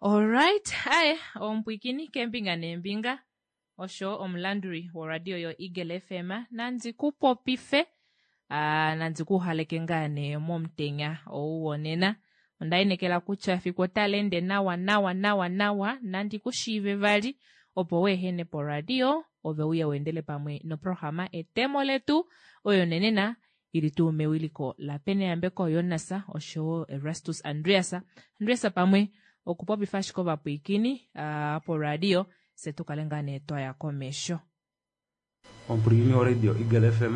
Alright, aye omupwikini keembinga neembinga osho omulanduli woradio yoEagle FM nandi ku popife nandi ku haleke ngaa nee momutenya ou wonena. Onda inekela kutya efiku otali ende nawa nawa nawa nawa nandi ku shiive vali opo weehene poradio ove uye weendele pamwe noprograma Etemo Letu oyo nenena ili tuu mewiliko laPeneyambeko Jonas oshowo Erastus Andreas. Andreas pamwe okupopifa ashike ovapwiikini poradio se tu kale ngaa nee twaya komesho. Omupwilikini woradio Eagle FM,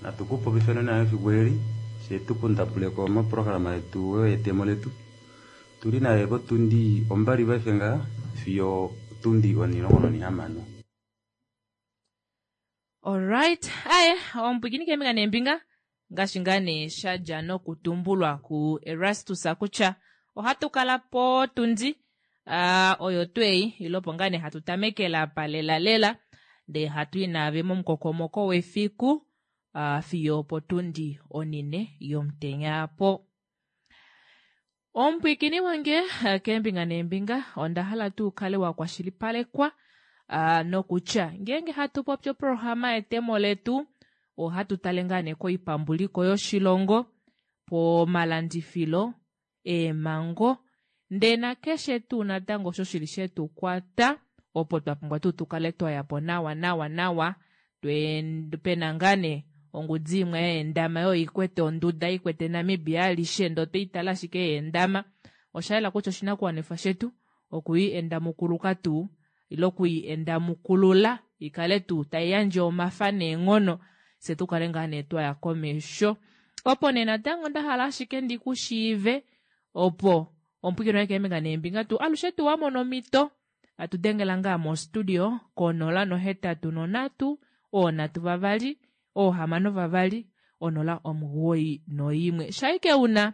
natu ku popife nena efiku eli, fye tu kundapuleko moprograma yetu oyo yetemo letu. Tuli naye kotundi ombali paife ngaha fiyo otundi onilongo nonihamano. Alright, aye omupwiikini keembinga neembinga ngaashi ngaa nee sha dja nokutumbulwa ku Erastus kutya ohatu kala potundi oyo tuu ei ile opo ngaa nee hatu tamekele apa lela lela ndee hatu i naave momukokomoko wefiku fiyo opotundi onine yomutenya po. Omupwiikini wange keembinga neembinga onda hala tuu kale wa kwashilipalekwa nokutya ngeenge hatu popi oprograma yetemo letu ohatu tale ngaa nee koipambuliko yoshilongo, pomalandifilo, eemhango ndee nakeshe tuu natango osho shili shetu kwata opo twa pumbwa tuu tu kale twa ya po nawa nawa nawa pena ngaa nee ongudi imwe yeendama yo ikwete onduda ikwete Namibia alishe ndee otwe itala ashike yeendama osha yela kutya oshinakuwanifwa shetu okuyi endamukuluka tuu ile okuyi endamukulula ikale tuu tai yandje omafa neenghono fye tu kale ngaa nee twaya komesho. Opo nee natango nda hala ashike ndi ku shiive opo omupwikino woye keembinga neembinga tuu alushe tuu wa mona omhito atu dengela ngaa mostudio konola nohetatu nonhatu oonhatu vavali oohamano vavali onola omugoyi noimwe shaike una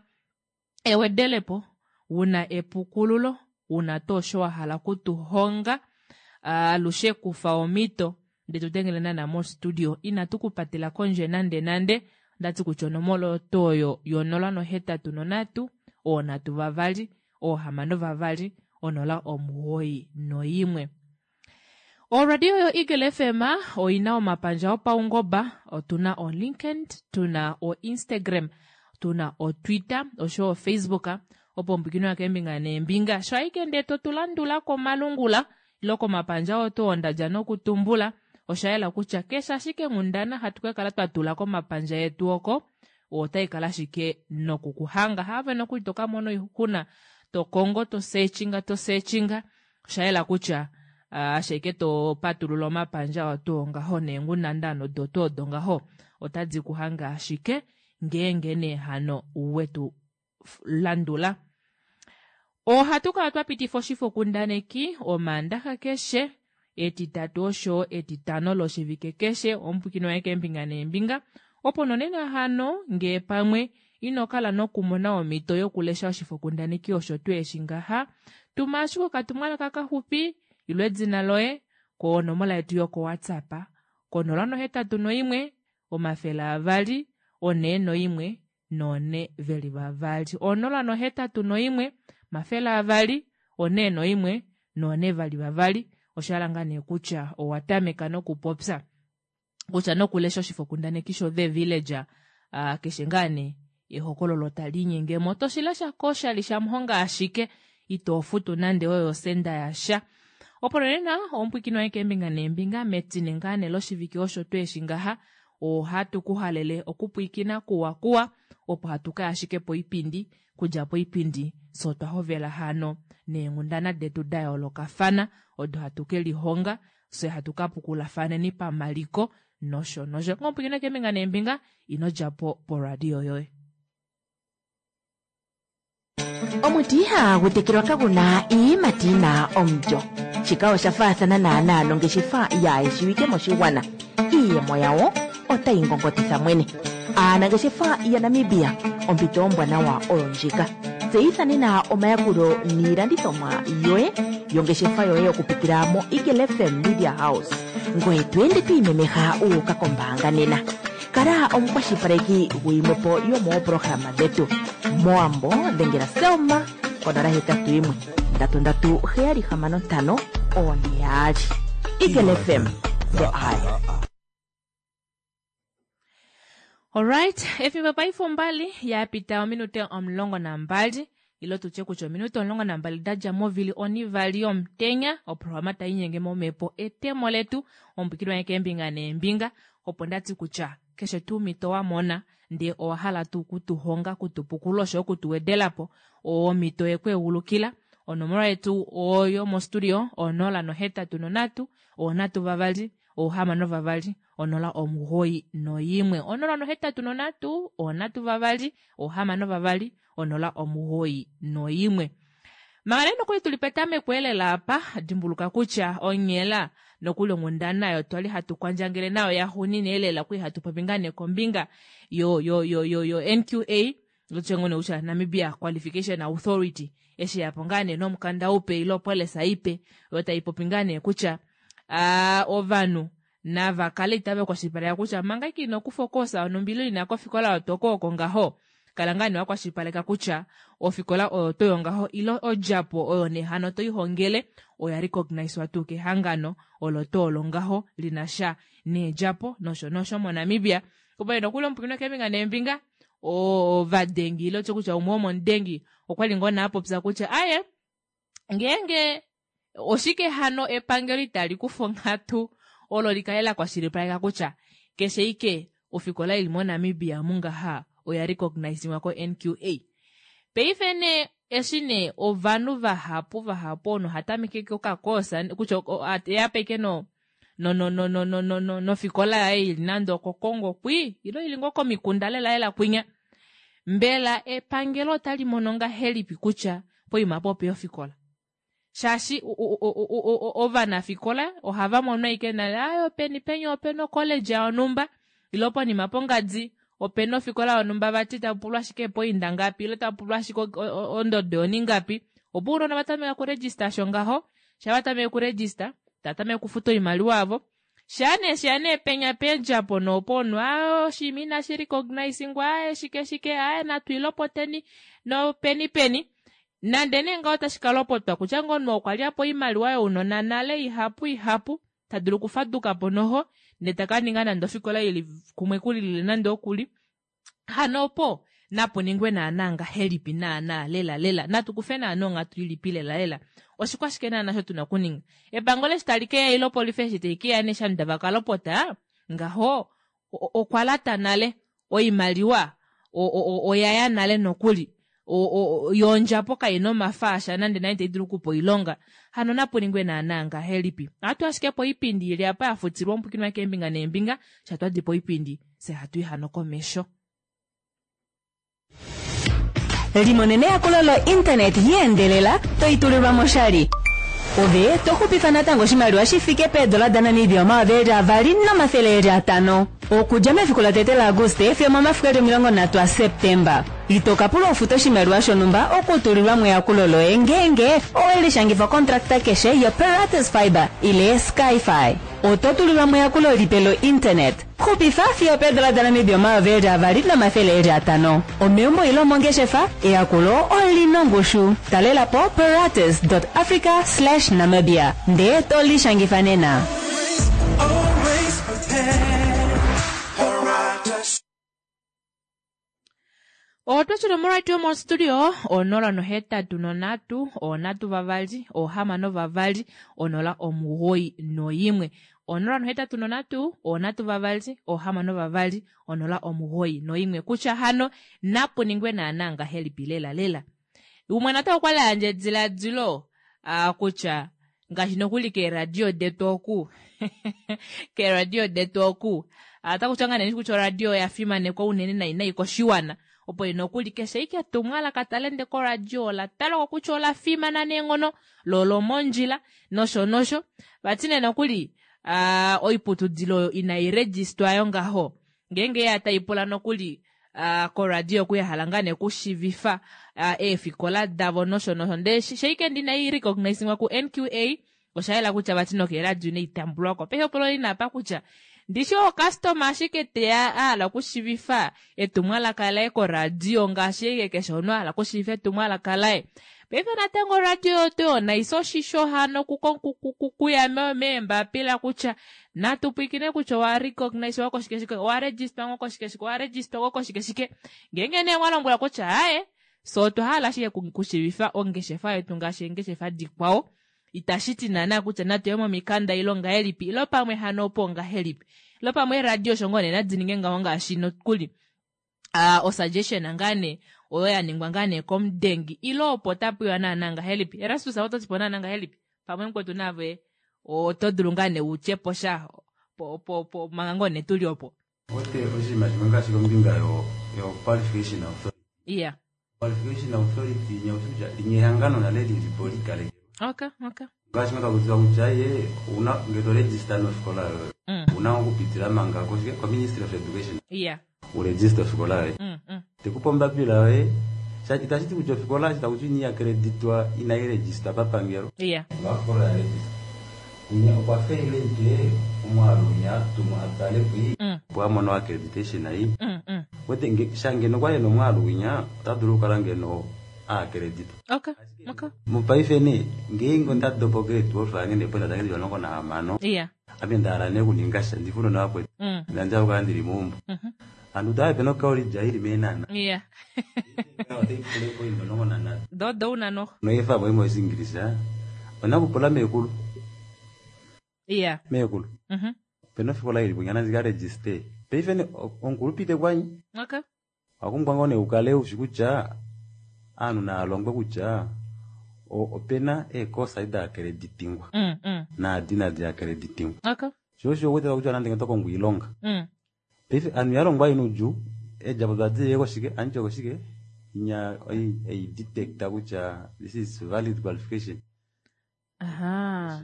ewedelepo wuna epukululo wuna tuu osho wa hala okutuhonga alushe kufa omhito ndee tu dengele naana mostudio inatu ku patela kondje nande nande ondati kutya onomola oyo tuu oyo yonola nohetatu nonhatu oonhatu vavali oohamano vavali onola omugoyi noimwe. Oradio yo Eagle FM oina omapandja opaungoba, otuna o LinkedIn, tuna o Instagram, tuna o Twitter osho o Facebook opo ombwikino yakeembinga neembinga sho aike ndee to tu landula komalungula ilo komapandja oo tuu ondadja nokutumbula osha yela kutya keshe ashike nghundana hatu ka kala twa tula komapandja etu oko otai kala ashike noku kuhanga haave nokuli to ka mona oixuna to kongo to searchinga to searchinga osha yela kutya ashike to patulula omapandja oo tuu ngaho neenghundana odo tuu odo ngaho otadi ku hange ashike ngeenge nee hano wetu landula. Ohatu kala twa pitifa oshifokundaneki Omaandaxa keshe, Etitatu osho Etitano loshivike keshe, omupwikini waye keembinga neembinga. Opo nonena hano ngee pamwe ino kala nokumona omhito yokulesha oshifokundaneki osho tuu eshi ngaha, tuma ashike okatumwalaka kaxupi ilo edina loye konomola yetu yokoWhatsApp konola nohetatu noimwe omafele avali onhee noimwe noonhe veli vavali. Onola nohetatu noimwe omafele avali onhee noimwe noonhe vali vavali. Osha hala ngaa nee kutya owa tameka nokupopya kutya nokulesha oshifokundaneki sho The Villager keshe ngaa nee ehokololo tali inyenge mo to shi lesha koshali shamuhonga ashike ito futu nande oyo osenda yasha. Opo nonena omupwikini waye keembinga neembinga metine ngaa nee loshivike osho tweeshi ngaha ohatu ku halele okupwiikina kuwa kuwa opo hatu kaya ashike poipindi kudja poipindi fye otwa hovela hano neenghundana detu da yoolokafana odo hatu ke lihonga fye hatu ka pukulafaneni pamaliko nosho nosho. Ngomupwiikina keembinga neembinga ino dja po poradio yoye. Omuti ihagu tekelwa kagu na iiyimati yi na omulyo. Shika osha faathana naanaa nongeshefa yaayeshiwike moshigwana. Iiyemo yawo otayi ngongotitha mwene. Aanangeshefa yaNamibia, ompito ombwanawa oyo ndjika. Tseyitha nena omayakulo niilandithomwa yoye yongeshefa yoye okupitila moEagle FM Media House. Ngoye to ende to imemeha wu uka kombaanga nena. Kala omukwashilipaleki guyimwe po yomooprograma dhetu. Mowambo dhengela Selma konola hetatu yimwe. 33 765 42. Eagle FM, the eye. Alright, efimbo paife ombali ya pita ominute 12 ilo tutye kutya ominute 12 da dja movili onivali yomutenya oprograma tai nyenge momhepo etemo letu omupwikili wange keembinga neembinga opo ndati kutya keshe tuu omhito wa mona ndee owa hala tuu kutuhonga kutupukula osho okutuwedelapo omhito yekweegulukila onomola yetu oyo mostudio 083 3 6 0 91 083 3 6 0 91 manga nee nokuli tuli petameko elela apa dimbuluka kutya onghela nokuli onghundana oyo twali hatu kwandjangele nayo yaxuuninwa elela okwali hatu popi ngaa nee kombinga yo yo yo yo yo NQA lotye kutya Namibia Qualification Authority eshi yapo ngaa nee nomukanda upe ile opolisa ipe oyo tai popi ngaa nee kutya ovanhu nava kale itava kwashilipaleka kutya manga ike ino kufa okoosa yonhumba ile ina kofikola oyo toko oko ngaho kala ngaa nee wakwashilipaleka kutya ofikola oyo toyo ngaho ile odjapo oyo nee hano toihongele oya recogniswa tuu kehangano olo tuu olo ngaho lina sha needjapo nosho nosho moNamibia. Opo nokuli omupwikinwa keembinga neembinga ovadengi ile otye kutya umwe womomudengi okwali ngoo nee apopya kutya aye ngeenge oshike hano epangelo itali kufa onghatu olo likale la kwashilipaleka kutya keshe ike ofikola ili moNamibia mungaha oya recognisingwa ko-NQA. Paife nee eshi nee ovanhu vahapu vahapu ono hatameke okakoosa kutya eyape ike no no no no no no no no nofikola yaye ili nande okoKongo kwi ilo ili ngoo komikunda lela lela kwinya mbela epangelo otali mono ngahelipi kutya poima apo opeya ofikola shaashi ovanafikola ohava mono ashike nale ayo peni penya opena ocollege yonhumba ilo ponima pongadi opena ofikola yonhumba vati tapupulwa ashike epoinda ngapi ilo tapupulwa ashike ondodo yoningapi opo ounona vatameka kuregister osho ngaho sha vatameke kuregister tatameke okufuta oimaliwa yavo shaa nee sheya nee penya peedjapo noopo omunhu aa oshinima inashi recognizingwa aaye shike shike aaye natu ilopoteni nopeni peni nande nee ngaho otashi ka lopotwa kutya ngoo omunhu okwa lya po oimaliwa younona nale ihapu ihapu ta dulu okufaduka po noho ndee taka ninga nande ofikola ili kumwe kulilile nande okuli hano opo napu ningwe naana ngahelipi naana lela lela natu kufe naana onghatu ilipi lela lela oshikwashike naana osho tuna okuninga epangelo eshi tali keya ile opolifi eshi tai keya nee eshi tava ka lopota ngaho okwa lata nale oimaliwa oyaya nale nokuli yondjapo kaina omafa asha nande nai tai dulu okupa oilonga hano napu ningwe naana ngahelipi ohatu ashike po oipindi ili apa ya futilwa omupwikinwa keembinga neembinga shatwadi po oipindi fye hatu i hano komesho. Limonene eyakulo lo-internet yeendelela toitulilwa moshali. Ove to xupifa natango oshimaliwa shi fike peedola daNamibia 2500. Okudja mefiku latete laAguste fiyo momafiku eli 30 aSeptemba. Ito ka pula ufuta oshimaliwa shonhumba okutulilwa mo eyakulo loye ngeenge owe lishangifa okontrakta keshe yoPeratus Fiber ile Skyfi. Oto tulilwa mo eyakulo lipe lo-internet. Xupifa fiyo peedola daNamibia 2500. Omeumbo ile omongeshefa, eyakulo olina ongushu. Talela po peratus.africa/namibia ndee to lishangifa nena. Otwa shuna moradio mostudio 083 3 6 2 091 083 3 6 2 091 kutya hano napu ningwe naana ngahelipi lela lela umwe natango okwali ayandja ediladilo kutya ngaashi nokuli keeradio detu oku keeradio detu oku otaku ngaa nee kutya oradio oya fimanekwa unene nai nai koshiwana opo nokuli keshe ike etumwalaka tali ende koradio ola talwa kutya ola fimana neenghono lo olomondjila nosho nosho vati nee nokuli oiputudilo oyo inai registwa yo ngaho ngeenge ya tai pula nokuli koradio oku yahala ngaa nee okushivifa eefikola davo nosho nosho ndee sheike ndi inai recognizingwa ku NQA osha yela kutya vati nokeeradio inai tambulwako paife opulo lina apa kutya ndishi ocustomer ashike teya ahala okushivifa etumwalaka laye koradio ngaashi eke keshe omunhu ahala okushivifa etumwalaka laye. Paife natango oradio yotu naisa oshisho hano kuya meembapila kutya natu pwiikine kutya owa recognize wa koshike shike, owa register ngo koshike shike, owa register ngo koshike shike. Ngeenge nee mwa lombwela kutya aaye, so otwa hala ashike kushiivifa ongeshefa yetu ngaashi eengeshefa dikwao. Itashi ti naana kutya natu ye momikanda ilo ngahelipi, ilo pamwe hano opo ngahelipi. Ilo pamwe eeradio osho ngoo nee nadi ninge ngaho ngaashi nokuli osuggestion ngaa nee oyo ya ningwa ngaa nee komudengi ilo opo tapuiwa naana ngahelipi. Erastus oto ti po naana ngahelipi? Pamwe mukwetu nave oto dulu ngaa nee utye po sha po manga ngoo nee tuli opo. Ote oshinima shimwe ngaashi kombinga yo qualification authority. Iya. Qualification authority nyaushi kutya linye ehangano nale lili po likalekelwa. Okay, okay. Ngaashi nga takutiwa kutya ye una ngele to register nofikola yoye. Una okupitila manga koshike ko Ministry of Education. Iya. U register ofikola yoye. Tekupa ombapila yoye. Itashi ti kutya ofikola eshi takuti ini accreditwa inai register papangelo. Iya. Nga ofikola ya register. Inya okwa faile ike omwaalu winya atumwa atale pwi. Opo a mone accreditation ei. Wete sha ngeno okwa li ena omwaalu winya ota dulu okukala ngeno a accreditwa. Okay, okay. Mopaife nee ngeenge onda dopa grade 12 yange neepointa dange dili 16. Iya. Ame nda hala nee okuninga sha ndifune novakwetu. Nda okukala ndili meumbo. Andu tava pena okolidja ili meenana. Iya. Otai pula eepointa 13. Dodo una noho. Noifa mo imwe Oshiingilisa. Ona kupula meekulu. Iya. Meekulu. Pena ofikola ili punya nandika register. Paife ne omukulupite kwanyi. Okay. Wakumbwa ngoo nee ukale ushi kutya aanhu naalongwe kutya opena eekosa da accreditingwa. Naadi nadi accreditingwa. Okay. Sho osho uwete kutya nande ngeno tokongo oilonga. Paife aanhu yalongwa ina udjuu, eedjapo dadiye koshike, andiye koshike, inya ei detecta kutya this is valid qualification. Aha.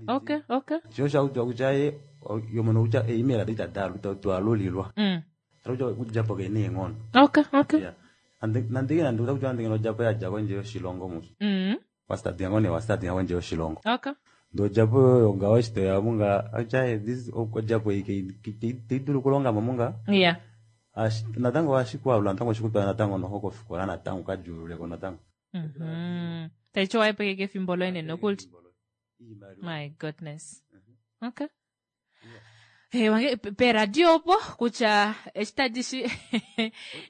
Okay, okay. Sho osho akutiwa kutya ye yomono kutya email adi itadi twalulilwa. Kutya okudjapo kena eenghono. Okay, okay. Yeah. Nande nande kutya nande ngeno odjapo yadja kondje yoshilongo musu. Wastartinga ngoo nee wastartinga kondje yoshilongo. Okay. Ndee odjapo oyo ngaho eshi toya munga kutya this odjapo ei teidulu okulonga mo munga. Yeah. Natango ohashi kwalula natango oshikutwala natango noho kofikola natango ukadjuululeko natango. Taiti owaepeke kefimbo loye nokuli. My goodness. Okay. Hey, wange peradio opo kutya eshi tadi shi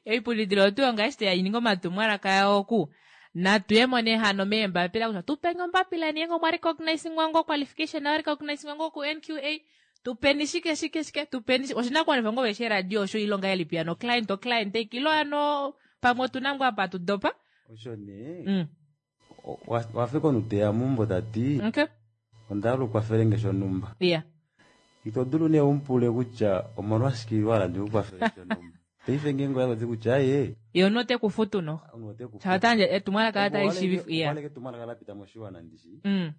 oipulidilo otu yonga eshi teya omatumwalaka yawo ku natuyemo nee hano meembapila kutya tupeni ombapila yeni ngenge omwa recognizingwa ngo qualification ya recognizingwa ngo ku NQA tupeni shike shike shike tupeni oshinakuwanifwa ngo veshe radio osho ilonga yelipi ano client o client ilo ano pamwe otuna ngoo apa tudopa. Osho nee wafika omuteya mumbo tati. Okay. Onda hala ukwafelenge shonhumba. Yeah. Ito dulu nee umupule kutya omolwashike wala ndikukwafele shonhumba. Paife ngeenge oya kutya aye. Ye omunhu ote kufutu noho. Shatanje etumwalaka la tali shiivifa. Yeah. Okwaleke etumwalaka la pita moshiwana ndishi.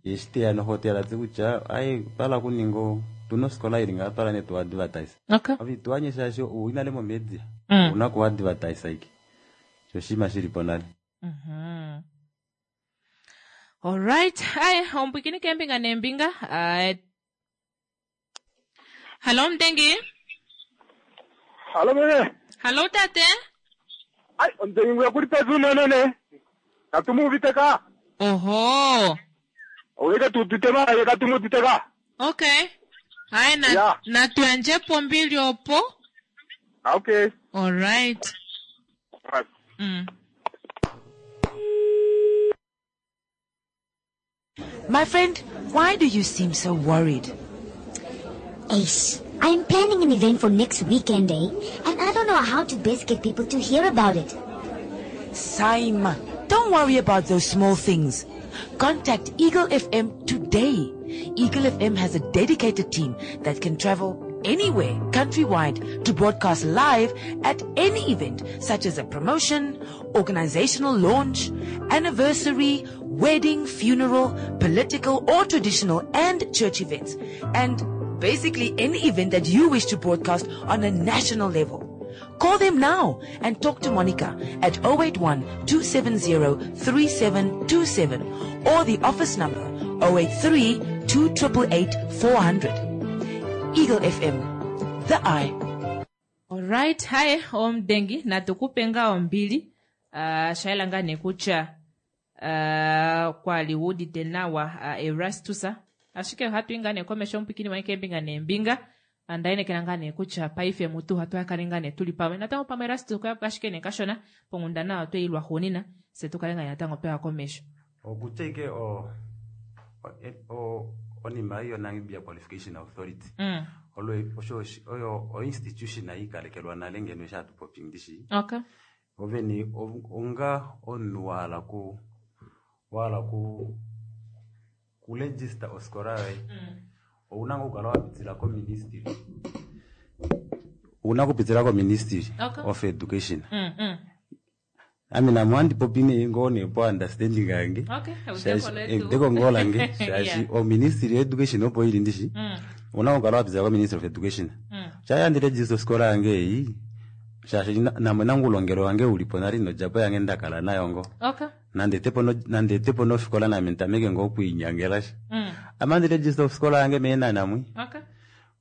Ye eshi teya noho teya tati kutya aye twala kuninga tuna ofikola ili ngaha twala nee tu advertise. Okay. Ove tuanye shaashi owina le momedia. Una ku advertise ike. Sho oshinima shilipo nale. Alright, aye ompwikini keembinga neembinga. Hallo Mdengi. Hallo mene. Hallo tate. Ai, Mdengi nguya kuli pedu nene. Katumuuvite ka. Oho. Oweke tutite ma, katumutite ka. Okay. Aye na Yeah. natuyandje pombili opo. Okay. Alright. Right. My friend, why do you seem so worried? Ace, I'm planning an event for next weekend, eh? And I don't know how to best get people to hear about it. Saima, don't worry about those small things. Contact Eagle FM today. Eagle FM has a dedicated team that can travel anywhere countrywide to broadcast live at any event such as a promotion, organizational launch, anniversary, wedding, funeral, political or traditional and church events, and basically any event that you wish to broadcast on a national level. Call them now and talk to Monica at 081-270-3727 or the office number 083-2888-400. Eagle FM, the eye. Alright, haye omudengi natukupe ngaa ombili. Shaela ngaa nee kutya Kwa li wuudite nawa Erastus, ashike ohatu i ngaa nee komesho omupwikini wange keembinga neembinga. Onda inekela ngaa nee kutya paife mutu ohatu kale ngaa nee tuli pamwe natango pamwe Erastus okwa yapo ashike nee kashona ponghundana oyo tweyi lwaxuunina fye tu kale ngaa nee natango tweya komesho. Okutya ike o o onima ei yoNamibia Qualification Authority olo osho oyo o institution yiikalekelwa nale ngeno eshi hatu popi ndishi. Okay. Ovene onga omunhu wa hala ku wa hala ku kuregister ofikola yoye ouna ngoo okukala wa pitila koministry. Ouna okupitila koministry of education. Ame name ohandi popi nee ngoo nee po understanding yange. Okay, eudeko letu. Eudeko ngoo lange shaashi oministry education opo ili ndishi. Ouna okukala wa pitila koministry of education. Sha handi register ofikola yange ei shaashi namwe nangu ulongelwe wange ulipo nale nodjapo yange ndakala nayo ngoo. Okay. Nande etepo nofikola name ntameke ngoo okwiinyangelasha. Ame handi register ofikola yange meenana mwi. Okay.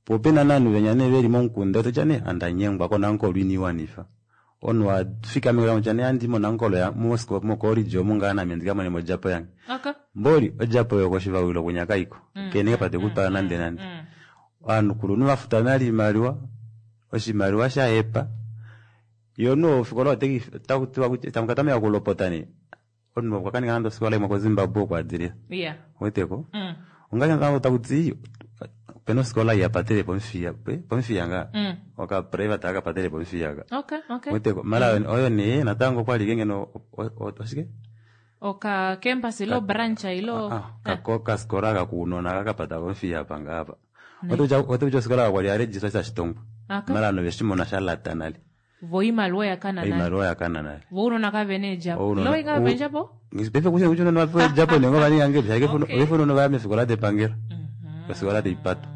Po opena novanhu venya nee veli momukunda totya nee andanyengwa konankolo iniwanifa. Omunhu wafikama kutya nee handi monankolo mocollege omu ngaa name ndikamone odjapo yange. Okay. Mboli odjapo yokoshivawilo kunya kaiko. Kene kapate kutwala nande nande. Ovanhu kulunhu vafuta nale oimaliwa, oshimaliwa shahepa. Yo no ofikola otakutiwa kutya tamukatameka okulopota nee. Omunhu okwa kaninga nande ofikola imwe koZimbabwe okwa adilila. Yeah. Weteko? Ongaashi natango takuti opena ofikola ei yapatele pOmuthiya, pOmuthiya ngaa. Oka private aka patele pOmuthiya ka. Okay, okay. Weteko? Mara oyo nee natango okwali ike ngeno oshike? Oka campus ilo branch ilo Okafikola kakuunona kakapata pOmuthiya apa ngaa apa. Ote kutya ofikola kakwali ya register shashitongwa. Mara ovanhu oveshimona shalata nale. Vo oimaliwa oya kana nale. Oimaliwa oya kana nale. Vo ounona kavena eedjapo. Ilo inga vapa eedjapo? Paife kushe kutya ounona vapewa eedjapo nee ngoo vaninga ngahelipi? Shaashi ounona vaya meefikola depangelo. Ofikola taipatwa.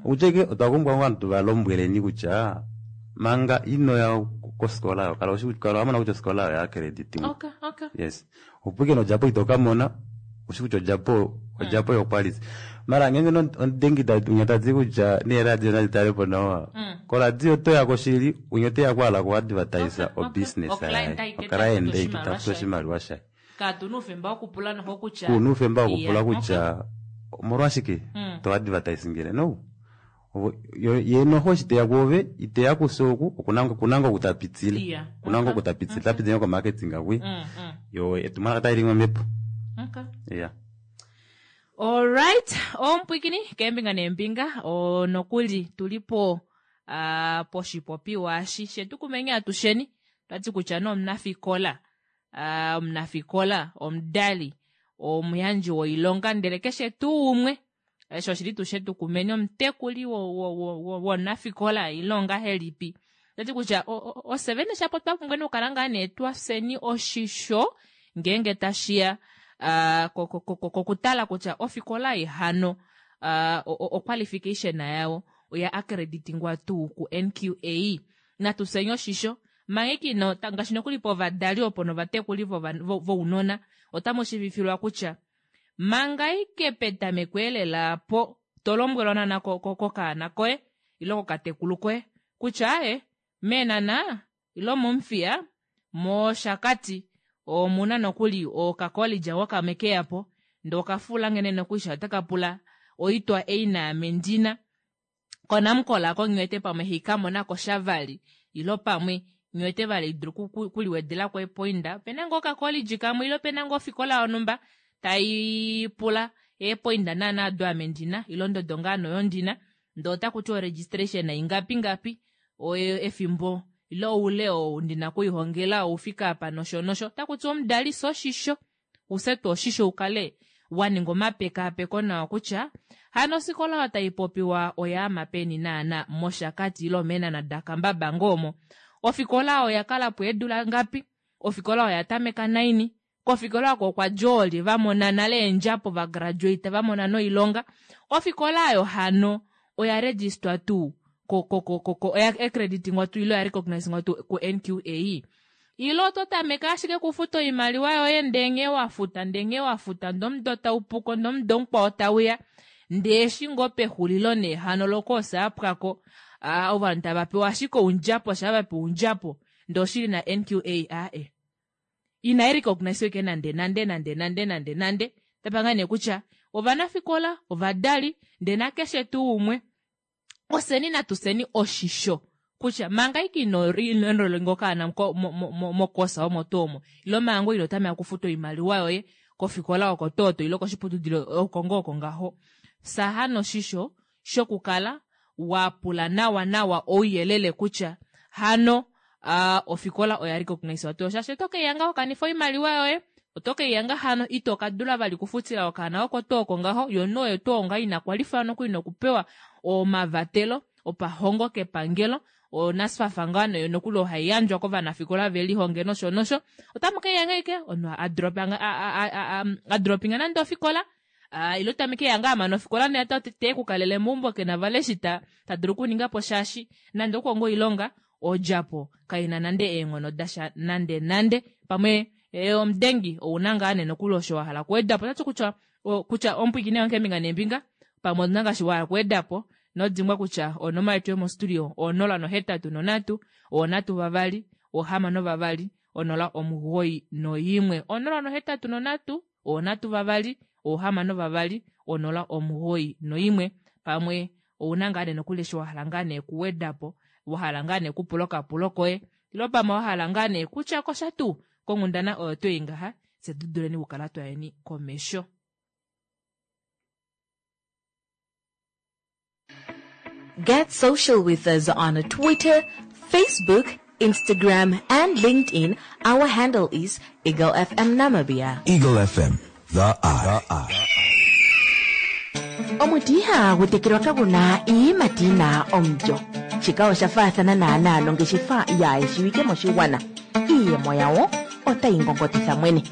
Okutya ike otwa pumbwa ngoo ovanhu tuvalombweleni kutya manga inoya kofikola oyo kala wamona kutya ofikola oyo ya accreditingwa. Okay, okay. Yes. Opo ike nodjapo itokamona ushi kutya odjapo yoquality. Mara ngeenge omudengi unya tati kutya neeradio nadi talepo nawa. Koradio otoya koshili unya oteya okuhala oku advertise o business yaye. Oclient aike tafutu oshimaliwa shaye. Katuna oufemba wokupula noho kutya. Kuna oufemba wokupula kutya omolwashike to advertise ngele no. Ye noho eshi teya kuove iteya kufye oku okuna ngoo kutapitile. Okuna ngoo kutapitile tapitile ko marketing akwi. Yo etumwalaka tali li momhepo. Okay. Yeah. Alright, omupwikini keembinga neembinga nokuli tulipo poshipopiwa eshi shetu kumenya atusheni twati kutya nomunafikola omunafikola omudali omuyandji woilonga ndele keshe tuu umwe osho oshili tuu shetu kumeni omutekuli womunafikola ile ongahelipi tati kutya osevene shapo twapumbwa okukala ngaa nee twafyeni oshisho ngeenge tashiya kokutala kutya ofikola ei hano oqualification yawo oya accreditingwa tuu ku NQA. Natu fyeni oshisho manga ino ngaashi nokuli povadali opo novatekuli vounona otamu shiivifilwa kutya manga ike petameko elela po tolombwelwa naana kokaana koye ile kokatekulu koye kutya aye meenana ilo mOmuthiya mOshakati omuna nokuli okacollege wakamwe keyapo ndee okafula nghene nokuli otaka pula oitwa ei naame ndina konamukola ako nghiwete pamwe hikamonako shavali ilo pamwe nghiwete vali dulu kuliwedelako epoinda opena ngoo okacollege kamwe ilo opena ngoo ofikola yonhumba taipula eepoinda naana ado ame ndina ilo ondodo ngaa noyo ndina ndee otakuti o registration ingapi ngapi efimbo ilo oule oo ndina okuihongela oufika apa nosho nosho otakuti omudali fya oshisho ufye tuu oshisho ukale waninga omapekaapeko nawa kutya hano ofikola oyo taipopiwa oyaama peni naana mOshakati ilo meenana dakambaba ngoo ofikola oyo oyakalapo eedula ngapi ofikola oya tameka naini kofikola oko okwa dja oolye vamona nale eendjapo vagraduate vamona noilonga ofikola oyo hano oya registwa tuu oya accreditingwa tuu ile oya recognizingwa tuu ku NQA ilo oto tameke ashike okufuta oimaliwa yoye ndee nghee wafuta ndee nghee wafuta ndee omudo taupuko ndee omudo mukwao tauya ndee eshi ngoo pexulilo nee hano lokoosa yapwako ovanhu tava pewa ashike oundjapo shaa vapewa oundjapo ndee oshili na NQA aae. Inai recognize ke nande nande nande nande nande nande. Tapanga nee kutya ovanafikola, ovadali, ndee nakeshe tuu umwe oseni natuseni oshisho kutya manga ike ino enrolinga okaana mokosa omo tuu omo ilo manga ino tameka okufuta oimaliwa yoye kofikola oko tooto ilo koshiputudilo oko ngoo oko ngaho, fya hano oshisho shokukala wa pula nawa nawa ouyelele kutya hano ofikola oya recognisewa tuu, shaashi oto keiyanga wakanifa oimaliwa yoye, oto keiyanga hano ito ka dula vali okufutila okaana oko tuu oko ngaho, yo noyo oyo tuu ngaho ina kwalifwa nokuli nokupewa omavatelo opahongo kepangelo, oNSFAF ngaa noyo nokuli oyo hai yandjwa kovanafikola ve lihonge nosho nosho, otamu keiyanga ashike omunhu a dropinga nande ofikola, ilo tamu keya ngaa amana ofikola ndee te kukalele meumbo kena vali eshi ta dulu okuninga po shaashi nande okukonga oilonga odjapo kaina nande eenghono dasha nande nande. Pamwe omudengi ouna ngaa nee nokuli osho wa hala okuweda po, otati kutya kutya omupwiikini wange keembinga neembinga pamwe otuna ngaashi wa hala okuweda po, nodimbwa kutya onomola yetu yomostudio 083 3 6 2 091 083 3 6 2 091 pamwe ouna ngaa nee nokuli eshi wa hala ngaa nee okuweda po, wa hala ngaa nee okupula okapulo koye ilo pamwe wa hala ngaa nee kutya kosha tuu konghundana oyo twei ngaha, fye tu duleni okukala twayeni komesho. Get social with us on Twitter, Facebook, Instagram and LinkedIn. Our handle is Eagle FM Namibia. Eagle FM, the eye. Omuti ihagu tekelwa kagu na iiyimati yi na omulyo. Shika osha faathana naanaa nongeshefa yaayeshiwike moshigwana. Iiyemo yawo otayi ngongotitha mwene.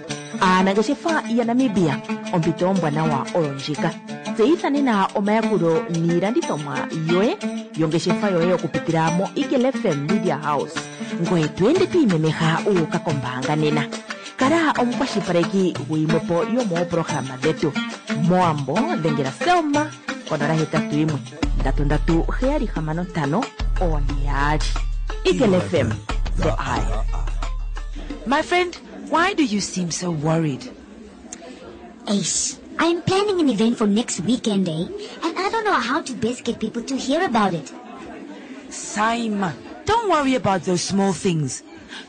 Aanangeshefa yaNamibia, ompito ombwanawa oyo ndjika. Tseyitha nena omayakulo niilandithomwa yoye yongeshefa yoye okupitila moEagle FM Media House. Ngoye to ende to imemeha wu uka kombaanga nena. Kala omukwashilipaleki guyimwepo yomoopolohalama dhetu. Mowambo dhengela Selma ko 081 337 65 42. Eagle FM, the eye. My friend, why do you seem so worried? Eish, I'm planning an event for next weekend, eh? And I don't know how to best get people to hear about it. Saima, don't worry about those small things.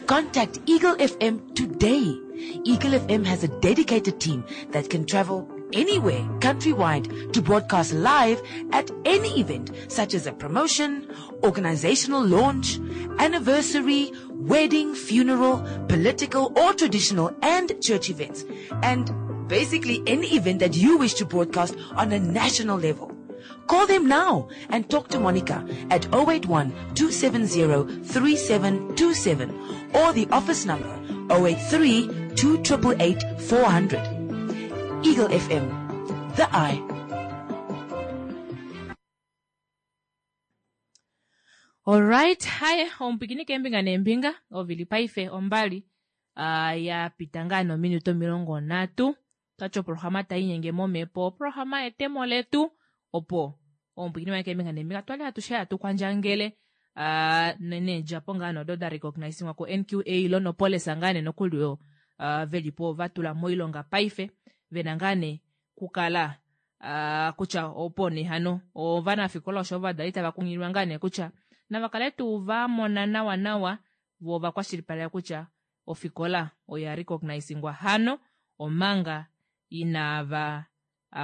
Contact Eagle FM today. Eagle FM has a dedicated team that can travel anywhere countrywide to broadcast live at any event, such as a promotion, organizational launch, anniversary, wedding, funeral, political or traditional and church events, and basically any event that you wish to broadcast on a national level. Call them now and talk to Monica at 081-270-3727 or the office number 083-2888-400. Eagle FM, the eye. Alright, haye omupikini keembinga neembinga ovili paife ombali ya pita ngaa nominute 30 twati oprograma tai inyenge momhepo oprograma yetemo letu opo omupikini wange keembinga neembinga twali atushe hatu kwandjangele needjapo ngaa nodo da recognizingwa ko NQA ilo nopolisa ngaa nee nokuli oyo velipo vatula moilonga paife vena ngaa nee kukala kutya opo nee hano ovanafikola osho ovadali tava kunghililwa ngaa nee kutya nava kale tuu va mona nawa nawa vo vakwashilipaleka kutya ofikola oya recognizingwa hano omanga inava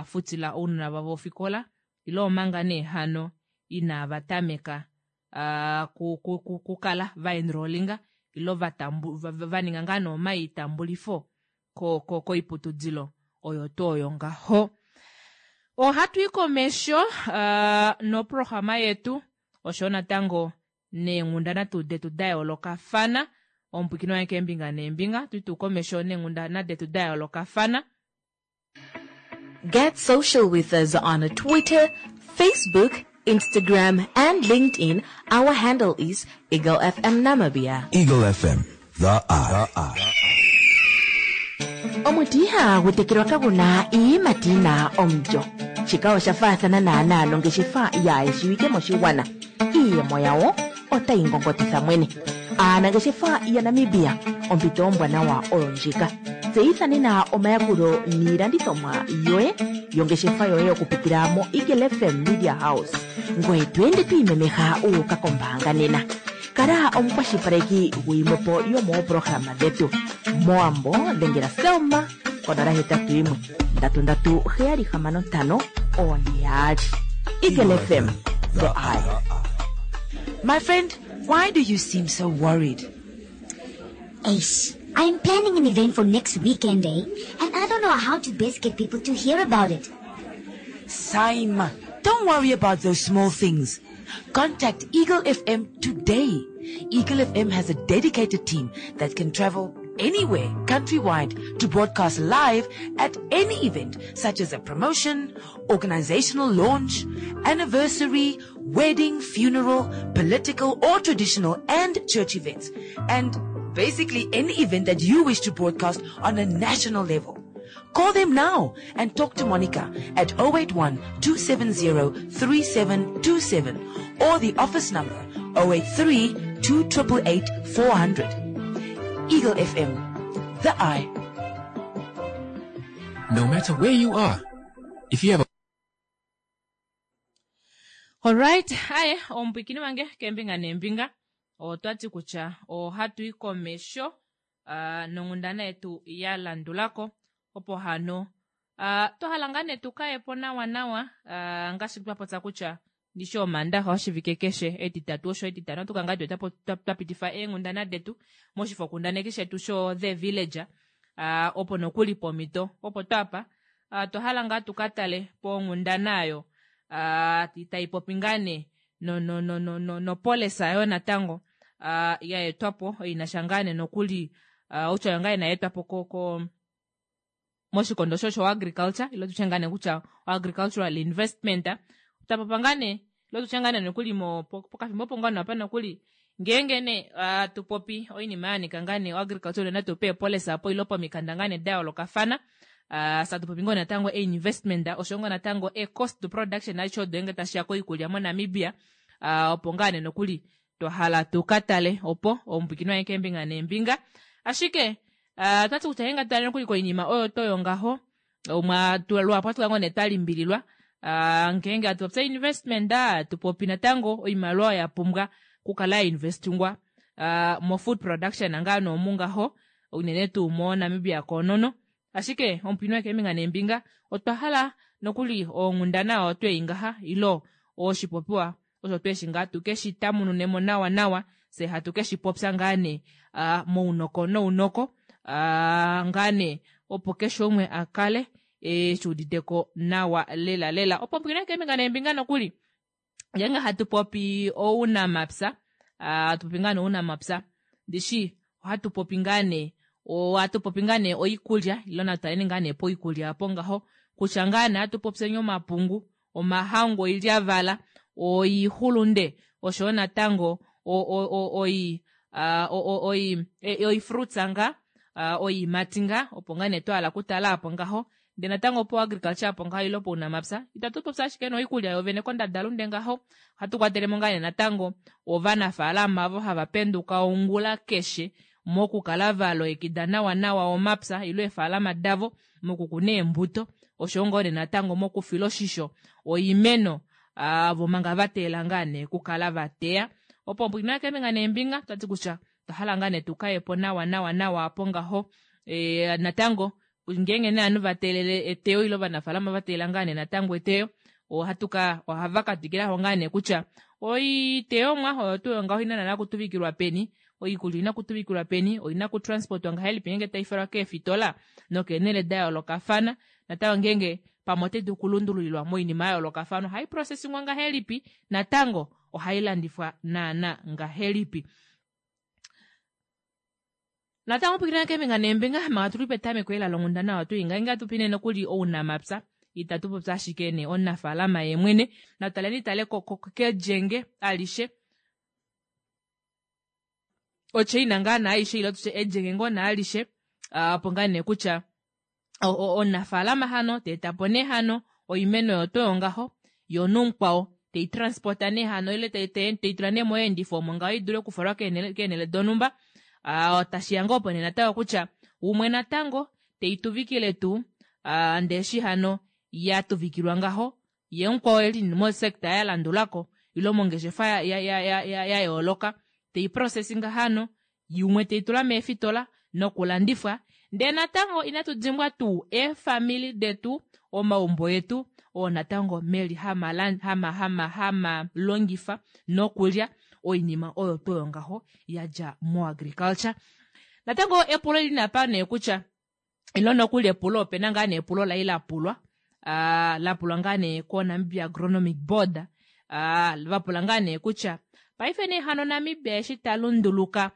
futila ounona vavo ofikola ilo omanga nee hano inava tameka kukala va enrollinga ilo va ninga ngaa nee omaitambulifo koiputudilo oyo tuu oyo ngaho. Ohatu i komesho noprograma yetu osho natango neenghundana tuu detu da yoolokafana omupwikini wange keembinga neembinga tu tuu komesho neenghundana detu da yoolokafana. Get social with us on Twitter, Facebook, Instagram and LinkedIn. Our handle is Eagle FM Namibia. Eagle FM, the eye. Omuti ihagu tekelwa kagu na iiyimati yi na omulyo. Shika osha faathana naanaa nongeshefa yaayeshiwike moshigwana. Iiyemo yawo otayi ngongotitha mwene. Aanangeshefa yaNamibia, ompito ombwanawa oyo ndjika. Tseyitha nena omayakulo niilandithomwa yoye yongeshefa yoye okupitila moEagle FM Media House. Ngoye to ende to imemeha wu uka kombaanga nena. Kala omukwashilipaleki guyimwe po yomooprograma dhetu. Mowambo dhengela Selma ko 081 337 65 42. Eagle FM, the eye. My friend, why do you seem so worried? Eish, I'm planning an event for next weekend, eh? And I don't know how to best get people to hear about it. Saima, don't worry about those small things. Contact Eagle FM today. Eagle FM has a dedicated team that can travel anywhere countrywide to broadcast live at any event such as a promotion, organizational launch, anniversary, wedding, funeral, political or traditional and church events. And basically any event that you wish to broadcast on a national level. Call them now and talk to Monica at 081 270 3727 or the office number 083 2888 400. Eagle FM, the eye. No matter where you are, if you have a Alright, aye omupwikini wange kembinga nembinga otwati kutya ohatu yi komesho nonghundana yetu ya landulako opo hano twahala ngaa nee tukayepo nawa nawa ngaashi twapopya kutya ndishi omandaxa oshivike keshe etitatu osho etitano ohatu kala ngaa tuwete twapitifa eenghundana detu moshifokundaneki shetu sho The Villager opo nokuli pomito opo twapa otwa ngaa tukatale ponghundana ayo taipopi ngaa nee nopolisa yoo natango yaetwapo inasha ngaa nee nokuli outya ngaa nee yaetwapo ko moshikondo sho agriculture ilo tutye ngaa nee kutya agricultural investment tapopa ngaa nee ilo tutye ngaa nee nokuli pokafimbo opo ngaa apa nokuli ngeenge nee tupopi oinima yanika ngaa nee agriculture unene tuu peepolisa apo ilo pomikanda ngaa nee dayoolokafana satupopi ngoo natango einvestment oshoyo ngoo natango e-cost production aishe odo ngenge tashiya koikulya moNamibia opo ngaa nee nokuli twahala tukatale opo omupwiikini wange keembinga neembinga ashike otwati kutya ngeenge atutale nokuli koinima oyo toyo ngaho luhapu ohatu kala ngoo nee twalimbililwa ngeenge hatupopya investment tupopi natango oimaliwa oyo yapumbwa okukala yainvestingwa mo food production ngaa noomu ngaho unene tuu moNamibia koonono ashike omupwiikini wange keembinga neembinga otwa hala nokuli onghundana oyo tweyi ngaha ilo oshipopiwa osho tweshi ngaa tukeshi tamununemo nawa nawa fye hatu keshipopya ngaa nee mounoko nounoko ngaa nee opo keshe umwe akale eshuuditeko nawa lela lela opo omupwiikini wange keembinga neembinga nokuli ngeenge hatu popi ounamapya hatupopi ngaa nee ounamapya ndishi ohatu popi ngaa nee ohatu ngaa nee oikulya ilo natutaleni ngaa nee poikulya apo ngaho kutya ngaa nee atupopyeni omapungu omahangu oilyavala oixulunde oshoyo natango oifruits ngaa oiimati ngaa opo ngaa nee twahala okutala apo ngaho ndee natango po agriculture apo ngaho ilo pounamapya itatu popi ashike noikulya yovene kondadalunde ngaho ohatu kwatelemo ngaa nee natango ovanafalama ovo hava penduka ongula keshe mokukala valongekida nawa nawa omapya ilo eefalama davo mokukuna eembuto oshoyo ngoo nee natango mokufila oshisho oimeno vo manga vateelela ngaa nee okukala vateya opo pwiina keembinga neembinga otwati kutya otwahala ngaa nee tukayepo nawa nawa nawa apo ngaho natango ngeenge nee ovanhu vateelele eteyo ile ovanafalama vateelela ngaa nee natango eteyo ohatuka ohava katwikilako ngaa nee kutya oiteyomwa oyo tuu ngaho oina naana okutuvikilwa peni oikulya oina okutuvikilwa peni oina okutransportwa ngahelipi ngeenge taifalwa keefitola nokeenele dayoolokafana natango ngeenge pamwe otaidulu okulundululilwa moinima yayoolokafana ohaiprocessingwa ngahelipi natango ohailandifwa naana ngahelipi natango pwikina keembinga neembinga manga tuli petameko ela longhundana oyo twii ngeenge atupi nee nokuli ounamapya itatu popi ashike nee omunafalama yeemwene natutaleni tale kelyenge alishe ochaina ngaa naaishe ile tutye elyenge ngoo naalishe opo ngaa nee kutya omunafalama hano teetapo nee hano oimeno oyo toyo ngaho yoo nomukwao Tei transporta nee hano ile tei tula nee moyeendifo omo ngaho idule okufalwa keenhele donhumba. Tashiya ngoo opo nee natango kutya umwe natango teituvikile tuu ndee eshi hano yatuvikilwa ngaho yee mukwao eli mosector yalandulako ile mongeshefa yayooloka teiprocessinga hano umwe teitula meefitola nokulandifwa. Ndee natango inatu dimbwa tuu eefamili detu, omaumbo etu oo natango meli hama longifa nokulya oinima oyo tuu oyo ngaho yadja moagriculture. Natango epulo eli napa nee kutya ilo nokuli epulo opena ngaa nee epulo lai lapulwa lapulwa ngaa nee ko Namibia Agronomic Board vapula ngaa nee kutya paife nee hano Namibia eshi talunduluka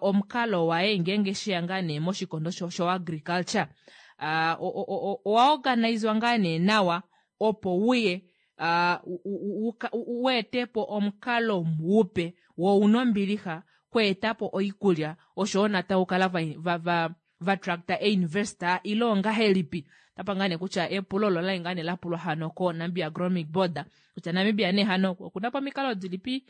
omukalo waye ngeenge sheya ngaa nee moshikondo sho agriculture owa organizwa ngaa nee nawa opo uye weetepo omukalo mupe wo una ombilixa kweetapo oikulya oshoyo natango okukala vatractor einvestor ile ongahelipi. Otapa ngaa nee kutya epulo olo olali ngaa nee lapulwa hano ko Namibia Agronomic Board kutya Namibia nee hano okuna po omikalo dilipi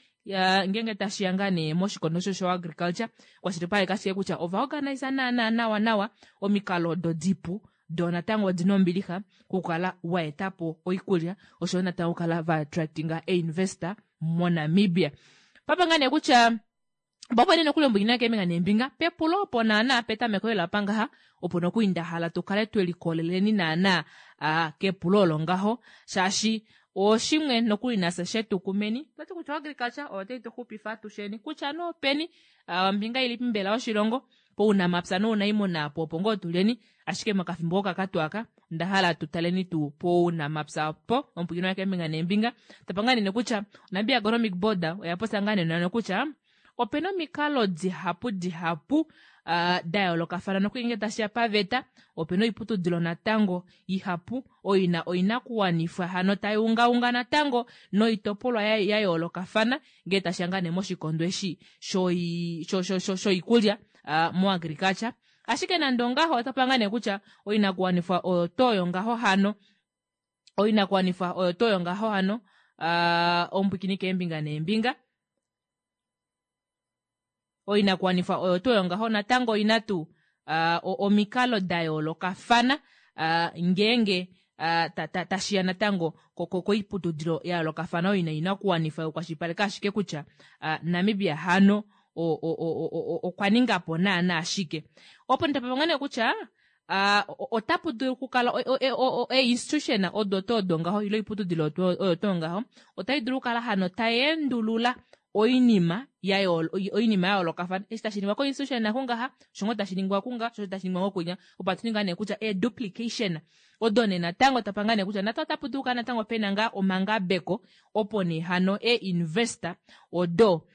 ngeenge tashiya ngaa nee moshikondo sho agriculture kwashilipaleka ashike kutya ova organisa naana nawa nawa omikalo odo dipu doo natango odina ombilixa okukala waetapo oikulya oshoyo natango okukala vaattractinga einvestor moNamibia. Papa ngaa nee kutya opo nee nokuli ombwina keembinga neembinga pepulo opo naana petameko lela pangaha opo nokuli ndahala tukale twelikoleleni naana kepulo olo ngaho shaashi oshimwe nokuli nafye shetukumeni toti kutya agriculture oyo tai tuxupifa atusheni kutya nee openi ombinga ilipi mbela yoshilongo pounamapya nounaimuna apo opo ngoo tuleni ashike mokafimbo okakatu aka ndahala tutaleni tuu pounamapya opo omupwilikini keembinga neembinga tapa ngaa nene kutya Namibia Agronomic Board oya popya ngaa nene kutya opena omikalo dihapu dihapu dayoolokafana nokuli ngee tashiya paveta opena oiputudilo natango ihapu oyo ina oinakuwanifwa hano tai ungaunga natango noitopolwa yayoolokafana ngee tashiya ngaa nee moshikondo eshi shoikulya moagriculture. Ashike nande ongaho otapa ngaa nee kutya oinakuwanifwa oyo tuu oyo ngaho hano oinakuwanifwa oyo tuu oyo ngaho hano omupwiikini keembinga neembinga oinakuwanifwa oyo tuu oyo ngaho natango oina tuu omikalo dayoolokafana ngeenge tashiya natango koiputudilo yayoolokafana oyo ina oinakuwanifwa yokukwashilipaleka ashike kutya Namibia hano okwa ningapo naana ashike. Opo ndapapa ngaa nee kutya otapu dulu okukala einstitution odo tuu odo ngaho ile oiputudilo oyo tuu ngaho otai dulu okukala hano tai endulula oinima yayoolokafana eshi tashi ningwa koinstitution nakungaha osho ngoo tashi ningwa kunga osho tashi ningwa ngokunya opo hatu ninga nee kutya eduplication odo nee natango tapa ngaa nee kutya natango otapu dulu okukala natango pena ngaa omangabeko opo nee hano einvestor odo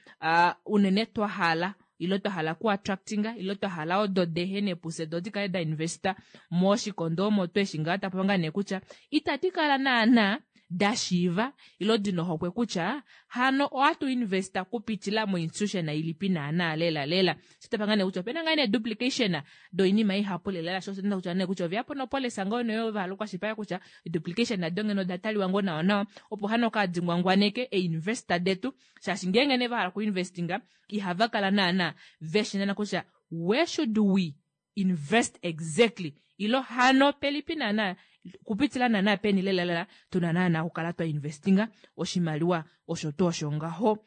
unene twahala ile twahala okuattractinga ile twahala odo dehene pufye doo dikale dainvesta moshikondo omo tweshi ngaa tapa ngaa nee kutya itadi kala naana dashiiva ilo dina ohokwe kutya hano ohatu investa kupitila moinstitution ilipi naana lela lela. Shitapa ngaa nee kutya opena ngaa nee duplication doinima ihapu lela sho osho kutya nee kutya oveyapo nopolicy ngoo nee vahala okukwashilipaleka kutya duplication nado ngeno oda taliwa ngoo nawa nawa opo hano kaadi ngwangwaneke einvestor detu shaashi ngeenge nee vahala okuinvestinga ihava kala naana veshina kutya where should we invest exactly ilo hano pelipi naana kupitila naana peni lela lela tuna naana okukala twa investinga oshimaliwa osho tuu osho ngaho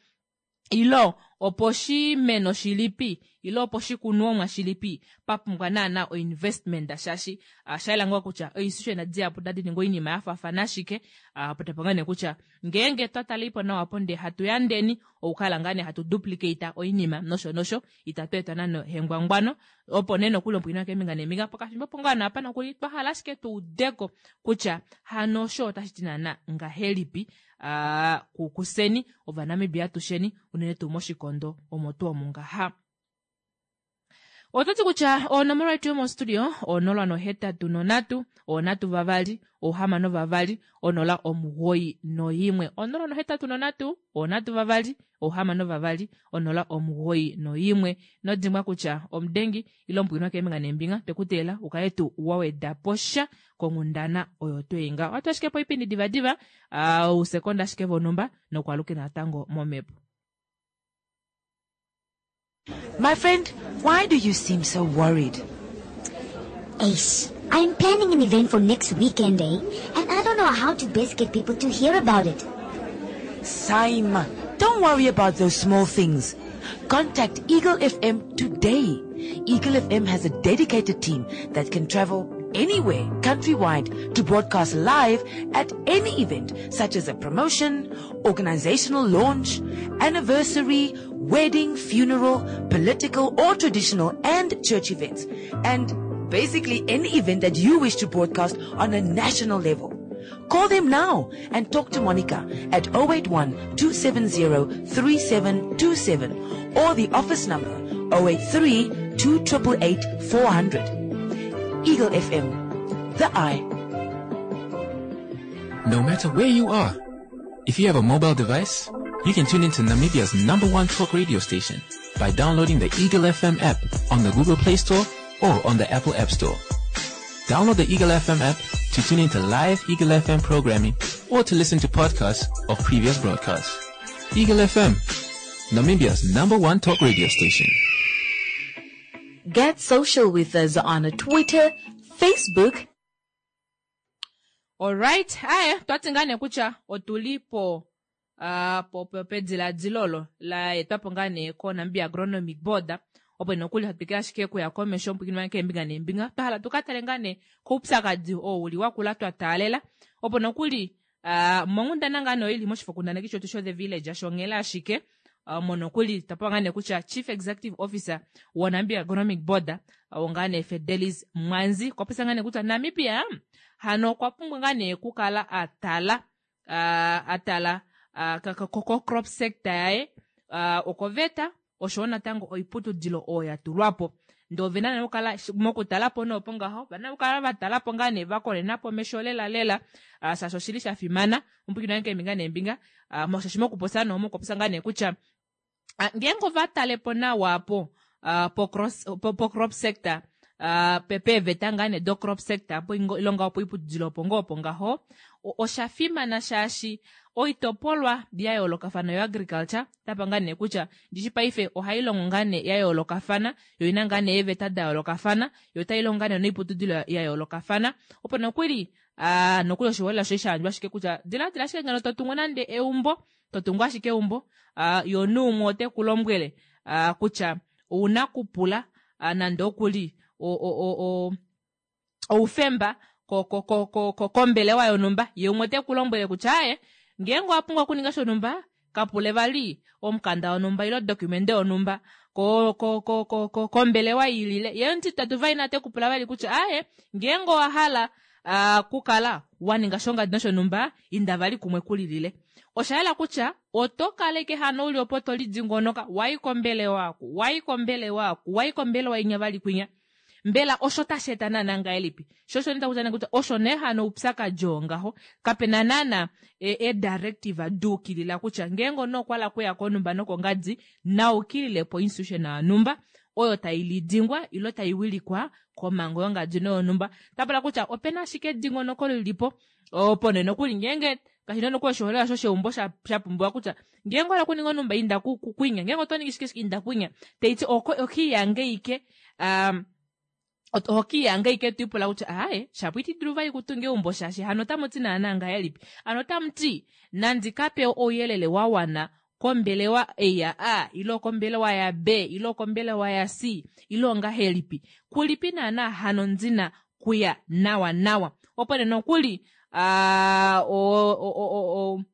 ilo opo oshimeno shilipi ilo opo oshikunomwa shilipi papumbwa naana oinvestment shaashi osha ngoo kutya oinstitution dihapu tadi ningi oinima yafaafana ashike opo tapa ngaa nee kutya ngeenge twa taleipo nawa po ndee hatu yandeni okukala ngaa nee hatu duplicate oinima nosho nosho itatu etwa nande hengwangwano opo nee nokuli omupwilikini keembinga neembinga pokafimbo opo ngaa naapa nokuli twahala ashike tuudeko kutya hano osho otashi ti naana ngahelipi kuseni ovanamibia atusheni unene tuu moshikondo omo tuu omu ngaha. Ototi kutya onomola yetu yomostudio 083 3 6 2 091 083 3 6 2 091 nodimbwa kutya omudengi ile omupwikinwa keembinga neembinga twekuteela ukale tuu wa weda po sha konghundana oyo tweinga. Ohatu ashike po oipindi divadiva ousekonda ashike vonhumba nokwalukila natango momhepo. My friend, why do you seem so worried? Ace, I'm planning an event for next weekend, eh? And I don't know how to best get people to hear about it. Saima, don't worry about those small things. Contact Eagle FM today. Eagle FM has a dedicated team that can travel anywhere countrywide to broadcast live at any event such as a promotion, organizational launch, anniversary, wedding, funeral, political or traditional and church events. And basically any event that you wish to broadcast on a national level. Call them now and talk to Monica at 081 270 3727 or the office number 083 288 400. Eagle FM, the eye. No matter where you are, if you have a mobile device, you can tune into Namibia's number one talk radio station by downloading the Eagle FM app on the Google Play Store or on the Apple App Store. Download the Eagle FM app to tune into live Eagle FM programming or to listen to podcasts of previous broadcasts. Eagle FM, Namibia's number one talk radio station. Get social with us on Twitter, Facebook, Alright, aye, twati ngaa nee kutya otuli po uh, po, po pediladilo olo la etwapo ngaa nee ko Namibia Agronomic Board opo nokuli hatu twikile ashike okuya komesho omupwikinwa keembinga neembinga twa hala tuka tale ngaa nee koupyakadi oo uli wakula twa taalela opo nokuli uh, monghundana ngaa nee oili moshifokundaneki shetu sho The Village shonghela ashike uh, monokuli twa ngaa nee kutya Chief Executive Officer woNamibia Agronomic Board uh, ngaa nee Fidelis Mwanzi okwa popya ngaa nee kutya Namibia hano okwa pumbwa ngaa nee okukala a tala uh, a tala uh, ko crop sector yaye uh, okoveta oshowo natango oiputudilo oyo ya tulwa po ndee ovena nee okukala mokutala po noopo ngaho ovena okukala va tala po ngaa nee va konena po mesho lela lela uh, shaashi oshili sha fimana omupwikinwa wange keembinga neembinga uh, shaashi mokupopya noo mokupopya ngaa nee kutya uh, ngeenge ova tale po nawa po uh, po, cross, po, po crop sector uh, peeveta ngaa nee do crop sector po ilonga opo oiputudilo opo ngoo opo ngaho osha fimana shaashi oitopolwa ya yoolokafana yo agriculture tapa ngaa nee kutya ndishi paife ohai longo ngaa nee ya yoolokafana yo ina ngaa nee eeveta da yoolokafana yo otai longo ngaa nee noiputudilo ya yoolokafana opo nokuli uh, nokuli oshiholela shoye sha yandjwa ashike kutya diladila ashike ngeno to tungu nande eumbo to tungu ashike eumbo uh, yo nuumwe ote ku lombwele uh, kutya ouna kupula uh, nande okuli o, o, o, o, oufemba kombelewa yonhumba ye umwe ote ku lombwele kutya aye ngeenge owa pumbwa okuninga shonhumba kapule vali omukanda wonhumba ile odocumente yonhumba kombelewa ilile ye omutitatu vali nate kupula vali kutya aye ngeenge owa hala uh, kukala wa ninga shongadi noshonhumba inda vali kumwe kulilile osha yela kutya oto kaleke hano uli opo to lidingonoka wayi kombelewa aku wayi kombelewa aku wayi kombelewa inya vali kwinya mbela osho tashi eta naana ngahelipi sho osho nda kutya kutya osho nee hano oupyakadi oo ngaho kapena naana e directive duukilila kutya ngeenge omunhu okwa hala okuya konhumba nokongadi naukilile po institution yonhumba oyo tai lidingwa ilo tai wilikwa komhango yongadi noyonhumba tapula kutya opena ashike edingonoko lilipo opo nee nokuli ngeenge kashi na nokuli oshiholelwa shosheumbo sha pumbiwa kutya ngeenge owa hala okuninga onhumba inda kwinya ngeenge oto ningi shike inda kwinya taiti okiiyange ike um, ohokiiyange ike twiipula kutya aaye shapo iti dulu vali kutunga eumbo shaashi hano otamu ti naana ngahelipi ano otamu ti nandi kape ouyelele wa wana kombelewa ei ya A ile okombelewa ya B ile okombelewa ya C ile ongahelipi kulipi naana hano ndina kuya nawa nawa opo nee nokuli uh,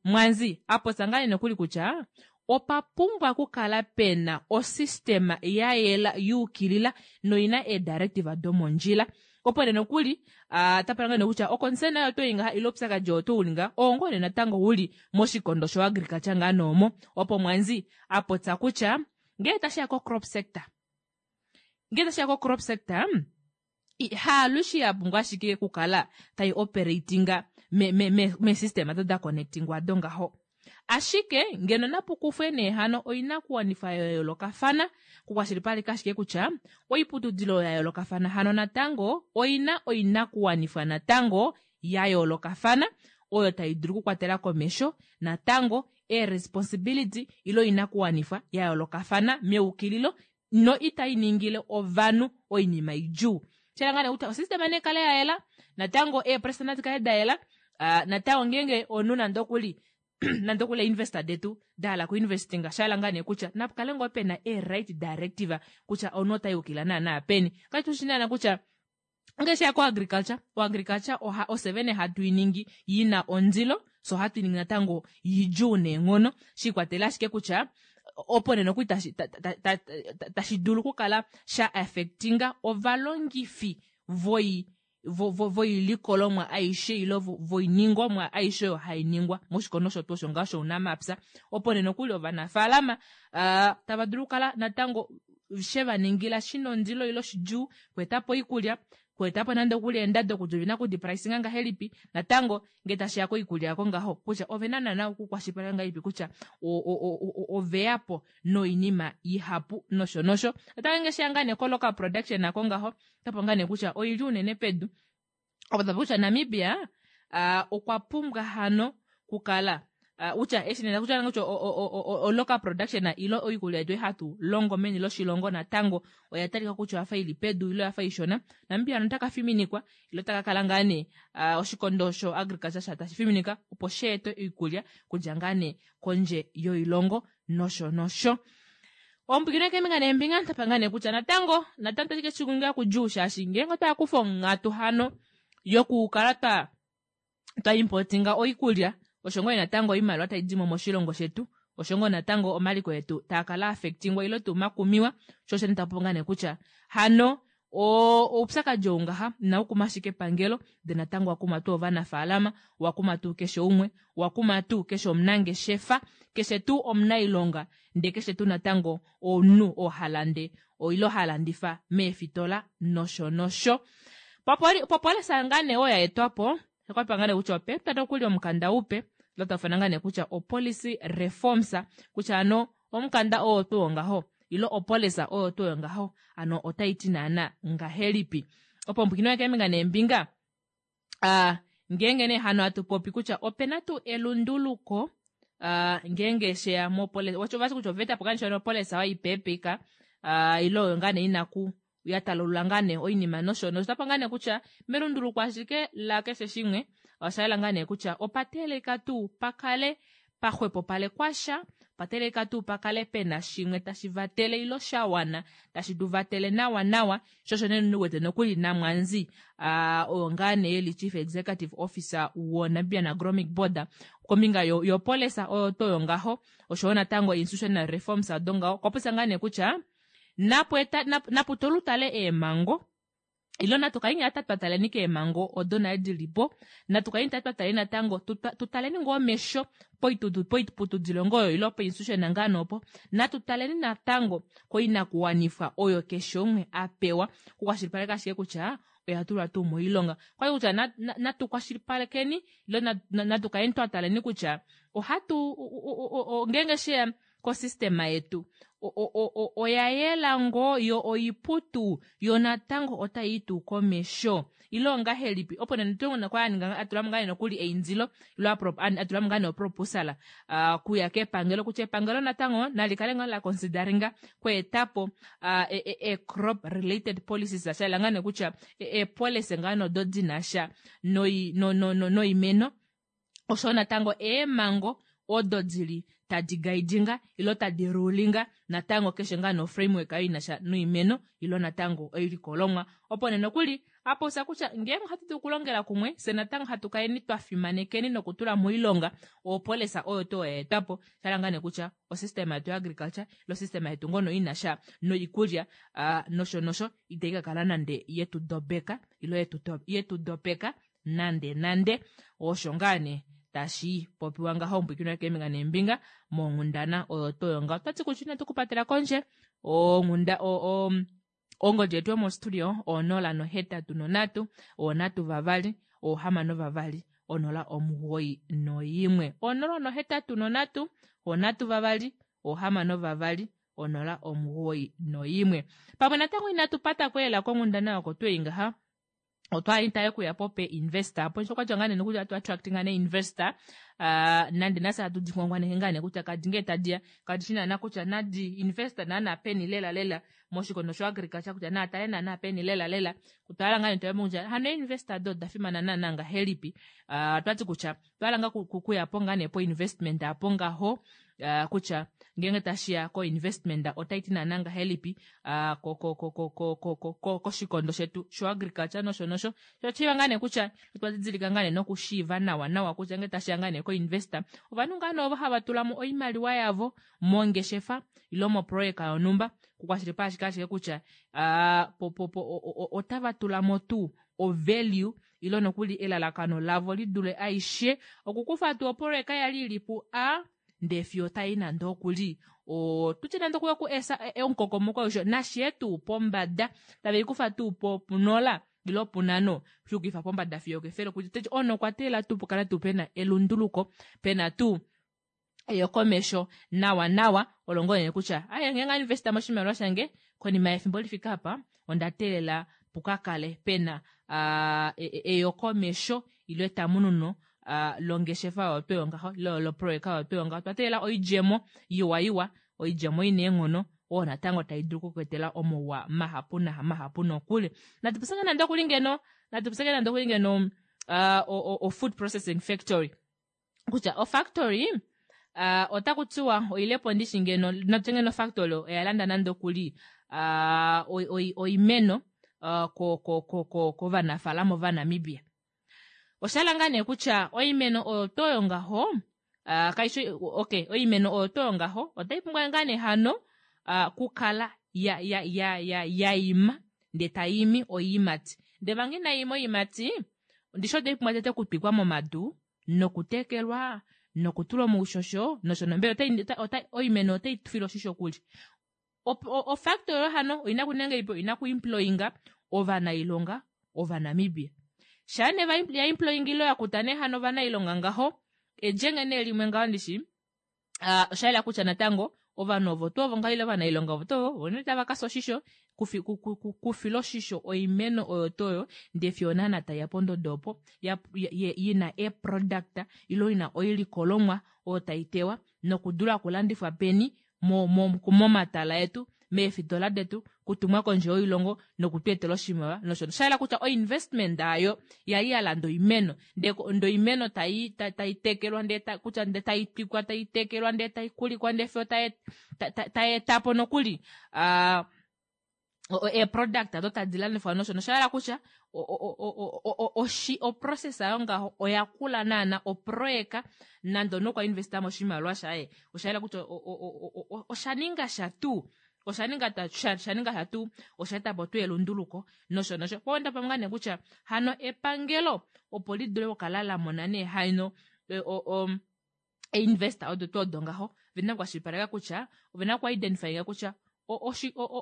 mwanzi apopya ngaa nee nokuli kutya opa pumbwa okukala pena osystema ya yela yuukilila noina eedirective domondjila opo nee nokuli uh, tapala ngaa nee kutya oconcern oyo toyi ngaha ile oupyakadi oo to uli ngaha oo ngoo nee natango uli moshikondo sho agriculture ngaa noomo opo mwanzi apopya kutya ngee tashiya ko crop sector. Ngee tashiya ko crop sector, haalushe ya pumbwa ashike okukala tai operatinga me, me, me, me-system ado da connectingwa ado ngaho. Ashike ngeno napu kufwe nee hano oinakuwanifwa ya yoolokafana kukwashilipaleka ashike kutya oiputudilo ya yoolokafana hano natango oina oinakuwanifwa natango ya yoolokafana oyo tai dulu okukwatela komesho natango ee-responsibility ile oinakuwanifwa ya yoolokafana meukililo no itai ningile ovanhu oinima idjuu. Shela ngaa nee kutya osystem nee kale ya yela, natango eepresa nadi kale da yela, natango ngeenge omunhu nande okuli nande okuli investor detu da hala kuinvestinga, sha hala ngaa nee kutya napu kale ngoo pena ee-right directive kutya omunhu ota yukila naana peni. Katu shi naana kutya ngee sheya koagriculture, oagriculture oha ofye vene hatu i ningi i na ondilo, fye ohatu i ningi natango idjuu neenghono, shi ikwatelela ashike kutya opo nee nokuli tashi tashi dulu okukala sha affectinga ovalongifi voi voilikolomwa aishe ile voiningomwa aishe oyo hai ningwa moshikondo osho tuu osho ngaho shounamapya. Opo nee nokuli ovanafaalama tava dulu okukala natango she va ningila shina ondilo ile shidjuu okweeta po oikulya, okweeta po nande okuli eendado kutya ovena okudipricinga ngahelipi, natango ngee tashiya koikulya yako ngaho kutya ovena naana okukwashilipaleka ngahelipi kutya oveya po noinima ihapu nosho nosho. Natango ngee sheya ngaa nee ko local production nako ngaho, otapo ngaa nee kutya oili unene pedu. Opo tapo kutya Namibia okwa pumbwa hano kukala kutya eshi nena kutya kutya o local production ile oikulya yetu hatu longo meni loshilongo natango oya talika kutya oyafa ili pedu ile oyafa ishona. Namibia hano otaka fiminikwa ile otaka kala ngaa nee oshikondo sho agriculture sha tashi fiminika opo sheete oikulya kudja ngaa nee kondje yoilongo nosho nosho. Ompwikino keembinga neembinga tapa ngaa nee kutya natango natango tashi ke shi kudjuu shaashi ngeenge otwa kufa onghatu hano yokukala twa twa importinga oikulya osho ngoo natango oimaliwa tai dimo moshilongo shetu, osho ngoo natango omaliko etu taa kala affectingwa ile tuu makumiwa, sho osho nda popya nee kutya hano oupyakadi ou ngaha inau kuma ashike epangelo, ndele natango owa kuma tuu ovanafaalama, owa kuma tuu keshe umwe, owa kuma tuu keshe omunangeshefa, keshe tuu omunailonga, ndee keshe tuu natango omunhu oo ha lande ile ha landifa meefitola nosho nosho. Popolisa ngaa nee oyo ya etwa po, okwa ngaa nee kutya opa etwa nokuli omukanda upe, lo tau ifana ngaa nee kutya opolicy reforms, kutya ano omukanda oo tuu ngaho ile opolisa oyo tuu ngaho ano otai ti naana ngahelipi. Opo ompwikino keembinga neembinga, ngeenge nee hano hatu popi kutya opena tuu elunduluko ngeenge sheya mopolisa, ovati kutya oveta po kanishi opolisa oyo ipeepeka ile oyo ngaa nee inaku ya talulula ngaa nee oinima nosho nosho. Otapa ngaa nee kutya melunduluko ashike la keshe shimwe osha yela ngaa nee kutya opa teelelika tuu pakale paxwepopalekwa sha, opa teelelika tuu pakale pena shimwe tashi vatele ile sha wana tashi tu vatele nawa nawa, sho osho nee wete nokuli Namwanzi oyo ngaa nee eli Chief Executive Officer woNamibian Agronomic Board kombinga yopolisa oyo tuu oyo ngaho, oshowo natango institutional reforms ado ngaho, okwa popya ngaa nee kutya napu tolutale eemhango ile natu kaleni ata twa taleni keemhango odo nale dili po, natu kaleni ta twa taleni natango tutaleni ngoo omesho poiputudilo ngoo oyo ile poinstitution ngaa nee opo, natu taleni natango koinakuwanifwa oyo keshe umwe a pewa okukwashilipaleka ashike kutya oya tulwa tuu moilonga. Okwali kutya natu kwashilipalekeni ile natu kaleni twa taleni kutya ohatu ngeenge sheya kosystema yetu oya yela ngoo yo oiputu yo natango otai tuu komesho ile ongahelipi, opo nee natu kwa ninga atula mo ngaa nokuli eindilo ile atula mo ngaa nee oproposal kuya kepangelo kutya epangelo natango nali kale ngaa la consideringa kweetapo crop related policies, sha yela ngaa nee kutya eepolicy ngaa nodo dina sha noimeno osho natango eemhango odo dili tadi guidinga ilo tadi rulinga natango keshe ngaa no framework ayo inasha noimeno ilo natango oilikolomwa. Opo nee nokuli apopya kutya ngeenge ohatu dulu okulongela kumwe fye natango hatu kaleni twa fimanekeni nokutula moilonga opolisa oyo tuu ya etwa po, sha ngaa nee kutya osystem yetu agriculture ilo osystem yetu ngono inasha noikulya nosho nosho itai ka kala nande yetu dobeka ilo yetu dopeka nande nande. Osho ngaa nee tashi popiwa ngaho ompwikino keembinga neembinga monghundana oyo tuu oyo ngaho. Otwati kutya inatu kupatela kondje onghunda Ongodi yetu yomostudio 083 3 6 2 091. 083 3 6 2 091. Pamwe natango inatu patako lela konghundana oko twei ngaha otwa li taye kuya po pe investor apo osho kwatya ngaa nee nokuli atu attract ngaa nee investor nande nase hatu di ngwangwaneke ngaa nee kutya kadi ngee tadiya kadi shi naana kutya nadi investor naana peni lela lela moshikondo sho agriculture kutya naa tale naana peni lela lela kutala ngaa nee twaya kutya hano investor do oda fimana naana ngahelipi twati kutya twala ngaa kuya po ngaa nee po investment apo ngaho kutya ngeenge tashiya ko investment otai ti naana ngahelipi koshikondo shetu sho agriculture nosho nosho shoshiiva ngaa nee kutya otwa didilika ngaa nee nokushiiva nawa nawa kutya ngee tashiya ngaa nee ko investor ovanhu ngaa nee ovo hava tula mo oimaliwa yavo mongeshefa ilo moprojeka yonhumba kukwashilipaleka ashike ashike kutya otava tula mo tuu o value ilo nokuli elalakano lavo lidule aishe okukufa tuu oprojeka yali ili pu A ndee fiyo tai nande okuli tutye nande okuya ku esa omukokomoko aushe nashiye tuu pombada tave ikufa tuu po punola ilo punano shuukifa pombada fiyo kefele kutya ono okwa teelela tuu pukale tuu pena elunduluko pena tuu eyokomesho nawa nawa olo ngoo nee kutya aye ngenge investa moshimaliwa shange konima yefimbo lifika apa onda teelela pukakale pena eyokomesho ilo etamununo longeshefa oyo tweyo ngaho ilo loprojeka oyo tweyo ngaho twa teelela oidjemo iwa iwa oidjemo ina eenghono oyo natango tai dulu okukwetela omauwa mahapu mahapu nokuli natupuseke nande okuli ngeno natupuseke nande okuli ngeno o food processing factory kutya o factory otaku tiwa oilepo ndishi ngeno natye ngeno factory oya landa nande okuli oimeno kovanafaalama ovanamibia oshala ngaa nee kutya oimeno oyo toyo ngaho kaishi okay oimeno oyo toyo ngaho otai pumbwa ngaa nee hano kukala ya ya ya ya yaima ndee taimi oiimati ndee manga inaima oiimati ndishi otai pumbwa tete okutwikwa momadu nokutekelwa nokutulwa moushosho nosho nombele oimeno otai filwa oshisho kuli ofactory oyo hano oina kuninga ipo oina kuemployinga ovanailonga ovanamibia shaa nee ya employinga ilo yakuta nee hano ovanailonga ngaho edjenge nee limwe ngaho ndishi osha yela kutya natango ovanhu ovo tuu ovo ngaho ile ovanailonga ovo tuu ovo nee tava kasa oshisho kufila oshisho oimeno oyo tuu oyo ndee fiyo naana taiya pondodo opo ina eproduct ilo ina oilikolomwa oyo taitewa nokudula okulandifwa peni momatala etu meefitola detu kutumwa kondje yoilongo nokutu etela oshimaliwa nosho sha yela kutya oinvestment ayo yali ya landa oimeno ndee oimeno tai tekelwa ndee kutya ndee tai twikwa tai tekelwa ndee tai kulikwa ndee fiyo tai etapo nokuli eeproduct ado tadi landifwa nosho nosha yela kutya oprocess ayo ngaho oya kula naana oproyeka nande omunhu okwa investa moshimaliwa shaye osha yela kutya osha ninga sha tuu osha ninga sha tuu osha etapo tuu elunduluko nosho nosho po onda pamwe nee kutya hano epangelo opo lidule okukala la mona nee hano investor odo tuu odo ngaho vena okukwashilipaleka kutya ovena okuidentifyinga kutya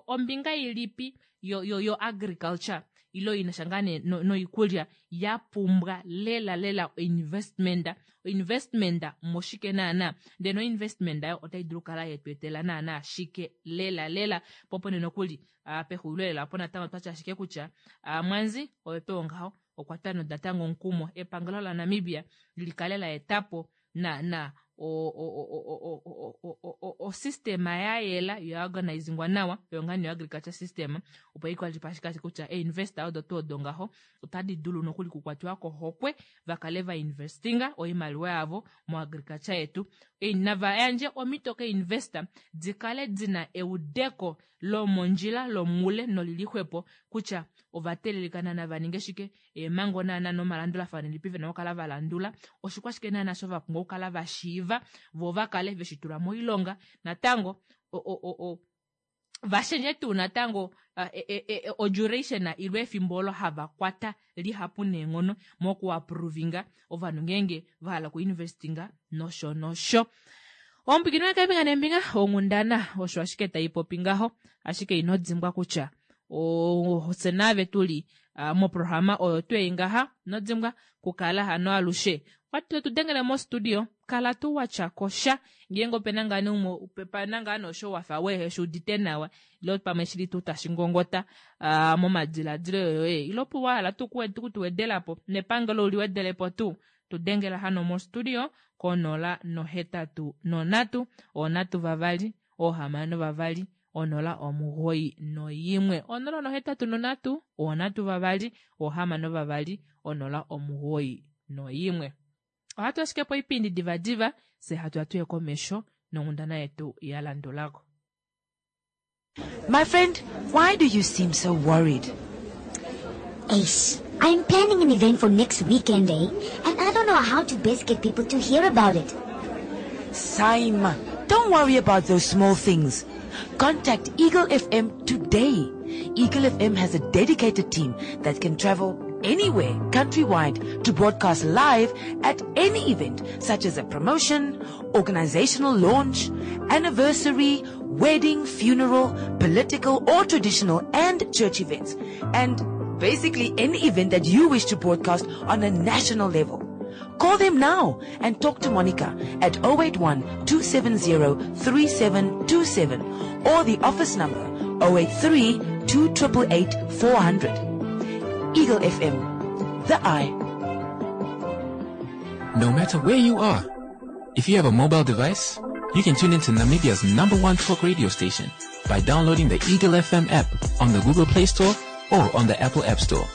ombinga ilipi yo agriculture ilo inasha ngaa nee noikulya ya pumbwa lela lela investment investment moshike naana ndee no investment ayo otai dulu okukala yetweetela naana shike lela lela po pone nokuli pexulilo lela opo natango twatya ashike kutya mwanzi oyo tuu ngaho okwa twa natango omukumo epangelo laNamibia likale la etapo na osystema ya yela ya organizingwa nawa oyo ngaa nee agriculture system opo ikwashilipaleke kutya einvestor odo tuu odo ngaho otadi dulu nokuli kukwatiwa kohokwe vakale va investinga oimaliwa yavo moagriculture yetu nava yandje omhito keinvestor dikale dina eudeko lomondjila lomule nolili xwepo kutya ovateelelika naana vaninge shike eemhango naana nomalandulafano elipi vena okukala valandula oshikwashike naana sho vapumbwa okukala vashiiva vo vakale veshi tula moilonga natango vashendje tuu natango oduration ilo efimbo olo hava kwata lihapu neenghono mokuaprovinga ovanhu ngeenge vahala okuinvestinga nosho nosho omupikini wekeembinga neembinga onghundana osho ashike taipopi ngaho ashike ino dimbwa kutya. Ofye naave tuli moprograma oyo tuu ei ngaha inodimbwa kukala hano alushe watu dengele mostudio kala tuu watya kosha ngeenge opena ngaa nee umwe pena ngaa nee osho wafa wehe shuudite nawa ile pamwe shili tuu tashi ngongota momadiladilo yoye ile opo wahala tuu kutuwedelapo nepangelo uliwedelepo tuu tudengela hano mostudio ko 083 3 6 0 91 083 3 6 091. Ohatu ashike po oipindi divadiva fye hatu ya tuye komesho nonghundana yetu ya landulako. My friend, why do you seem so worried? Ace, I'm planning an event for next weekend, eh? And I don't know how to best get people to hear about it. Saima, don't worry about those small things. Contact Eagle FM today. Eagle FM has a dedicated team that can travel anywhere countrywide to broadcast live at any event such as a promotion, organizational launch, anniversary, wedding, funeral, political or traditional and church events, and basically any event that you wish to broadcast on a national level. Call them now and talk to Monica at 081-270-3727 or the office number 083-2888-400. Eagle FM, the eye. No matter where you are, if you have a mobile device, you can tune into Namibia's #1 talk radio station by downloading the Eagle FM app on the Google Play Store or on the Apple App Store.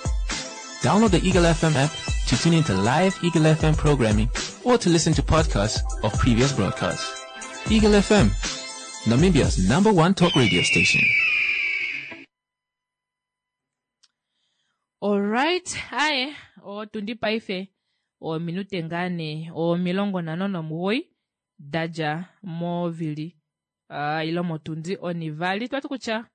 Download the Eagle FM app to tune into live Eagle FM programming or to listen to podcasts of previous broadcasts. Eagle FM, Namibia's #1 talk radio station. Alright, aye, otundi paife ominute ngaa nee 59 dadja movili ile motundi onivali. Twati kutya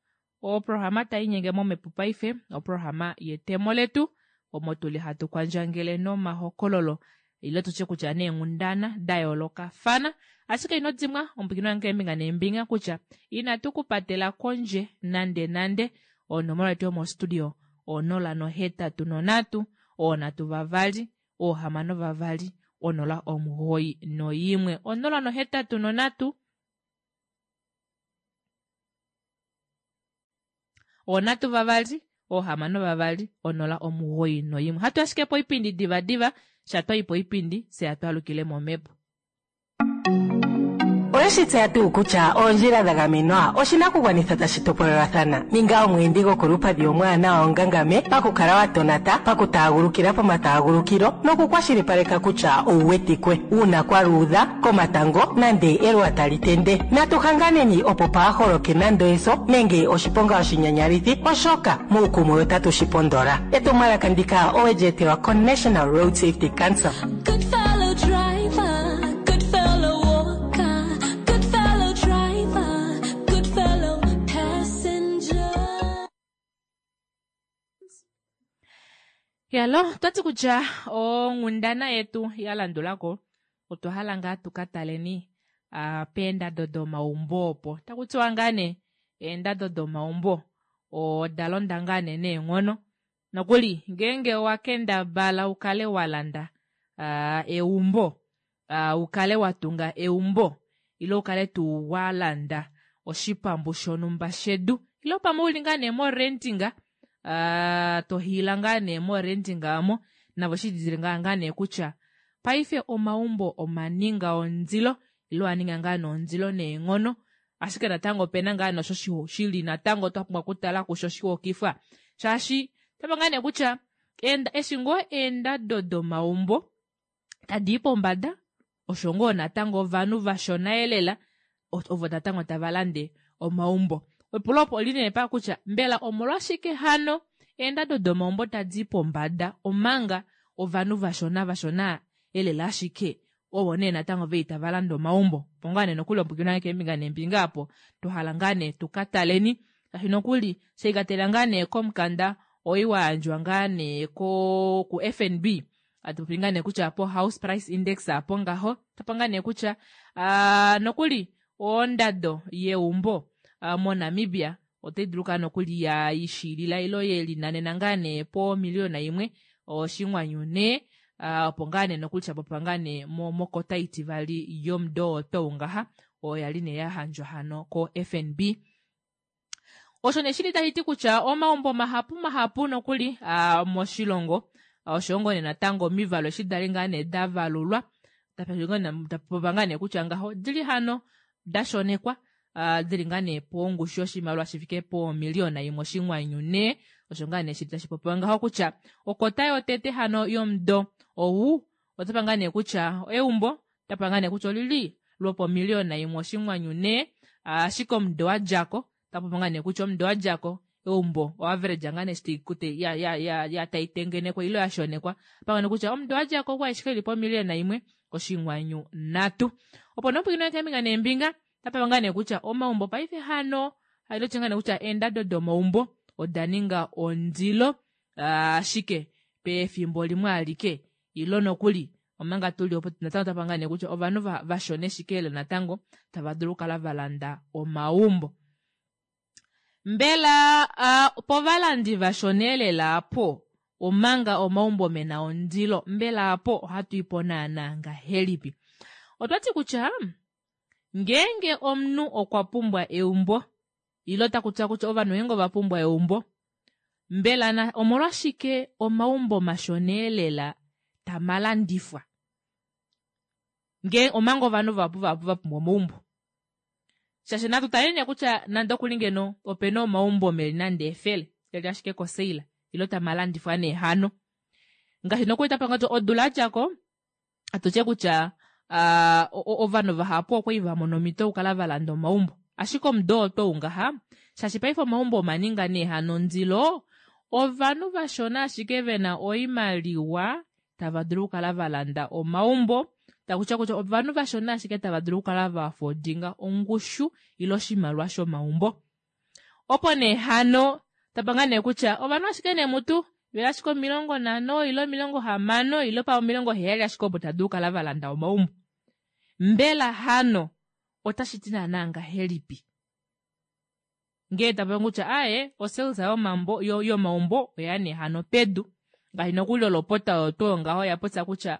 oprograma tainyenge momhepo paife, oprograma yetemo letu omo tuli hatu kwandjangele nomahokololo ile tutye kutya neenghundana da yoolokafana. Ashike ino dimwa omupwilikini wange keembinga neembinga kutya inatu kupatela kondje nande nande. Onomola yetu yomostudio 083 3 6 091 083 3 6 091. Hatu ashike po oipindi divadiva, sha twai po oipindi fye hatu alukile momhepo. Oweshi tseya tuu kutya oondjila dha gamenwa oshinakugwanithwa tashi topolelathana? Ninga omweendi gokolupadhi omwaanawa ongangame pakukala wa tonata, pakutaagulukila pomataagulukilo nokukwashilipaleka kutya ou wetikwe uuna kwa luudha, komatango nande eluwa tali tende. Natu hanganeni opo paa holoke nando eso nenge oshiponga oshinyanyalithi, oshoka muukumwe otatu shi pondola. Etumwalaka ndika owe li etelwa koNational Road Safety Council. Good fellow driver, good fellow walker, good fellow driver, good fellow passenger. Yalo, twati kutya onghundana yetu ya landulako otwa hala ngaa tu ka taleni peendado domaumbo opo. Taku tiwa ngaa nee eendado domaumbo oda londa ngaa nee neenghono. Nokuli ngeenge owa kendabala ukale wa landa eumbo, ukale wa tunga eumbo ile ukale tuu wa landa oshipambu shonumba shedu ile pamwe uli ngaa nee morentinga, to hiila ngaa nee morentinga amo, navo shi didilike ngaa nee kutya paife omaumbo omaninga ondilo ile oaninga ngaa nee ondilo neenghono. Ashike natango opena ngaa nee osho shili natango twa pumbwa okutala kusho shihokifwa, shaashi tapa ngaa nee kutya eshi ngoo eendado domaumbo tadi i pombada, osho ngoo natango ovanhu vashona elela ovo natango tava lande omaumbo. Epulo opo oli nee pa kutya mbela omolwashike hano eendado domaumbo tadi i pombada omanga ovanhu vashona vashona elela ashike ovo nee natango vei tava lande omaumbo. Opo ngaa nee nokuli omupwilikini wange keembinga neembinga apo twa ngaa nee tu ka taleni, shaashi nokuli sheikatela ngaa nee komukanda oi wa yandjwa ngaa nee ku FNB. Atupopi ngaa nee kutya po house price index apo ngaho, tapa ngaa nee kutya nokuli ondado yeumbo moNamibia Otai dulu kala nokuli ya ishilila ilo ye linanena ngaa nee pomiliyona imwe oshinghwanyu nhee opo ngaa nee nokuli sha popiwa ngaa nee mokota itivali yomudo oo tou ngaha oyo yali nee ya handjwa hano ko-FNB. Osho nee shili tashi ti kutya omaumbo mahapu mahapu nokuli moshilongo oshoyo ngoo nee natango omivalo eshi dali ngaa nee da valulwa tapopiwa ngaa nee kutya ngaho odili hano da shonekwa dili ngaa nee pongushu yoshimaliwa shi fike pomiliyona imwe oshinghwanyu nhee osho ngaa nee shili tashi popiwa ngaho kutya okota yotete hano yomudo ou otapa ngaa nee kutya eumbo otapa ngaa nee kutya olili lwopomiliyona imwe oshinghwanyu nhee ashike omudo wa djako otapopi ngaa nee kutya omudo wa djako eumbo oaverage ngaa nee eshi ya ya ya ya tai tengenekwa ile ya shonekwa pamwe kutya omudo wa djako okwa ashike ili pomiliyona imwe oshinghwanyu nhatu. Opo nee opwikinwa keembinga neembinga otapopi ngaa nee kutya omaumbo paife hano hailotya ngaa nee kutya eendado domaumbo oda ninga ondilo ashike pefimbo limwe alike ilo nokuli omanga tuli opo natango otapa ngaa nee kutya ovanhu vashona ashike lela natango tava dulu okukala va landa omaumbo. Mbela povalandi vashona elela apo omanga omaumbo mena ondilo mbela apo ohatu ipo naana ngahelipi? Otwati kutya ngeenge omunhu okwa pumbwa eumbo ile otaku tiwa kutya ovanhu ngeenge ova pumbwa eumbo mbela omolwashike omaumbo mashona elela tamalandifwa ngee omanga ovanhu vahapu vahapu va pumbwa omaumbo shaashi natu tale nee kutya nande okuli ngeno opena omaumbo meli nande efele eli ashike koseila ilo tamalandifwa nee hano ngaashi nokuli tapanga odula yadjako atutye kutya ovanhu vahapu okwali va mona omhito okukala va landa omaumbo ashike omudo oo tou ngaha shaashi paife omaumbo omaninga nee hano ondilo ovanhu vashona ashike vena oimaliwa tava dulu okukala va landa omaumbo takutya kutya ovanhu vashona ashike tava dulu okukala va afodinga ongushu ile oshimaliwa shomaumbo. Opo nee hano tapanga nee kutya ovanhu ashike nee mutu veli ashike 50 ile 60 ile pa 70 ashike opo tadulu okukala va landa omaumbo. Mbela hano otashi ti naana ngahelipi? Ngee tapanga kutya aye osales yomambo yomaumbo oya nee hano pedu ngaashi nokuli olopota oyo tuu ngaho oya popya kutya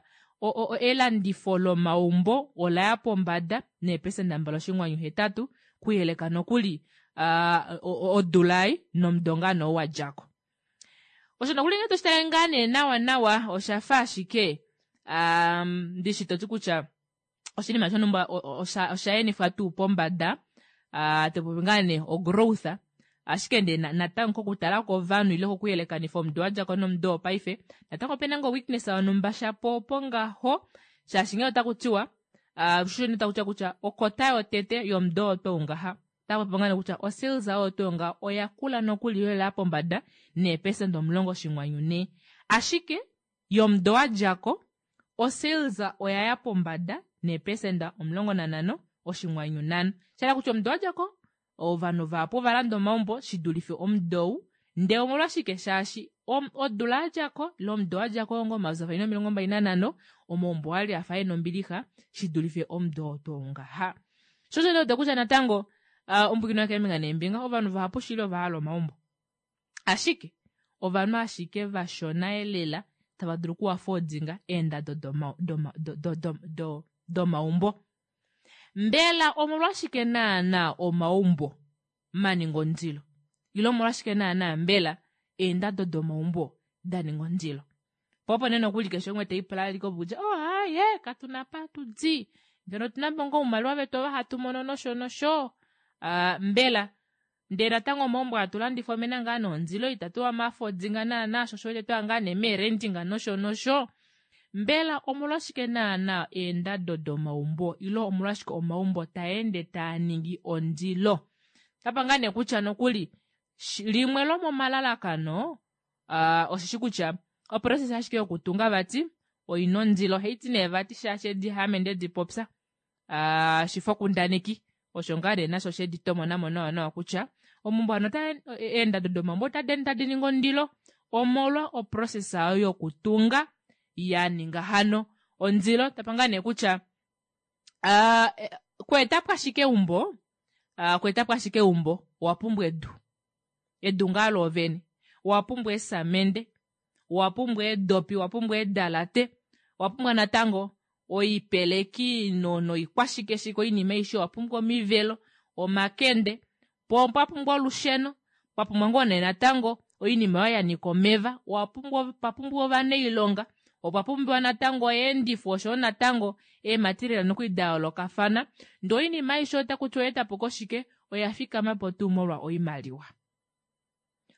elandifo lomaumbo ola ya pombada neepesenda 2.8 kuyeleka nokuli odula ei nomudo ngaa nee wa djako. Osho nokuli ngee toshitale ngaa nee nawa nawa osha fa ashike ndishi toti kutya oshinima shonhumba osha enifwa tuu pombada topopi ngaa nee ogrowth ashike ndee natango kokutala kovanhu ile kokuyelekanifa omudo wa djako nomudo wopaife natango opena ngoo weakness yonhumba shapo opo ngaho shaashi ngee otaku tiwa sho taku tiwa kutya okota yotete yomudo oo tou ngaha otaku popi ngaa kutya osales oyo tuu ngaho oya kula nokuli lela pombada neepesenda 10.4 ashike yomudo wa djako osales oya ya pombada neepesenda 15.5 shala kutya omudo wa djako ovanhu vahapu ova landa omaumbo shi dulife omudo ou ndee omolwashike shaashi odula yadjako ile omudo wadjako ongo 2025 omaumbo okwali afa ena ombilixa shi dulife omudo oo tuu ngaha. Sho osho nee kutya natango omupwiikini wakeembinga neembinga ovanhu vahapu shili ova hala omaumbo ashike ovanhu ashike vashona elela tava dulu okuafodinga eendado domaumbo. Mbela omolwashike naana omaumbo maninga ondilo ile omolwashike naana mbela eendado domaumbo da ninga ondilo po opo nee nokuli keshe umwe teipula aliko kutya oh aye katuna pa tudi ngeno otuna po ngoo oumaliwa vetu ova hatu mono nosho nosho mbela ndee natango omaumbo hatu landifa omena ngaa nondilo itatu amafodinga naana sho osho twaya ngaa nee meerendinga nosho nosho mbela omolwashike naana eendado domaumbo ile omolwashike omaumbo taende taa ningi ondilo tapa ngaa nee kutya nokuli limwe lomomalalakano osheshi kutya oprocess ashike yokutunga vati oina ondilo haiti nee vati shaashi edi haame ndedi popya shifokundaneki osho ngaa nee nasho shedi tomonamo nawa nawa kutya omaumbo hano eendado domaumbo otadi ende tadi ningi ondilo omolwa oprocess ayo yokutunga ya ninga hano ondilo tapa ngaa nee kutya kweetapo ashike eumbo kweetapo ashike eumbo owa pumbwa edu. Edu ngaa loovene. Owa pumbwa eesamende, owa pumbwa eedopi, owa pumbwa eedalate, owa pumbwa natango oipeleki noikwashikeshike oinima aishe, owa pumbwa omivelo, omakende, po opwa pumbwa olusheno, pwa pumbwa ngoo nee natango oinima oyo ya nyika omeva, owa pumbwa pa pumbiwa ovanailonga, opwa pumbiwa natango oyeendifo oshoyo natango eematerial nokuli da yoolokafana. Ndee oinima aishe otaku tiwa oya etapo koshike? Oya fikama po tuu molwa oimaliwa.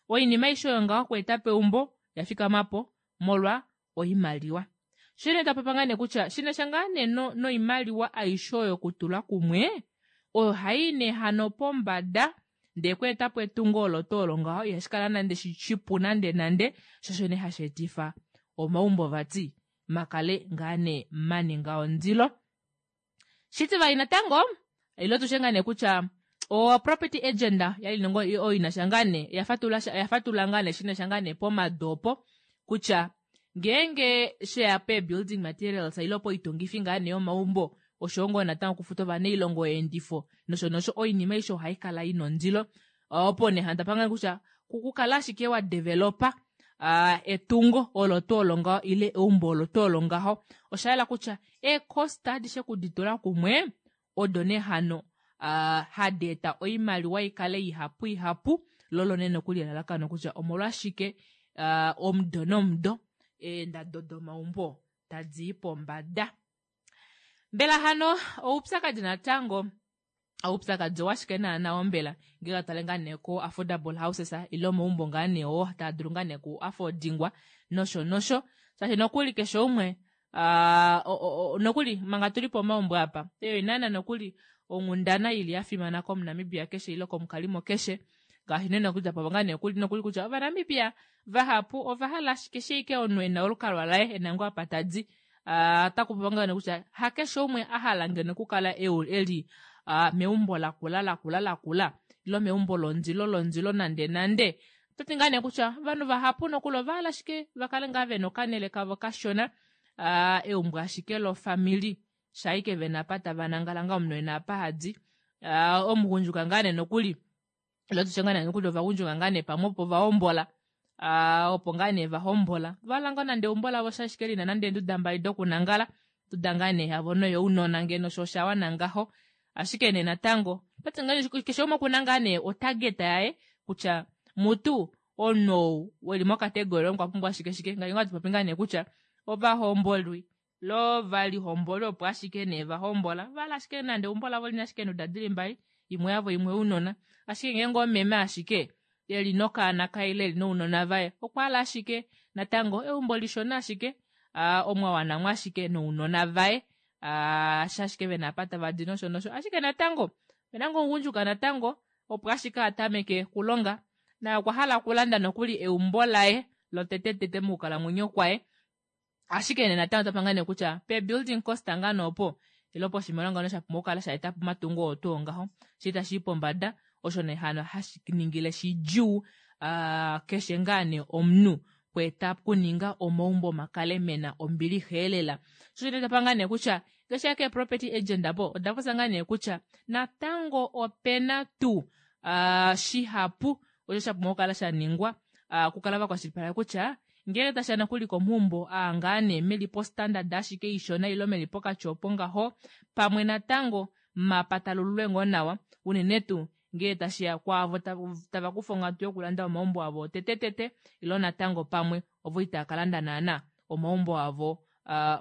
Oinima aishe oyo ngaho okweeta po eumbo oya fikama po molwa oimaliwa. Sho nee tapopa ngaa nee kutya shinasha ngaa nee noimaliwa aishe oyo okutula kumwe oyo hai nee hano pombada ndee kweeta po etungo olo tuu olo ngaho ihashi kala nande shipu nande nande sho osho nee hashi etifa omaumbo vati makale ngaa nee maninga ondilo. Shitivali natango ile tushe ngaa nee kutya o property agent yali nongo oyo inasha ngaa nee oya fatulula ngaa nee shinasha ngaa nee pomadopo kutya ngeenge sheya pe building materials ile poitungifi ngaa nee yomaumbo oshowo ngoo natango okufuta ovanailonga oyeendifo nosho nosho oinima aishe ohai kala ina ondilo opo nee hano tapangane kutya kukala ashike wa developa etungo olo tuu olo ngaho ile eumbo olo tuu olo ngaho osha yela kutya eecost adishe kuditula kumwe odo nee hano hadi eta oimaliwa ikale ihapu ihapu lolo nee nokuli elalakano kutya omolwashike omudo nomudo eendado domaumbo tadi i pombada. Mbela hano oupyakadi natango oupyakadi owashike naana ombela ngee tale ngaa nee ko affordable houses ile omaumbo ngaa nee oo taa dulu ngaa nee ku affordingwa nosho nosho shaashi nokuli keshe umwe nokuli manga tuli pomaumbo apa eyo inaana nokuli onghundana ili ya fimana komunamibia keshe ile komukalimo keshe ngaashi nee nokuli tapa ngaa nee nokuli kutya ovanamibia vahapu ova hala ashike sheike omunhu ena olukalwa laye ena ngoo apa tadi otaku popiwa ngaa nee kutya hakeshe umwe a hala ngeno okukala eli meumbo lakula lakula lakula ile meumbo londilo londilo nande nande. Ototi ngaa nee kutya ovanhu vahapu nokuli ova hala ashike va kale ngaa vena okanele kavo kashona, eumbo ashike lofamili shaike vena apa tava nangala ngaa omunhu ena apa hadi. Omugundjuka ngaa nee nokuli ile tushe ngaa nee nokuli ovagundjuka ngaa nee pamwe opo va hombola opo ngaa nee va hombola va hala ngoo nande eumbo lavo shashike lina nande eenduda mbali dokunangala onduda ngaa nee yavo noyounona ngeno sho osha wana ngaho. Ashike nee natango otati ngaa keshe umwe okuna ngaa nee otarget yaye kutya mutu omunhu ou weli mokategori okwa pumbwa shike shike ngaashi ngaa tupopi ngaa nee kutya ovahombolwi lo valihomboli opo ashike nee va hombola vala ashike nande eumbo lavo lina ashike eenduda dili mbali imwe yavo imwe ounona ashike ngeenge omeme ashike eli nokaana kaye ile eli nounona vaye okwa hala ashike natango eumbo lishona ashike omwa wanamwa ashike nounona vaye shashike vena apa tava di nosho nosho ashike natango opena ngoo omugundjuka natango opo ashike a tameke okulonga naye okwa hala okulanda nokuli eumbo laye lotetetete mokukalamwenyo kwaye ashike nee natango otapa ngaa nee kutya pe building cost ngaa nee opo ile poshimaliwa ngano sha pumbwa okukala sha eta po omatungo oo tuu ngaho shi tashi i pombada osho nee hano hashi ningile shidjuu keshe ngaa nee omunhu kweeta kuninga omaumbo makale mena ombilixa elela. Sho osho tapa ngaa nee kutya keshe ke property agent apo oda popya ngaa nee kutya natango opena tuu shihapu osho sha pumbwa okukala sha ningwa okukala va kwashilipaleka kutya ngele tashiya nokuli komaumbo aa ngaa nee meli po standard ashike ishona ile meli pokati opo ngaho pamwe natango mapatalululwe ngoo nawa unene tuu ngee tashiya kwaavo tava kufa onghatu yokulanda omaumbo avo tetetete ile natango pamwe ovo itava ka landa naana omaumbo avo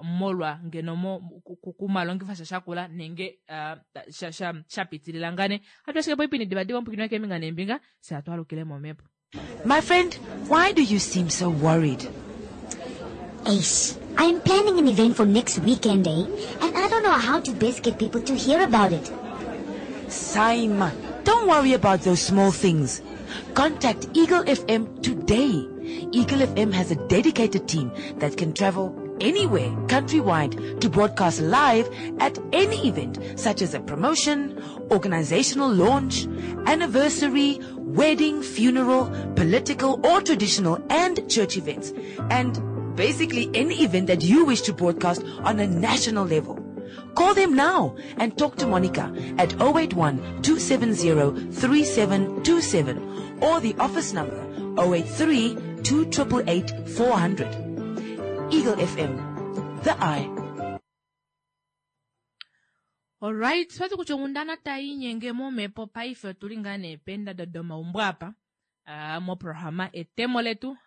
molwa ngeno kumalongifa sha shakula nenge sha pitilila ngane. Hatu ashike poipindi divadiva omupwikinwa keembinga neembinga fye hatu alukile momhepo. My friend, why do you seem so worried? Ace, I'm planning an event for next weekend, eh? And I don't know how to best get people to hear about it. Saima, don't worry about those small things. Contact Eagle FM today. Eagle FM has a dedicated team that can travel anywhere countrywide to broadcast live at any event, such as a promotion, organizational launch, anniversary, wedding, funeral, political or traditional and church events, and basically any event that you wish to broadcast on a national level. Call them now and talk to Monica at 081 270 3727 or the office number 083 288 400. Eagle FM, the eye. Alright, swati kutya onghundana tai inyenge momhepo paife otuli ngaa nee peendado domaumbo apa moprograma etemo letu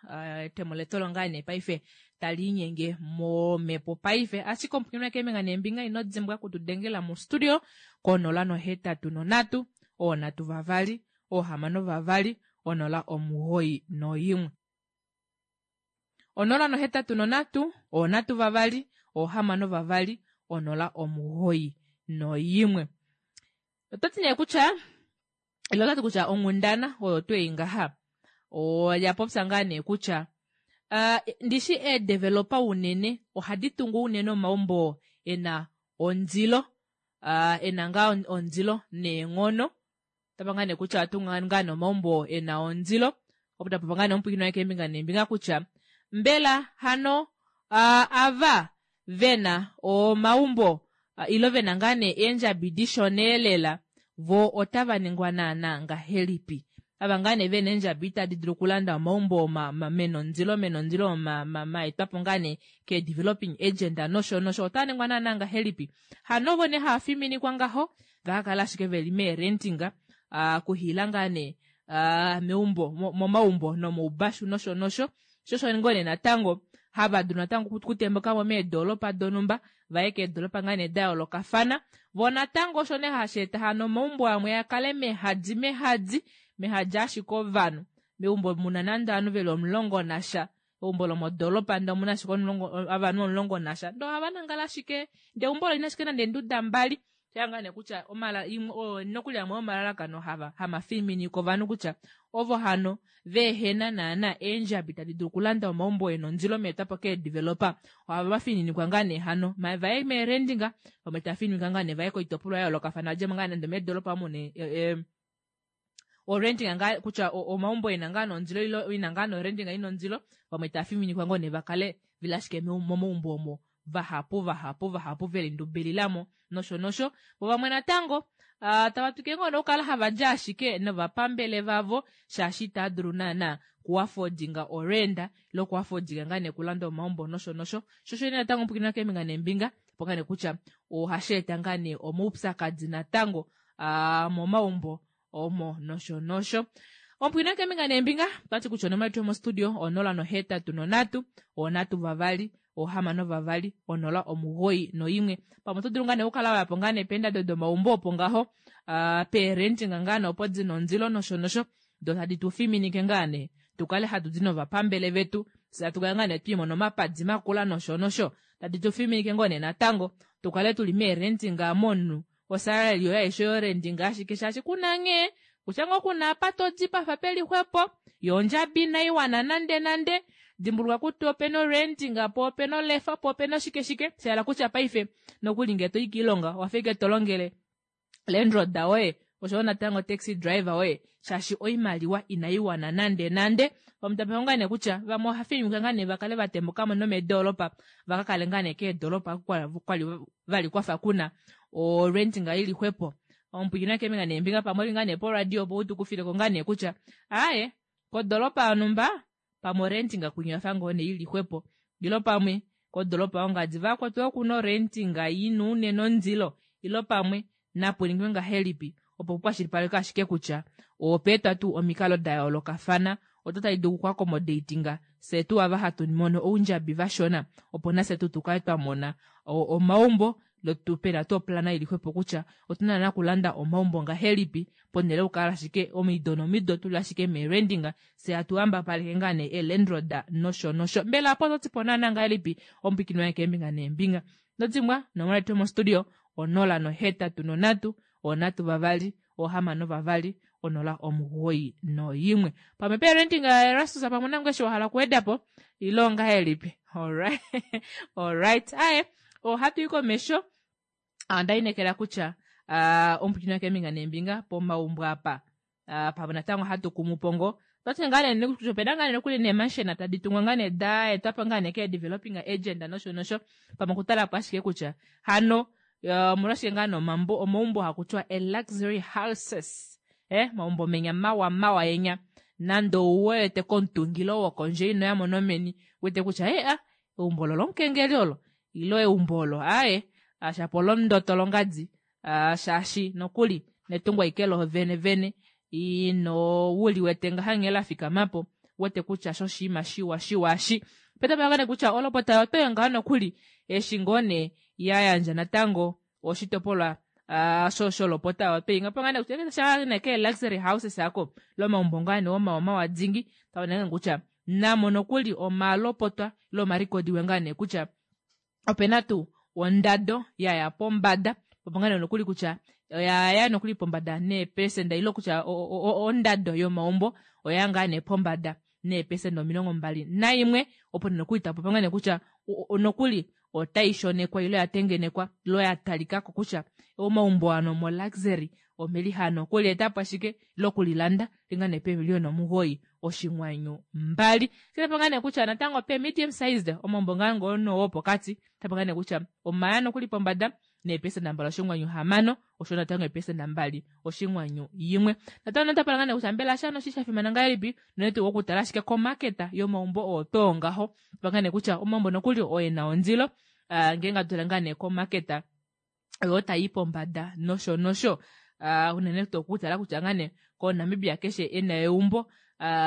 etemo letu olo ngaa nee paife tali inyenge momhepo paife ashike omupwikinwa keembinga neembinga ino dimbwa kutudengela mostudio konola nohetatu nonhatu oonhatu vavali oohamano vavali onola omugoyi noimwe onola nohetatu nonhatu oonhatu vavali oohamano vavali onola omugoyi noimwe ototi nee kutya ile otati kutya onghundana oyo twei ngaha oya popya ngaa nee kutya uh, ndishi eedevelopa unene ohadi tungu unene omaumbo ena ondilo uh, ena ngaa ondilo neenghono tapa ngaa nee kutya atunga ngaa nee omaumbo ena ondilo opo tapa ngaa nee omupwikinwa waye keembinga neembinga kutya mbela hano uh, ava vena omaumbo uh, ilo vena ngaa nee eendjabi dishona lela vo otava ningwa naana ngahelipi ava ngaa nee vena eendjabi itadi dulu okulanda omaumbo menondilo menondilo maetwapo ngaa nee ke developing agenda nosho nosho otava ningwa naana ngahelipi hano vo nee hava fiminikwa ngaho vakakala ashike veli meerentinga uh, kuhiila ngaa nee uh, meumbo momaumbo nomoubashu nosho nosho shosho ngoo nee natango hava dulu natango kutembuka mo meedolopa donumba vaye keedolopa ngaa nee da yoolokafana vo natango osho nee hashi eta hano omaumbo amwe akale mehadi mehadi mehadi ashike ovanhu meumbo muna nande ovanhu veli omulongo nasha eumbo lomodolopa ndee omuna ashike ovanhu omulongo nasha ndee ohava nangala ashike ndee eumbo olina ashike nande eenduda mbali shanga nee kutya omala nokuli amwe omalalakano hava hamafiminiko ovanhu kutya ovo hano veehena naana eendjabi tadi dulu okulanda omaumbo ena ondilo meetwapo keedevelopa ohava fininikwa ngaa nee hano vaye meerendinga vamwe tava fininikwa ngaa nee vaye koitopolwa ya yoolokafana vadjemo ngaa nande meedolopa omu ne orentinga ngaa kutya omaumbo ena ngaa nondilo ilo ina ngaa norentinga ina ondilo vamwe tava fiminikwa ngoo nee vakale veli ashike momaumbo omo vahapu vahapu vahapu veli ndubililamo nosho nosho vo vamwe natango uh, tava twike ngoo nokukala hava dja ashike novapambele vavo shaashi itava dulu naana kuafodinga orenda ile okuafodinga ngaa nee kulanda omaumbo nosho nosho shosho ine natango mpukina keembinga neembinga opo ngaa nee kutya ohashi eta ngaa nee omaupyakadi natango uh, momaumbo omo nosho nosho ompwina keembinga neembinga otati kutya onomola yetu yomostudio onola nohetatu nonhatu onhatu vavali ohamano vavali onola omugoyi noimwe pamwe oto dulu ngaa nee okukala wayapo ngaa nee peendado domaumbo opo ngaho uh, peerentinga ngaa nee opo dina ondilo nosho nosho do tadi tu fiminike ngaa nee tukale hatu di novapambele vetu fye hatu kala ngaa nee twiimona omapadi makula nosho nosho tadi tu fiminike ngoo nee natango tukale tuli meerentinga momunhu osalary yoye aishe yorendinga ashike shaashi kuna nghee kutya ngoo kuna apa todi pafa peli xwepo yo ondjabi inai wana nande nande dimbuluka kutya opena orentinga po opena olefa po opena oshike shike shahala kutya paife nokuli ngee toyi kiilonga owafa ike tolongele landlord woye oshowo natango taxi driver woye shaashi oimaliwa inai wana nande nande vamwe ngaa nee kutya vamwe oha fininika ngaa nee vakale vatembukamo nomeedolopa vakakale ngaa nee keedolopa kwali vali kwafa kuna orentinga ili xwepo omupwikinwa keembinga neembinga pamwe oli ngaa nee poradio opo utukufileko ngaa nee kutya aaye kodolopa yonumba pamwe orentinga kwinya oyafa ngoo nee ili xwepo ilo pamwe kodolopa yongadi vakwetu okuna orentinga ina unene ondilo ilo pamwe napuningwe ngahelipi opo kukwashilipaleke ashike kutya opeetwa tuu omikalo da yoolokafana oto tadi dulu okuakomodatinga fye tuu ava hatu mono oundjabi vashona opo nafye tuu tukale twa mona omaumbo lo pena tuu oplana ili xwepo kutya otuna naana okulanda omaumbo ngahelipi ponhele yokukala ashike omido nomido tuli ashike meerendinga fye hatu hambapaleke ngaa nee eelandlord nosho nosho mbela apo ototi po naana ngahelipi omupwiikini wange keembinga neembinga nodimwa nomola yetu yomostudio onola nohetatu nonhatu onhatu vavali ohamano vavali onola omugoyi noyimwe pamwe parenting Erastus pamwe nangu eshi wahala okuwedapo ile ongahelipi alright alright aye ohatu i komesho onda inekela kutya uh, omupwiikini wakeembinga neembinga pomaumbo apa uh, pamwe natango hatu kumu po ngo twati ngaa nee kutya opena ngaa nee nokuli neemanshena tadi tungwa ngaa nee da etwapo ngaa nee kee developing agenda nosho nosho pamwe okutala po ashike kutya hano Omolwashike ngaa nee omambo omaumbo haku tiwa e luxury houses eh maumbo menya mawa mawa yenya nande ouwete komutungilo wokondje ino yamo nomeni wete kutya e a eumbo olo lomukengeli olo ilo eumbo olo aaye shapo olomundoto longadi shaashi nokuli netungo aike lo vene vene ino wuli wete ngaha nghee la fikamapo wete kutya shoshiima shiwa shiwa shi petapakane kutya olopota yotoyo ngaho nokuli eshi ngoo nee ya yandja natango oshitopolwa uh, sholopota oyo pangane kutya sha ke luxury houses ako lomaumbo ngaa nee omawa dingi taonenge kutya namo nokuli omalopotwa ile omarikodiwe ngaa nee kutya opena tuu ondado yaya pombada popangane nokuli kutya oyaya nokuli pombada neepesenda ile kutya ondado yomaumbo oya ngaa nee pombada neepesenda 21 opo nokuli tapopa kutya nokuli otai shonekwa ile ya tengenekwa ile ya talikako kutya omaumbo ano mo luxury omeli hano okuli etapo ashike lokulilanda linga nee peemiliyona 9.2 sitapanga nee kutya natango pe medium sized omaumbo ngaa ngono wopokati tapanga nee kutya omaya nokuli pombada neepesenda 2.6 osho natango eepesenda 2.1 natango natapala ngaa nee kutya mbela shano shi shafimana ngahelipi nonetu okutala ashike komaketa yomaumbo oo too ngaho tapanga nee kutya omaumbo nokuli oye na ondilo ngeenge atula ngaa nee komaketa oyo tayi pombada nosho nosho unene tuu okutala kutya ngaa nee koNamibia keshe ena eumbo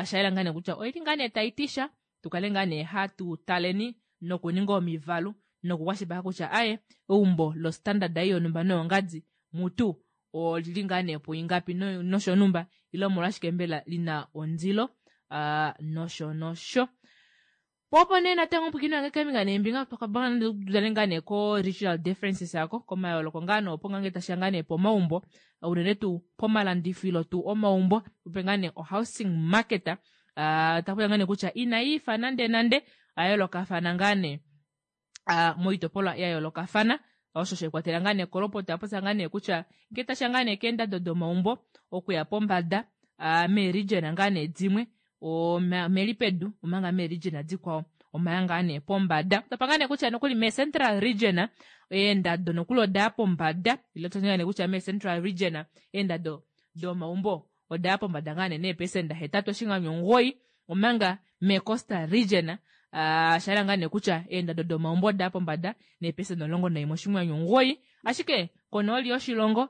shayela ngaa nee kutya oili ngaa nee tayi tisha tukale ngaa nee hatu taleni nokuninga omivalu nokukwashilipaleka kutya aye eumbo lo standard yonumba noyongadi mutu olili ngaa nee puingapi nosho numba ile omolwashike mbela lina ondilo nosho nosho. Popo nee natango mpwikino yange keembinga neembinga totale ngaa nee ko regional differences ako komayooloko ngaa nee opo ngange tashiya ngaa nee pomaumbo unene tuu pomalandifilo tuu omaumbo ope ngaa nee o housing market takuya ngaa nee kutya inayiifa nande nande ayoolokafana ngaa nee moitopolwa ya yoolokafana osho shekwatela ngaa nee kolopota yapopya ngaa nee kutya ngee tashiya ngaa nee keendado domaumbo okuya pombada meeregion ngaa nee dimwe omeli pedu omanga meeregion dikwao omaya ngaa nee pombada tapa ngaa nee kutya nokuli me-central region eendado nokuli odaya pombada ile toti nee kutya me-central region eendado domaumbo odaya pombada ngaa nee neepesenda 8.9 omanga me-coastal region shayela ngaa nee kutya eendado domaumbo odaya pombada neepesenda 11.9 ashike konooli yoshilongo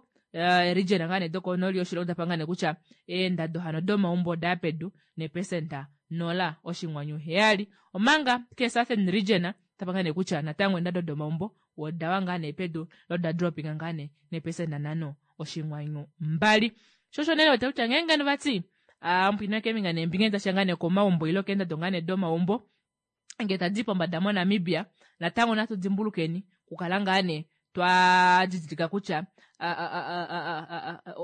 region ngaa nee dokonooli yoshilongo tapa ngaa nee kutya eendado hano domaumbo odaya pedu neepesenda 0.7 omanga ke southern region tapa ngaa nee kutya natango eendado domaumbo odawa ngaa nee pedu loda dropinga ngaa nee neepesenda 5.2 shosho nee wete kutya ngeenge vati mpwino keembinga neembinga tashiya ngaa nee komaumbo ile keendado ngaa nee domaumbo ngee tadi pombada moNamibia natango natu dimbulukeni kukala ngaa nee twa didilika kutya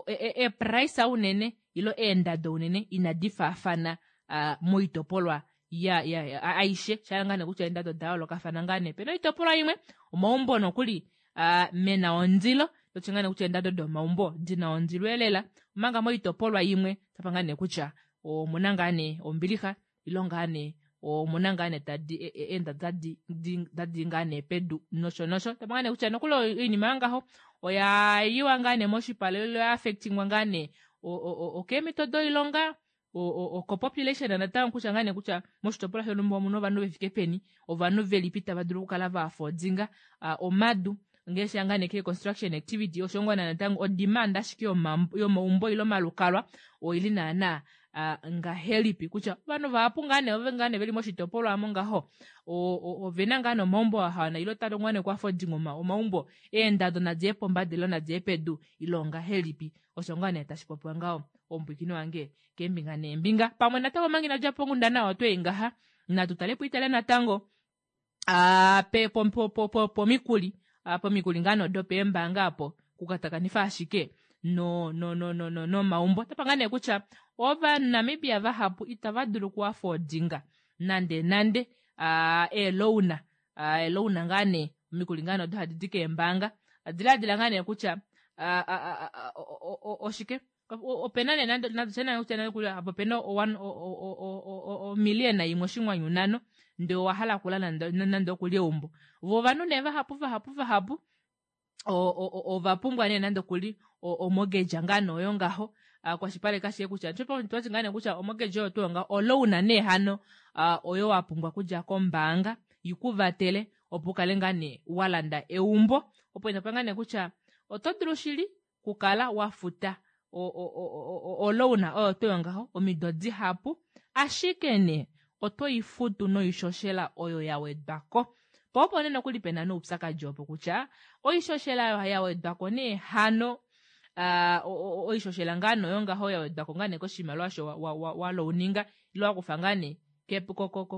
eeprice unene ilo eendado unene inadi faafana moitopolwa ya aishe shayela ngaa nee kutya eendado oda yoolokafana ngaa nee pena oitopolwa imwe omaumbo nokuli mena ondilo toti ngaa nee kutya eendado domaumbo dina ondilo elela omanga moitopolwa imwe tapa ngaa nee kutya omuna ngaa nee ombilixa ilo ngaa nee omuna ngaa nee tadi eendado tadi ngaa nee pedu nosho nosho tapa ngaa nee kutya nokuli oinima yangaho oya yiwa ngaa nee moshipala ile oya affectingwa ngaa nee okeemhito doilonga oko-population natango kutya ngaa nee kutya moshitopolwa shontumba omuna ovanhu vefike peni ovanhu velipi tava dulu okukala va affordinga omadu ngaashi ngaa nee ke construction activity osho ngoo natango odemand ashike yomaumbo ile omalukalwa oili naana ngahelipi kutya ovanhu vahapu ngaa nee ove ngaa nee veli moshitopolwa amo ngaho ovena ngaa nee omaumbo ahawana ile otava ngaa nee oku affordinga omaumbo eendado nadiye pombada ile nadiye pedu ile ongahelipi osho ngaa nee tashi popiwa ngaho omupwikino wange keembinga neembinga pamwe natango omanga inadja pongundana otweyi ngaha natu tale po itale natango pomikuli pomikuli ngaa nee dopeembaanga apo kukatakanifa ashike no no no no no nomaumbo tapa ngaa nee kutya ovanamibia vahapu itava dulu oku affordinga nande nande eelouna eelouna ngaa nee omikuli ngaa nee odo hadi di keembaanga diladila ngaa nee kutya oshike opena nee nande kutya apo opena omiliyona 1.5 ndee owahala okulanda nande okuli eumbo vo ovanhu nee vahapu vahapu vahapu. Ova pumbwa nee nande okuli omortgage ngaa nee oyo ngaho kwashipaleka ashike kutya twati ngaa nee kutya omortgage oyo tuu ngaho oloan nee hano oyo wa pumbwa okudja kombaanga ikuvatele opo ukale ngaa nee walanda eumbo opo ina ngaa nee kutya oto dulu shili kukala wafuta oloan oyo tuu ngaho omido dihapu ashike nee oto ifutu noishoshela oyo ya wedwako po opo nee nokuli pena noupyakadi opo kutya oishoshela oyo ya wedwako nee hano oishoshela ngaa noyo ngaho ya wedwako ngaa nee koshimaliwa osho walouninga ile wakufa ngaa nee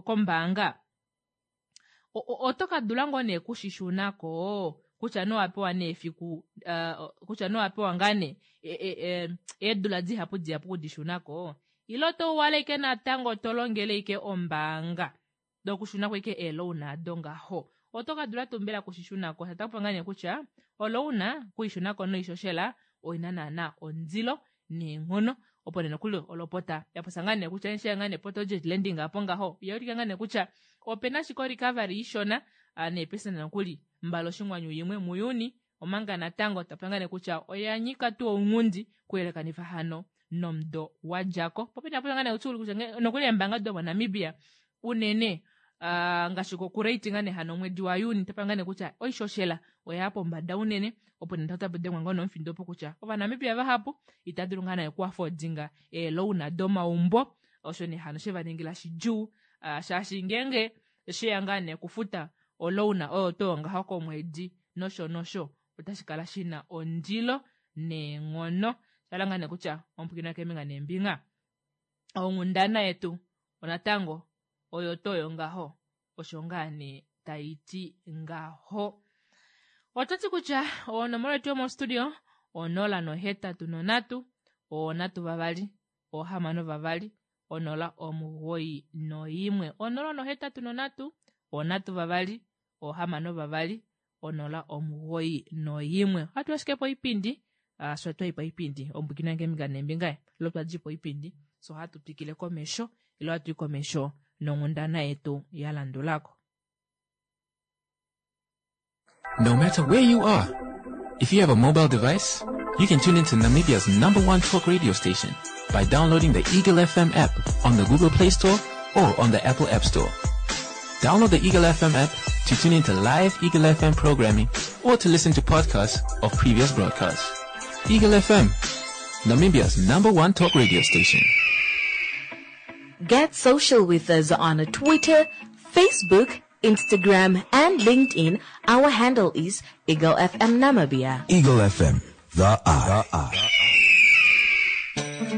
kombaanga oto ka dula ngoo nee kushishunako kutya nowapewa nee efiku kutya nowapewa ngaa nee eedula dihapu dihapu kudishunako ile oto wala ike natango to longele ike ombaanga dokushunako ike eeloan ado ngaho oto ka dula tuu mbela kushishunako shatakupa ngaa nee kutya oloan kuishunako noishoshela oina naana ondilo neenghono opo nee nokuli olopota yapopya ngaa nee kutya eshi ngaa nee project lending apo ngaho yaulika ngaa nee kutya opena ashike recovery ishona neepesenda nokuli 2.1 muJuni omanga natango tapya ngaa nee kutya oya nyika tuu ounghundi kuyelekanifa hano nomudo wadjako popena popya ngaa nee kutya nokuli eembaanga domoNamibia unene ngaashi kokurate ngaa nee hano omwedi waJuni tapya ngaa nee kutya oishoshela oya pombada unene opo nee tapu dengwa ngoo nomufindo opo kutya ovanamibia vahapu ita dulu ngaa nee okuafodinga eeloan domaumbo osho nee hano shevaningila shidjuu shaashi ngeenge sheya ngaa nee okufuta oloan oyo tuu ngaho komwedi nosho nosho otashi kala shina ondilo neenghono shala ngaa nee kutya omupwikina keembinga neembinga onghundana yetu onatango oyo toyo ngaho osho ngaa nee taiti ngaho. Ototi kutya onomola yetu yomostudio 083 3 6 2 0 91 083 3 6 2 0 91. Ohatu ashike po ipindi so twai po ipindi ombukina ngeminga nembinga lo twadji po ipindi so hatu twikile komesho ilo hatu i komesho nonghundana yetu ya landulako. No matter where you are, if you have a mobile device, you can tune into Namibia's #1 talk radio station by downloading the Eagle FM app on the Google Play Store or on the Apple App Store. Download the Eagle FM app to tune into live Eagle FM programming or to listen to podcasts of previous broadcasts. Eagle FM, Namibia's #1 talk radio station. Get social with us on Twitter, Facebook, Instagram, and LinkedIn. Our handle is Eagle FM Namibia. Eagle FM, the eye.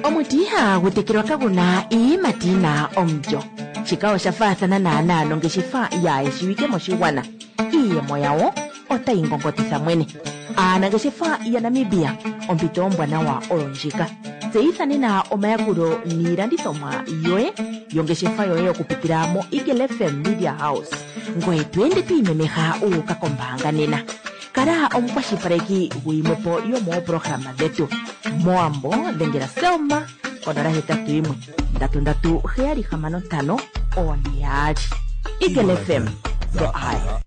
Omuti ihagu tekelwa kaguna iiyimati yina omulyo. Shika osha faathana naanaa nongeshefa yaayeshiwike moshigwana. Iiyemo yawo otayi ngongotitha mwene. Aanangeshefa yaNamibia, ompito ombwanawa oyo ndjika. Tseyitha nena omayakulo niilandithomwa yoye yongeshefa yoye okupitila mo Eagle FM Media House. Ngoye to ende to imemeha u uka kombaanga nena. Kala omukwashilipaleki guyimwepo yomooprograma dhetu. Mowambo dhengela Selma konola hetatu yimwe ndatu ndatu heyali hamano ntano one yaali. Eagle FM, the eye.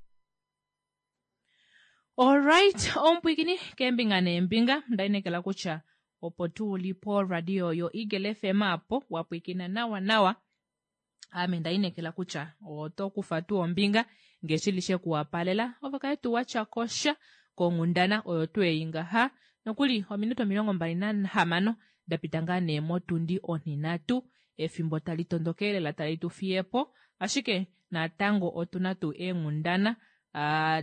Alright, omupwikini keembinga neembinga ndainekela kutya opo tuu li po radio yo Eagle FM apo wapwikina nawa nawa. Ame ndainekela kutya oto kufa tuu ombinga ngeshi lishe kuwapalela ove kale tuu watya kosha konghundana oyo tuu ei ngaha nokuli ominute 26 dapita ngaa nee motundi onhinhatu efimbo tali tondoke lela tali tu fiyepo ashike natango otuna tuu eenghundana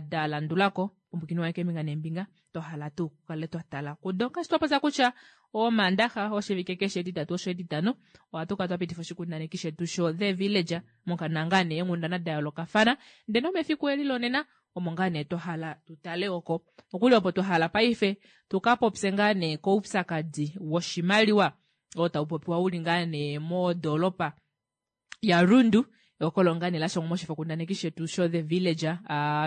da landulako ombukini waye keembinga neembinga twahala tuu kukale twatala kudo ngaashi twapopya kutya omandaxa oshivike keshe etitatu osho etitano ohatu kala twapitifa oshikundaneki shetu sho The Village mokana ngaa nee eenghundana da yoolokafana ndele nomefiku eli lonena omo ngaa nee twahala tutale oko nokuli opo twahala paife tukapopye ngaa nee koupyakadi woshimaliwa oo tau popiwa uli ngaa nee modoolopa yaRundu okolo ngaa nee lashangwa moshifokundaneki shetu sho The Village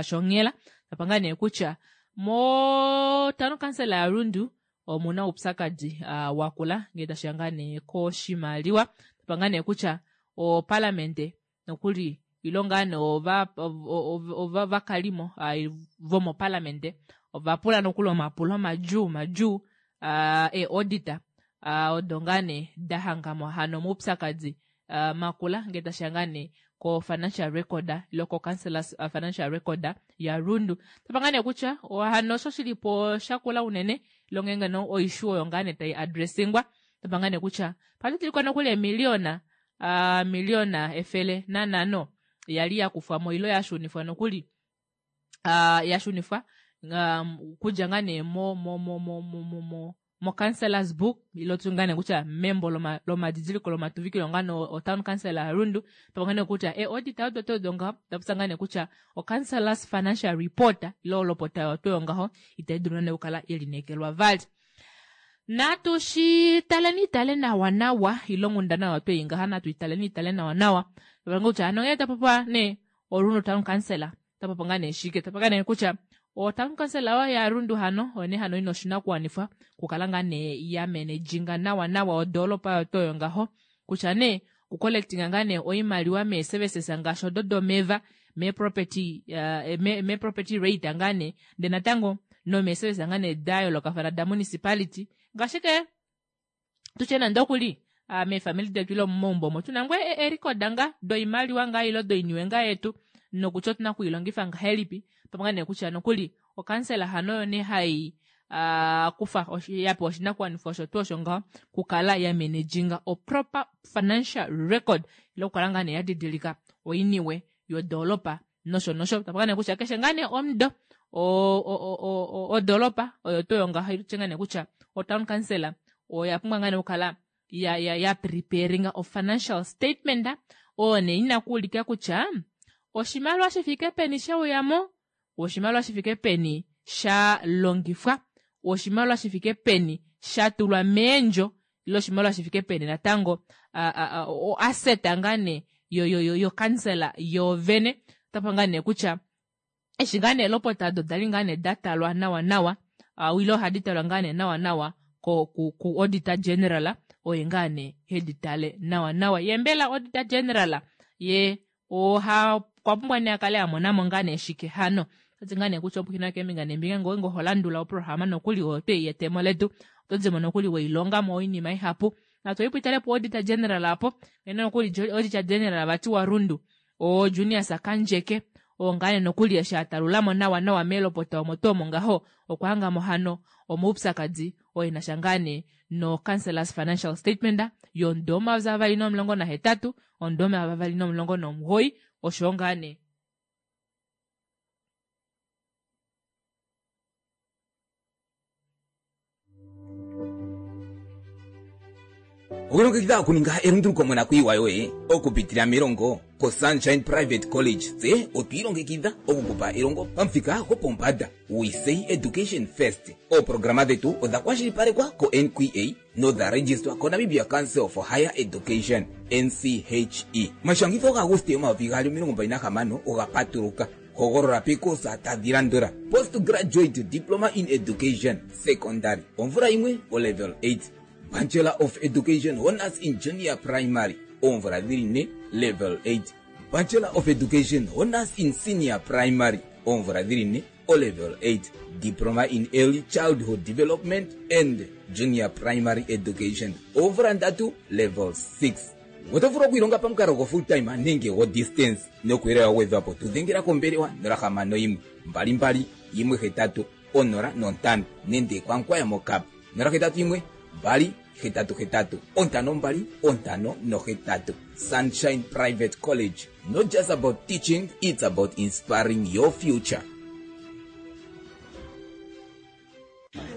shonghela tapa ngaa nee kutya motano kansela yaRundu omuna oupyakadi wakula ngee tashiya ngaa nee koshimaliwa tapa ngaa nee kutya opalamente nokuli ilo ngaa nee ovakalimo vomopalamente Ova pula nokuli omapulo madjuu madjuu ee-auditor odo ngaa nee da hangamo hano omaupyakadi makula ngee tashiya ngaa nee ko financial record ile ko councillors financial record ya Rundu. Tapa ngaa nee kutya hano osho shilipo shakula unene ile ngeenge no oissue oyo ngaa nee tai addressingwa. Tapa ngaa nee kutya padidilikwa nokuli eemiliona miliona 105 yali yakufwamo ile yashunifwa nokuli yashunifwa kudja ngaa nee mo mo mo mo mo mo mo councillors book ilo tu ngaa nee kutya membo lomadidiliko lomatuvikilo ngaa nee o town council ya Rundu. Tapa ngaa nee kutya ee-auditor odo tuu odo ngaho dapopya ngaa nee kutya o councillors financial report ile olopota oyo tuu yongaho itai dulu nande okukala yelineekelwa vali. Natu shi taleni tale nawa nawa ile onghundana oyo twei ngaha natu italeni itale nawa nawa. Tapa kutya hano ngee tapopiwa nee oRundu town council tapopiwa ngaa nee shike, tapopiwa ngaa nee kutya o town council oyo yaRundu hano oyo nee hano ina oshinakuwanifwa okukala ngaa nee ya manajinga nawa nawa odoolopa oyo tuu oyo ngaho kutya nee okucollectinga ngaa nee oimaliwa mee services ngaashi odo domeva mee property mee property rate ngaa nee ndee natango nomee services ngaa nee da yoolokafana da municipality ngaashi ke tutye nande okuli meefamili detu ile momaumbo omo tuna ngoo eerikoda ngaa doimaliwa ngaa ile doiniwe ngaa yetu nokutya otuna okuilongifa ngahelipi pamwe ngaa nee kutya nokuli okansela hano oyo nee hai kufa yapewa oshinakuwanifwa osho tuu osho ngaho kukala ya manajinga o proper financial record ile okukala ngaa nee ya didilika oiniwe yodoolopa nosho nosho. Tapa ngaa nee kutya keshe ngaa nee omudo odoolopa oyo tuu oyo ngaho itye ngaa nee kutya otown council oya pumbwa ngaa nee okukala ya ya ya preparinga o financial statement oyo nee ina kuulika kutya oshimaliwa shifike peni sheuyamo, oshimaliwa shifike peni sha longifwa, oshimaliwa shifike peni sha tulwa meendjo ile oshimaliwa shifike peni natango o asset ngaa nee yokansela yoovene. Otapa ngaa nee kutya eshi ngaa nee elopota odo dali ngaa nee da talwa nawa nawa ile ohadi talwa ngaa nee nawa nawa ku auditor general oye ngaa nee hedi tale nawa nawa. Ye mbela auditor general ye oha okwa pumbwa nee akale amonamo ngaa nee shike hano. Otati ngaa nee kutya opukina keembinga neembinga ngoo ho landula oprograma nokuli oyo twei yetemo letu oto dimo nokuli weilongamo oinima ihapu. Natu ipo itale po auditor general apo ngeno nokuli auditor general vati wa Rundu o Junias Kandjeke oo ngaa nee nokuli eshi atalulamo nawa nawa meelopota omo tuu omo ngaho okwa hangamo hano omaupyakadi oo enasha ngaa nee no councillors financial statement yomudo 2018 omudo 2019 osho ngaa nee Okulongekidha okuninga elunduluko monakuyiwa yoye okupitila melongo koSunshine Private College tse otwi ilongekidha okukupa elongo pamuthika gopombanda. We say education first. Ooprograma dhetu odha kwashilipalekwa ko-NQA nodha registwa koNamibia Council for Higher Education, NCHE. Omashangitho gaAguste 2026 oga patuluka. Hogolola peekosa tadhi landula: Postgraduate Diploma in Education, Secondary, omvula yimwe, olevel 8. Bachelor of Education Honours in Junior Primary, oomvula dhili ne, level 8. Bachelor of Education Honours in Senior Primary, oomvula dhili ne, olevel 8. Diploma in Early Childhood Development and Junior Primary Education, oomvula ndatu, level 6. Oto vulu okwiilonga pamukalo go full time nenge go distance nokuyele wa gwedhwapo tu dhengela kombelewa 061 22 18 05 nenge kwankwaya mokap 081 2 88 52 58. Sunshine Private College, not just about teaching, it's about inspiring your future.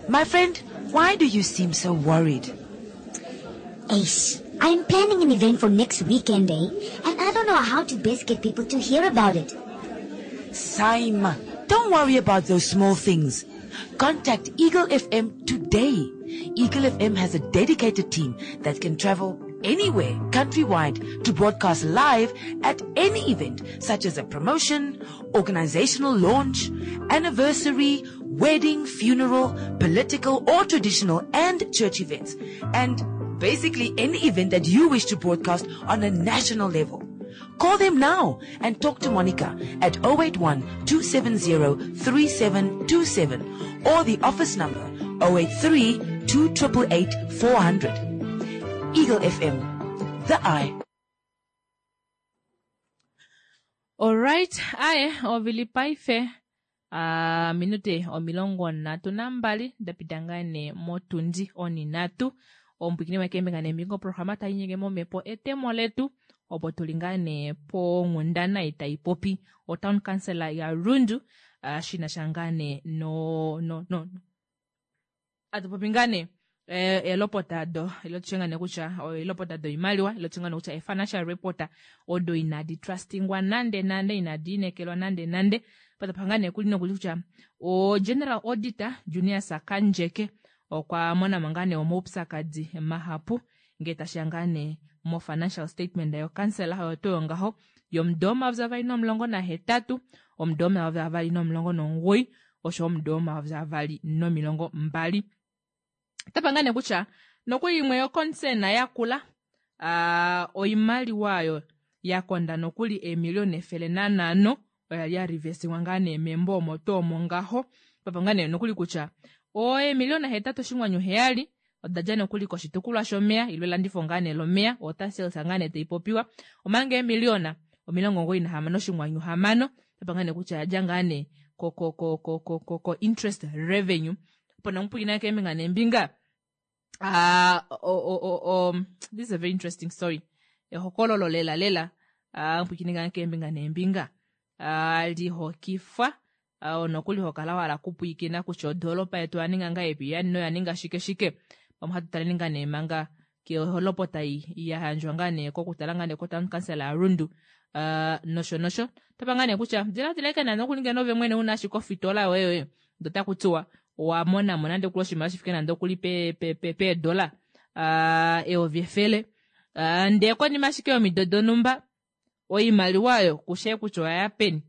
My friend, why do you seem so worried? Ace, I'm planning an event for next weekend, eh? And I don't know how to best get people to hear about it. Saima, don't worry about those small things. Contact Eagle FM today. Eagle FM has a dedicated team that can travel anywhere countrywide to broadcast live at any event, such as a promotion, organizational launch, anniversary, wedding, funeral, political or traditional and church events, and basically any event that you wish to broadcast on a national level. Call them now and talk to Monica at 081 270 3727 or the office number 083 2888 400. Eagle FM, the eye. Alright, aye ovili paife uh, minute 32 da pita ngaa nee motundi oninhatu omupwiikini wekeembinga neembinga oprograma tai nyenge momhepo etemo letu opo tuli ngaa nee ponghundana ei tai popi otown council yaRundu uh, shina sha ngaa nee no, no, no, atupopi ngaa nee eh, eelopota do ilo tushe ngaa nee kutya eelopota doimaliwa ilo tushe ngaa nee kutya ee-financial report odo inadi trustingwa nande nande inadi inekelwa nande nande patapa ngaa nee kuli nokuli kutya o-general auditor Junias Kandjeke okwa mona mo ngaa nee omaupyakadi mahapu ngee tashiya ngaa nee mo-financial statement yokansela oyo tuu ngaho yomudo 2018 omudo 2019 osho omudo 2020 tapa ngaa nee kutya nokuli imwe yoconcern yakula uh, oimaliwa oyo ya konda nokuli eemiliona 105 oya li ya rivesiwa ngaa nee membo omo tuu omo ngaho papa ngaa nee nokuli kutya oemiliona 8.7 oda dja nokuli koshitukulwa shomeya ilo elandifo ngaa nee lomeya water sales ngaa nee taipopiwa omanga eemiliona 96.6 tapa ngaa nee kutya yadja ngaa nee ko ko ko ko ko ko ko interest revenue opo namupwiikina keembinga neembinga uh, o, o, o, this is a very interesting story ehokololo lela lela uh, mpwiikini ngaa keembinga neembinga uh, lihokifwa uh, nokuli hokala wala kupwiikina kutya odoolopa yetu oyaninga ngahelipi noya ninga shike shike pamwe hatu taleni ngaa nee manga keholopota ya yandjwa ngaa nee kokutala ngaa nee kotown council yaRundu uh, nosho nosho tapa ngaa nee kutya diladila ike nande okuli ngeno ove mwene una ashike ofitola yoye yoye ndo taku tiwa owa monamo nande okuli oshimaliwa shifike nande okuli peedola uh, 100,000 uh, ndee konima ashike yomido donumba oimaliwa oyo kushe kutya oyaya peni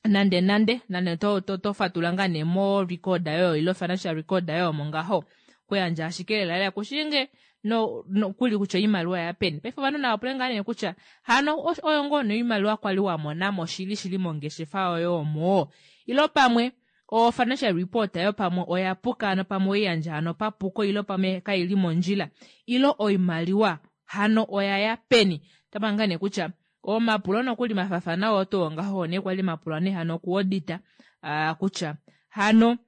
nande nande nande to, to, to fatula ngaa nee mo record yoyo ilo financial record yoyo omo ngaho kuyandja ashike lela lela kushinge no, no kuli kutya oimaliwa ya peni paife ovanhu nava pule ngaa nee kutya hano oyo ngoo noimaliwa kwali wa monamo shili shili mongeshefa yoyo omo ilo pamwe o financial report ayo pamwe oya puka hano pamwe oiyandja hano papuko ilo pamwe kaili mondjila ilo oimaliwa hano oyaya peni tapa ngaa nee kutya omapulo nokuli mafafana oo tuu ngaho nee kwali mapulwa nee hano kuodita uh, kutya hano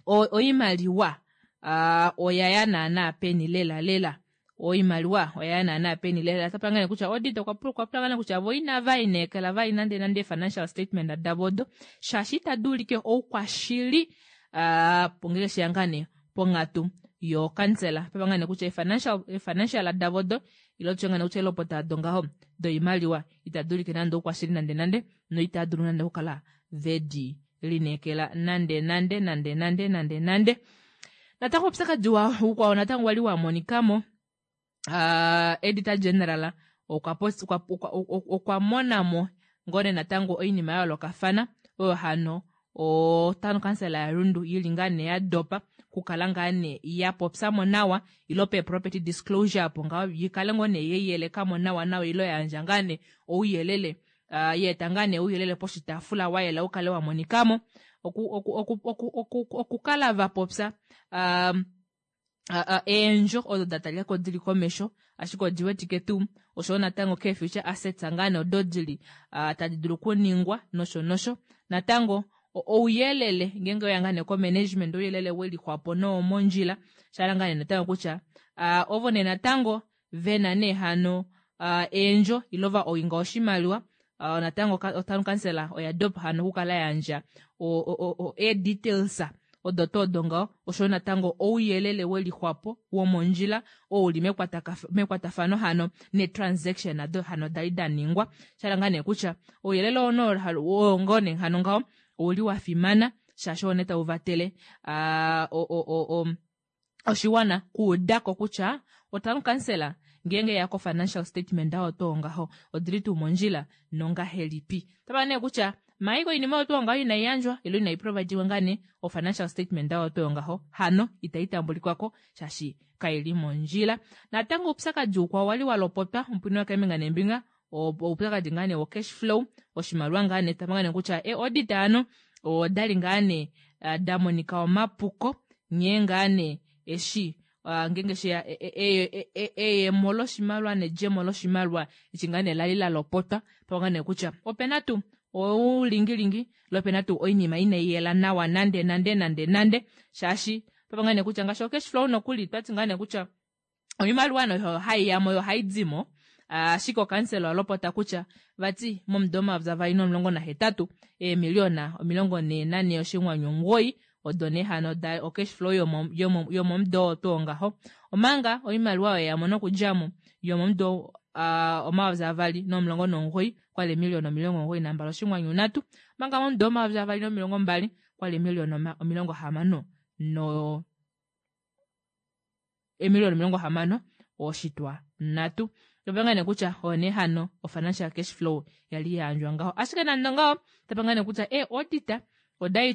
oimaliwa uh, oyaya naana peni lela lela oimaliwa oyaya naana peni lela tapa ngaa nee kutya audit okwa pula ngaa nee kutya vo inava inekela vai nande nande financial statement davo odo shaashi itadi ulike oukwashili uh, ngenge sheya ngaa nee ponghatu yokansela papa ngaa nee kutya financial davo odo ilo tushe ngaa nee kutya elopota do ngaho doimaliwa itadi ulike nande oukwashili nande nande noitava dulu nande okukala vedi lineekela nande nande nande nande nande nande natango oupyakadi ukwao natango wali wa monikamo uh, auditor general okwa, okwa, okwa, okwa monamo ngone natango oinima ya yoolokafana oyo hano otown council yaRundu yili ngaa nee ya dopa kukala ngaa nee ya popyamo nawa ilo pe property disclosure apo ngaho yikale ngoo nee yeiyelekamo nawa nawa ilo yandja ngaa nee ouyelele uh, yeeta ngaa nee ouyelele poshitaafula wa yela ukale wa monikamo okukala oku, oku, oku, oku, va popya um, uh, uh, eendjo odo da talikako dili komesho ashike odi wetike tuu oshowo natango kee future assets ngaa nee odo dili uh, tadi dulu okuningwa nosho nosho natango ouyelele ngenge oya ngaa nee ko-management ouyelele welixwapo nowomondjila shala ngaa nee natango kutya uh, ovo nee natango vena nee hano uh, eendjo ilo va owinga oshimaliwa uh, natango otown council oya dopa hano okukala yandja ee-details odo tuu odo ngaho oshowo natango ouyelele welixwapo womondjila oo uli mekwatafano hano ne-transaction ado hano dali da ningwa shala ngaa nee kutya ouyelele oo ngoo nee hano ngaho ouli wa fimana shaashi oo nee tau vatele uh, oshiwana kuudako kutya otown council ngenge ya ko financial statement awo tuu ngaho odili tuu mondjila nongahelipi tava nee kutya maiko oinima oyo tuu ngaho inai yandjwa ilo inai providiwa ngaa nee o financial statement awo tuu ngaho hano itai tambulikwako shaashi kaili mondjila natango oupyakadi ukwao wali wa lopotwa omupwini wakeembinga neembinga. Oupyakadi ngaa nee wo cash flow, oshimaliwa ngaa nee tapa ngaa nee kutya ee-audit ano odali ngaa nee da monika omapuko nghee ngaa nee eshi ngeenge sheya eyemo loshimaliwa nedjemo loshimaliwa eshi ngaa nee lali la lopotwa pa ngaa nee kutya opena tuu oulingilingi lo opena tuu oinima inai yela nawa nande nande nande nande shaashi pa ngaa nee kutya ngaashi o cash flow nokuli twati ngaa nee kutya oimaliwa noyo haiyamo yo haidimo, ashike okansela olopota kutya vati momudo 2018 eemiliona 44.9 odo nee hano da o cash flow yomomudo oo tuu ngaho, omanga oimaliwa oyo yamo nokudjamo yomomudo 2019 kwali eemiliona 92.3, omanga momudo 2020 kwali eemiliona 60 no eemiliona 63. Tapa nee kutya oyo nee hano o financial cash flow yali yayandjwa ngaho, ashike nande ongaho tapa nee kutya ee-auditor odali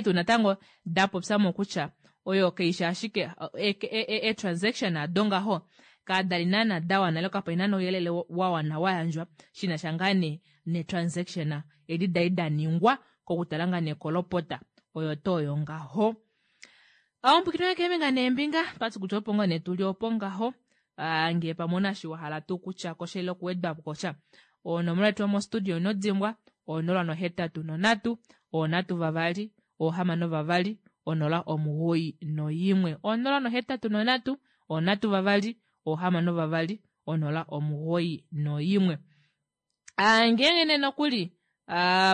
tuu natango dapopyamo kutya oyo kaishi ashike e-transaction ado ngaho kadali naana dawana ile kapali naana ouyelele wawana wayandjwa shinasha ngaa nee ne-transaction edi dali daningwa kokutala ngaa nee kolopota oyo tuu oyo ngaho. Omupwiikini keembinga neembinga twati kutya opo ngoo nee tuli opo ngaho, ngee pamwe ouna eshi wahala tuu kutya kosha ile okuwedwapo kosha, onomola yetu yomostudio ino dimbwa 083 3 62 091 083 3 62 091. Ngeenge nee nokuli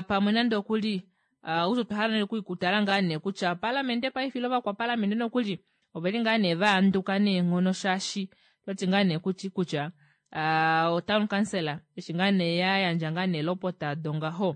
pamwe nande okuli outya otwa hala okutala ngaa nee kutya opaliamente paife ile ovakwapaliamente nokuli oveli ngaa nee vaanduka neenghono shaashi otati ngaa nee kutya otown council eshi ngaa nee yayandja ngaa nee elopota dongaho,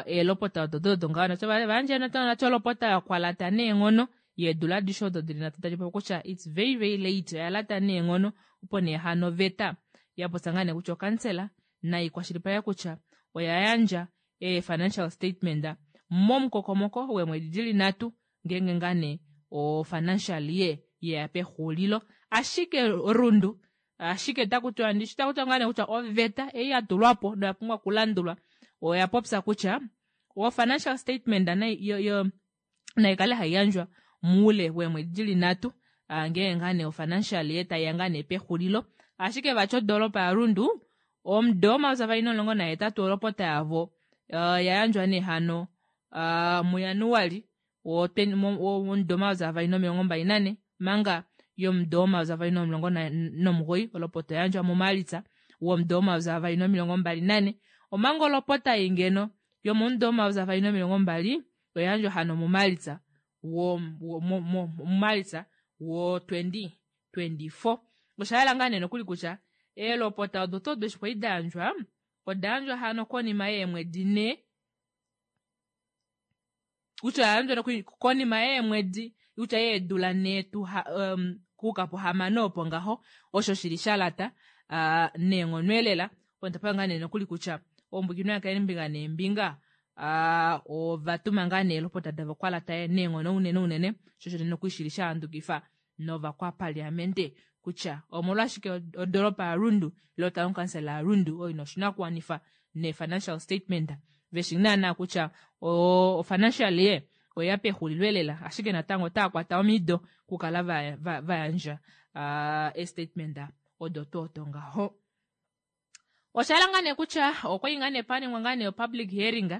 eelopota odo dongaho nacho vayandja nacho olopota yakwalata neenghono yeedula adishe odo dili nhatu tadi popi kutya it's very very late, oyalata neenghono opo nee hano oveta yapopya ngaa nee kutya okansela naikwashilipaleke kutya oya yandja ee-financial statement momukokomoko weemwedi dili nhatu ngeenge ngaa nee o financial year yeya pexulilo, ashike Rundu ashike otakutiwa ndishi otakutiwa ngaa nee kutya oveta ei yatulwapo noya pumbwa okulandulwa oya popya kutya o financial statement naikale haiyandjwa muule weemwedi dili nhatu ngeenge ngaa nee o financial year taiya ngaa nee pexulilo, ashike vati odoropa yaRundu omudo 2018 olopota yavo yayandjwa nee hano muJanuali womudo 2024, manga yomudo 2019 olopota oyayandjwa muMalitsa womudo 2024, omanga olopota ei ngeno yomomudo 2020 oyayandjwa hano muMalitsa muMalitsa wo 2024. Oshayela ngaa nee nokuli kutya eelopota odo tuu odo eshi kwali dayandjwa odayandjwa hano konima yeemwedi nhee, kutya oyayandjwa nokuli konima yeemwedi kutya yeedula nhee kuuka puhamano opo ngaho, osho shili shalata neenghono elela. Opo ngaa nee nokuli kutya ombwikino yakeembinga neembinga ovatuma ngaa nee eelopota davo kwalata neenghono unene unene, sho osho nokuli shili shahandukifa novakwapaliamente kutya omolwashike odoropa yaRundu ile otown council yaRundu oyo ina oshinakuwanifa ne-financial statement veshi naana kutya o financial year oya pexulilo elela, ashike natango otaya kwata omido okukala vayandja e-statement odo tuu odo ngaho. Oshala ngaa nee kutya okwali ngaa nee paningwa ngaa nee public hearing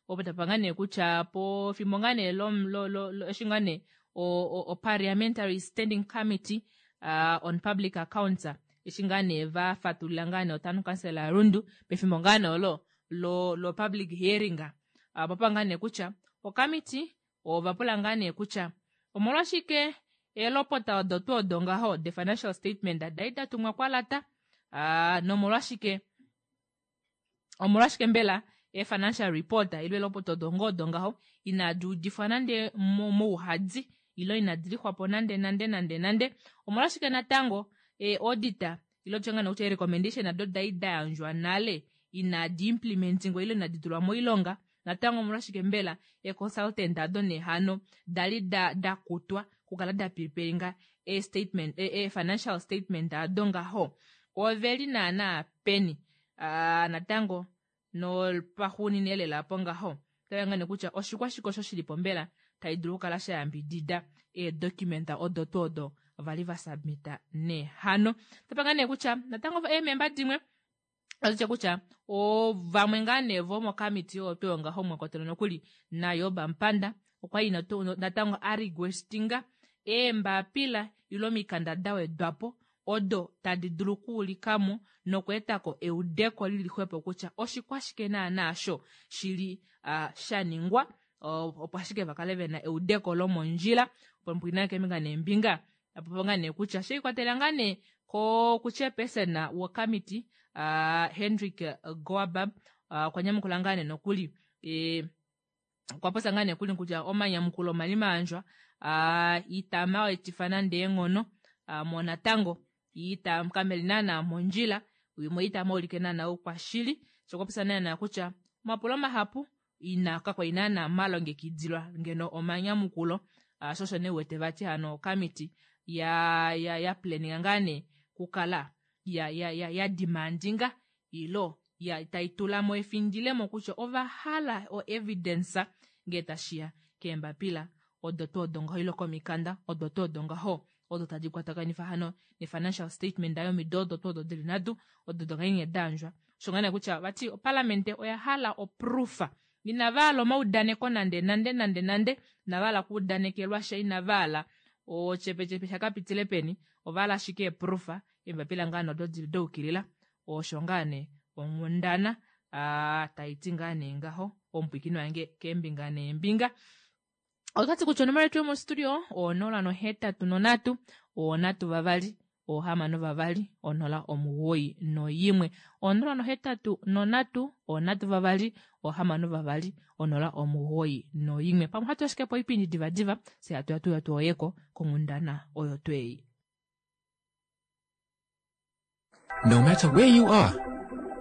opo tapa ngaa nee kutya pefimbo ngaa nee eshi ngaa nee o parliamentary standing committee on public accounts eshi ngaa nee vafatulula ngaa nee otown council yaRundu pefimbo ngaa nee olo lo public hearing, papa ngaa nee kutya okamiti ovapula ngaa nee kutya omolwashike eelopota odo tuu odo ngaho the financial statement dali datumwa kwalata, nomolwashike omolwashike mbela e-financial report ile elopota odo ngoo odo ngaho inadi udifwa nande mouhadi ile inadi lixwapo nande nande nande nande, omolwashike natango e-auditor ile tutye ngaa nee kutya ee-recommendation ado dali dayandjwa nale inadi implementingwa ile inadi tulwa moilonga, natango omolwashike mbela e-consultant ado nee hano dali dakutwa. okukala da preparinga e statement, e financial statement ado ngaho oveli naana peni. Natango nopaxuunina elela apo ngaho otava ngane kutya oshikwashike osho shilipo mbela tai dulu okukala sha yambidida eedocumenta odo tuu odo vali va submita nehano. Otapa nee kutya natango eememba dimwe otya kutya vamwe ngaa nee vomokamiti oyo tuu ngaho mwa kwatelwa nokuli naJob Amupanda okwa li natango a requestinga eembapila ile omikanda da wedwapo odo tadi dulu okuulikamo nokweetako eudeko lili xwepo kutya oshikwashike naana osho shili sha ningwa opo ashike vakale vena eudeko lomondjila opo mpwina keembinga neembinga apopo ngaa nee kutya sheikwatela ngaa nee kuchairperson wokamiti Hendrik Goabab okwa nyamukula ngaa nee nokuli okwa popya ngaa nee kuli kutya omanyamukulo omali mayandjwa itama etifa nande eenghono mo natango ita kameli naana mondjila imwe itama ulike naana oukwashili sho okwa popya naana kutya omapulo mahapu ina kakwali naana malongekidilwa ngeno omanyamukulo sho osho nee uwete vati hano okamiti ya ya ya planninga ngaa nee kukala ya ya ya ya demandinga ilo ya tai tulamo efindilemo kutya ova hala o evidence ngee tashiya keembapila odo tuu odo ngaho ile komikanda odo tuu odo ngaho odo tadi kwatakanifa hano ne financial statement yomido odo tuu odo dili nhatu odo dongainge dayandjwa osho ngaa nee kutya vati opalamente oya hala oproofa inava hala omaudaneko nande nande nande nande inava hala okuudanekelwa sha inava hala ochepechepe shakapitile peni ova hala ashike eproofa eembapila ngaa nee odo dili daukilila osho ngaa nee onghundana taiti ngaa nee ngaho omupwikini wange keembinga neembinga. Otwati kutya onomola yetu yomostudio 083 3 6 2 091 083 3 6 2 091. Pamwe hatu ashike po oipindi divadiva fye hatu ya tuya tuoyeko konghundana oyo twei. No matter where you are,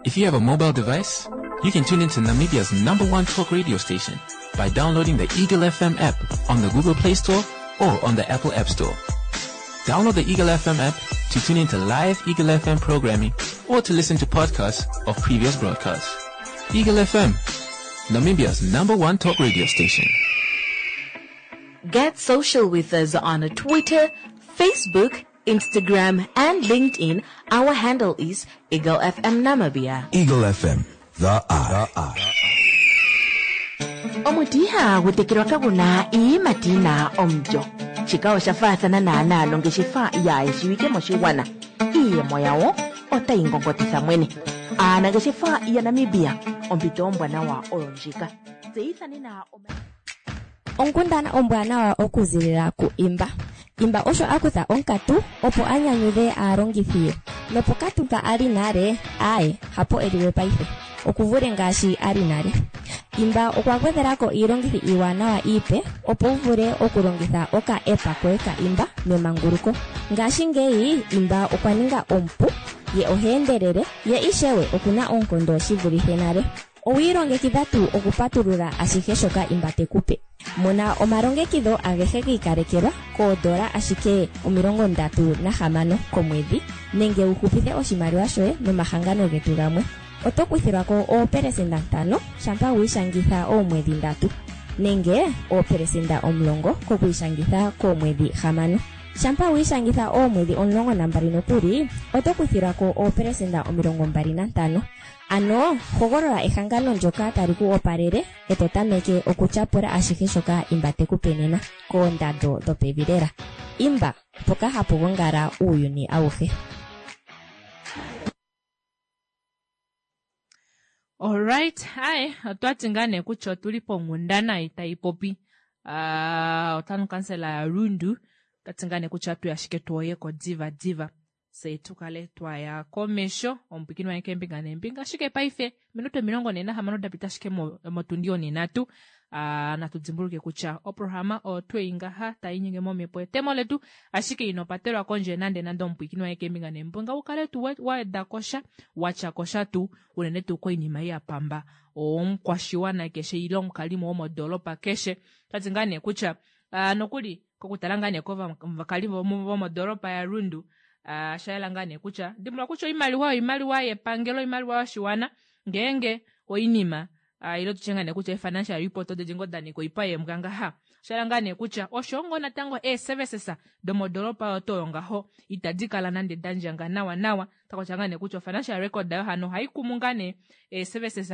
if you have a mobile device, you can tune into Namibia's number one talk radio station by downloading the Eagle FM app on the Google Play Store or on the Apple App Store. Download the Eagle FM app to tune into live Eagle FM programming or to listen to podcasts of previous broadcasts. Eagle FM, Namibia's number one talk radio station. Get social with us on Twitter, Facebook, Instagram, and LinkedIn. Our handle is Eagle FM Namibia. Eagle FM, the eye. Omuti ihagu tekelwa kagu na iiyimati yi na omulyo. Shika osha faathana naanaa nongeshefa yaayeshiwike moshigwana. Iiyemo yawo otayi ngongotitha mwene. Aanangeshefa yaNamibia, ompito ombwanawa oyo ndjika. Tseyitha nena oma. Onkundana ombwanawa okuzilila ku Imba. Imba osho a kutha onkatu opo a nyanyudhe aalongithi ye. Nopokatu mpa a li nale, aaye, hapo e li we paife. Oku vule ngaashi a li nale. Imba okwa gwedhela ko iilongithi iiwanawa iipe opo wu vule okulongitha oka app koye ka Imba memanguluko. Ngashingeyi Imba okwa ninga omupu, ye oha endelele, ye ishewe oku na oonkondo shi vulithe nale. Owi ilongekidha tuu okupatulula ashihe shoka Imba te ku pe? Mona omalongekidho agehe gi ikalekelwa koodola ashike 36 komwedhi nenge wu hupithe oshimaliwa shoye nomahangano getu gamwe. Oto kuthilwa ko oopelesenda 5 shampa wi ishangitha oomwedhi 3 nenge oopelesenda 10 kokwiishangitha koomwedhi 6. Shampa wi ishangitha oomwedhi 12 nokuli, oto kuthilwa ko oopelesenda 25. Ano hogolola ehangano ndyoka tali ku opalele e to tameke okutyapula ashihe shoka Imba te ku pe nena koondando dhopevi lela. Imba, mpoka hapu gongala uuyuni awuhe. Alright, aye, otwati ngaa nee kutya otuli ponghundana ei tayi popi otown council ya Rundu. Otwati ngaa nee kutya atuya ashike tuoyeko diva diva fye tukale twaya komesho omupwikini wange keembinga neembinga. Ashike paife minute 46 dapita ashike motundi onhinhatu. Natu dimbuluke kutya oprograma oyo twei ngaha tai nyenge momhepo etemo letu, ashike ino patelwa kondje nande nande omupwikini wange keembinga neembinga ukale tuu wa kosha watya kosha tuu unene tuu koinima ei ya pamba omukwashiwana keshe ile omukalimo womodoolopa keshe. Otwati ngaa nee kutya nokuli Kokutala ngaa nee kovakali vomodoolopa yaRundu, osha yela ngaa nee kutya dimbuluka kutya oimaliwa oimaliwa yepangelo, oimaliwa yoshiwana, ngeenge oinima ile tutye ngaa nee kutya ee-financial report odo ngoo da nyika oipa yeembwa ngaha, osha yela ngaa nee kutya osho ngoo natango ee-services domodoolopa oyo tuu oyo ngaho itadi kala nande da ndjanga nawa nawa. Otakutya ngaa nee kutya o-financial record ayo hano ohai kumu ngaa nee ee-services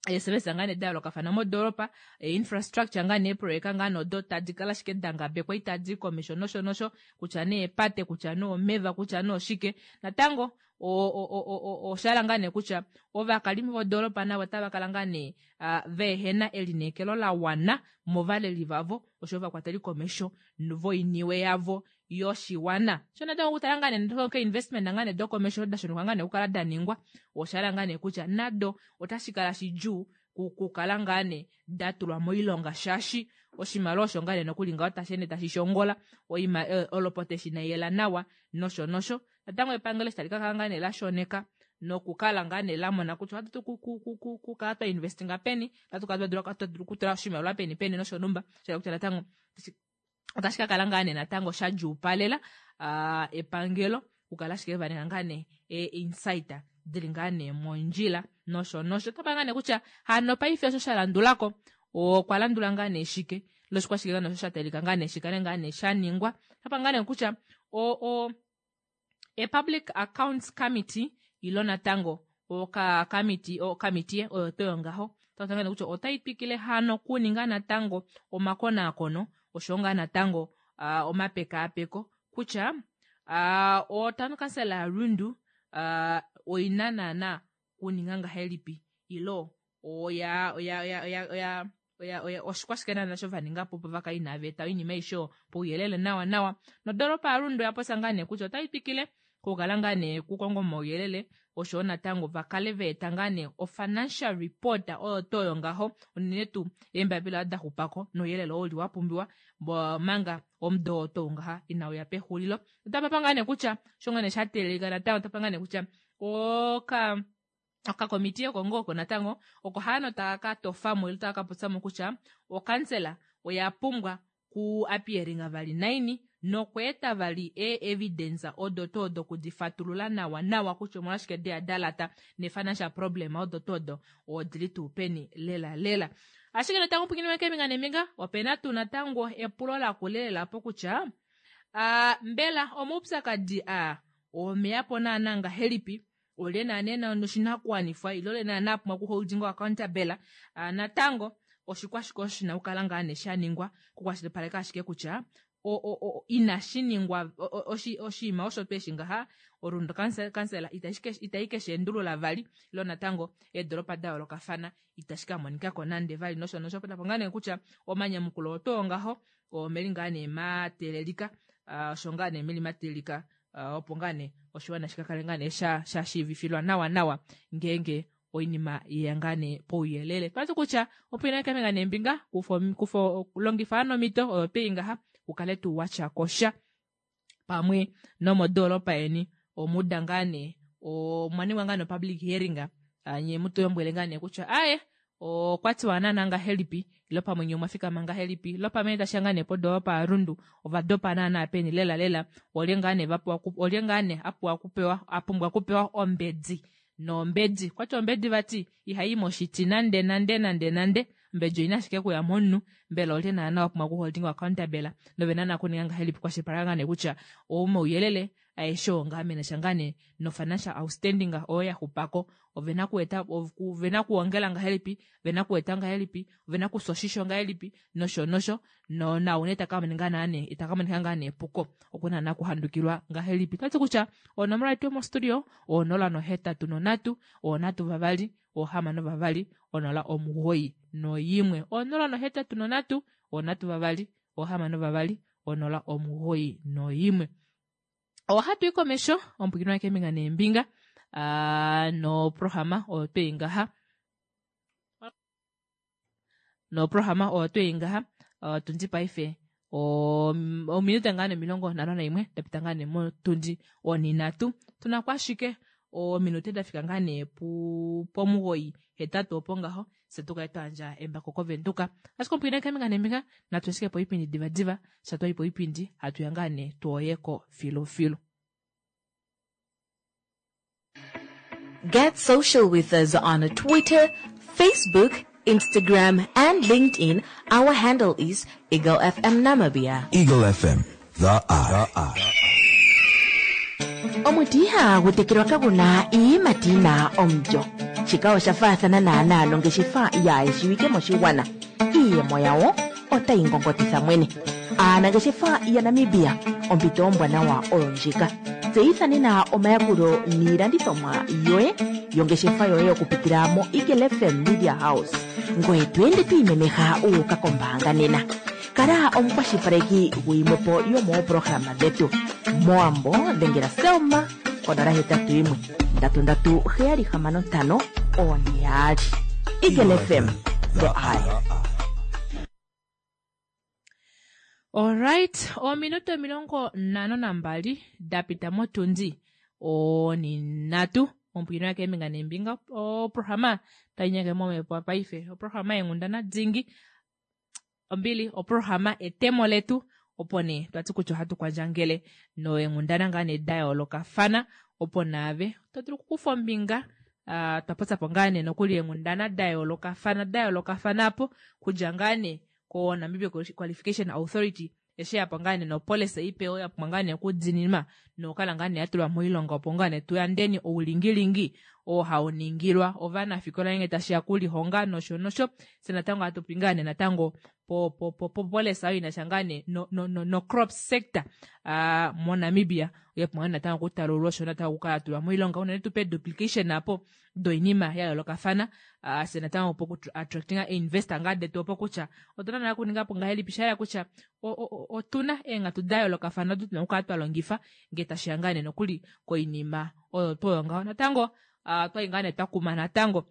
eesevesa ngaa nee da yoolokafana modoolopa, infrastructure ngaa nee eeprojeka ngaa nee odo tadi kala ashike da ngabekwa itadi i komesho nosho nosho, kutya nee eepate, kutya nee omeva, kutya nee oshike. Natango osha hala ngaa nee kutya ovakalimo vodoolopa navo otava kala ngaa nee vehena elineekelo la wana movaleli vavo osho ovakwateli komesho voiniwe yavo yoshiwana. Sho natango okutala ngaa nee keinvestment ngaa nee dokomesho da shonekwa ngaa nee okukala da ningwa, osha hala ngaa nee kutya nado otashi kala shidjuu kukala ngaa nee da tulwa moilonga shaashi oshimaliwa osho ngaa nee nokuli ngaho tashi ende tashi shongola, olopota eshi inai yela nawa nosho nosho. Natango epangelo eshi tali ka kala ngaa nee la shoneka nokukala ngaa nee la mona kutya ohatu dulu kukala twa investinga peni, ohatu kala twa dula okutula oshimaliwa peni peni nosho numba, sha hala kutya natango otashi ka kala ngaa nee natango sha djuupalela epangelo okukala ashike va ninga ngaa nee ee-insight dili ngaa nee mondjila nosho nosho. Otapa ngaa nee kutya hano paife osho sha landulako okwa landula ngaa nee shike loshikwashike ngaa nee osho sha talika ngaa nee shikale ngaa nee sha ningwa. Otapa ngaa nee kutya o, o, e-Public Accounts Committee ilo natango okakamiti okamitiye oyo to yongaho otaku kutya otai twikile hano kuninga natango omakonaakono osho ngaa natango omapekaapeko kutya otown council yaRundu oina naana kuninga ngahelipi ilo oya oya oya oya oya oya oya oshikwashike naana sho va ninga po opo va kale inava eta oinima aishe oyo pouyelele nawa nawa. Nodoolopa yaRundu oya popya ngaa nee kutya otai twikile okukala ngaa nee kukonga omauyelele oshowo natango va kale va eta ngaa nee ofinancial report oyo to oyo ngaho unene tuu eembapila odo da xupako nouyelele oo uli wa pumbiwa manga omudo oo tou ngaha inau ya pexulilo. Otapa pa ngaa nee kutya osho ngaa nee sha teelelika natango otapa ngaa nee kutya oka okakomitiye oko ngoo oko natango oko hano taka ka tofamo ile taka ka popyamo kutya okansela oya pumbwa ku appearinga vali naini nokweeta vali ee-evidence odo tuu odo okudifatulula nawa nawa kutya omolwashike deya da lata ne-financial problem odo tuu odo odili tuu peni lela lela. Ashike natango pwikinwe keembinga neembinga opena tuu natango epulo lakula lela po kutya mbela omaupyakadi aa omeyapo naana ngahelipi olye naana ena oshinakuwanifwa ile olye naana a pumbwa okuholding accountable. Natango oshikwashike osho shina okukala ngaa nee sha ningwa kukwashilipaleka ashike kutya inashi ningwa oshinima osho tweshi ngaha Orundu kansela itai ke shi endulula vali ilo natango eedolopa da yoolokafana itashi ka monikako nande vali nosho nosho. Tapo ngaa nee kutya omanyamukulo otoo ngaho omeli ngaa nee mateelelika osho ngaa nee meli mateelelika opo ngaa nee oshiwana shika kale ngaa nee sha sha shiivifilwa nawa nawa ngeenge oinima yeya ngaa nee pouyelele. Twati kutya opo ina kemenga neembinga kufo kufo longifa nomito oyo twei ngaha ukale tuu watya kosha pamwe nomodoolopa yeni omuda ngaa nee omwa ningwa ngaa no-public hearing nye mutu lombwele ngaa nee kutya aye okwa tiwa naana ngahelipi ilo pamwe nye omwa fikama ngahelipi ilo pamwe tashiya ngaa nee podoolopa yaRundu ova dopa naana peni lela lela olye ngaa nee vapewa olye ngaa nee apuwa kupewa apumbwa kupewa ombedi nombedi kwati ombedi vati ihayi moshiti nande nande nande nande ombedi oina ashike kuya momunhu mbela olye naana wapumbwa okuholding accountable nove naana kuninga ngahelipi kwashilipaleka ngaa nee kutya omauyelele aeshe oo ngaa menasha ngaa nee no-financial outstanding oyo ya xupako ovena kueta ovena kuongela ngahelipi ovena kueta ngahelipi ovena kufya oshisho ngahelipi nosho nosho no naune taka monika ngaa nee itaka monika ngaa nee epuko okuna naana kuhandukilwa ngahelipi. Twati kutya onomola yetu yomostudio 083 3 6 2 0 91 083 3 6 2 0 91. Ohatu i komesho omupwikinwa keembinga neembinga noprograma oyo twei ngaha noprograma oyo twei ngaha otundi paife ominute ngaa nee 51 dapita ngaa nee motundi onhinhatu tunako ashike ominute dafika ngaa nee pomugoyi hetatu opo ngaho. Fye tu kale twa yandja embako koVenduka. Ashike omupwiina keembinga neembinga, natu ashike poipindi divadiva, sha twa i poipindi, hatu ya ngaa nee twooyeko filufilu. Get social with us on Twitter, Facebook, Instagram, and LinkedIn. Our handle is Eagle FM Namibia. Eagle FM, the eye. Omuti ihagu tekelwa kagu na iiyimati yi na omulyo. Shika osha faathana naanaa nongeshefa yaayeshiwike moshigwana. Iiyemo yawo otayi ngongotitha mwene. Aanangeshefa yaNamibia, ompito ombwanawa oyo ndjika. Tseyitha nena omayakulo niilandithomwa yoye yongeshefa yoye okupitila moEagle FM Media House. Ngoye to ende to imemeha wu uka kombaanga nena. Kala omukwashilipaleki guyimwepo yomoopolohalama dhetu. Mowambo dhengela Selma ko 081 337 6542. Eagle FM, the eye. Alright, ominute 52 da pita motundi onhinhatu. Omupwilikini wakeembinga neembinga, oprograma tai nyeke momhepo paife. Oprograma yeenghundana dingi. Ombili, oprograma etemo letu. Opo nee twati kutya ohatu kwandjangele noenghundana ngaa nee da yoolokafana opo naave to dulu okukufa ombinga. Uh, twa popya po ngaa nee nokuli eenghundana da yoolokafana da yoolokafana apo kudja ngaa nee ko Namibia Qualification Authority eshi ya po ngaa nee nopolicy ipe oyo ya pumbwa ngaa nee okudininwa nokukala ngaa nee ya tulwa moilonga opo ngaa nee tuyandeni oulingilingi oo hau ningilwa ovanafikola ngenge tashi ya kulihonga nosho nosho. Fye natango hatu popi ngaa nee natango po po po po policy oyo ina sha ngaa nee no no no, no crop sector uh, moNamibia oya pumbwa natango okutalululwa osho natango okukala ya tulwa moilonga unene tupe duplication apo doinima ya yoolokafana uh, fye natango opo ku attractinga investor ngaa detu opo kutya otuna naa kuninga po ngahelipi sha yela kutya otuna eenghatu da yoolokafana odo tuna okukala twa longifa ngee tashiya ngaa nee nokuli koinima oyo tuu oyo ngaho natango uh, twali ngaa nee twa kuma natango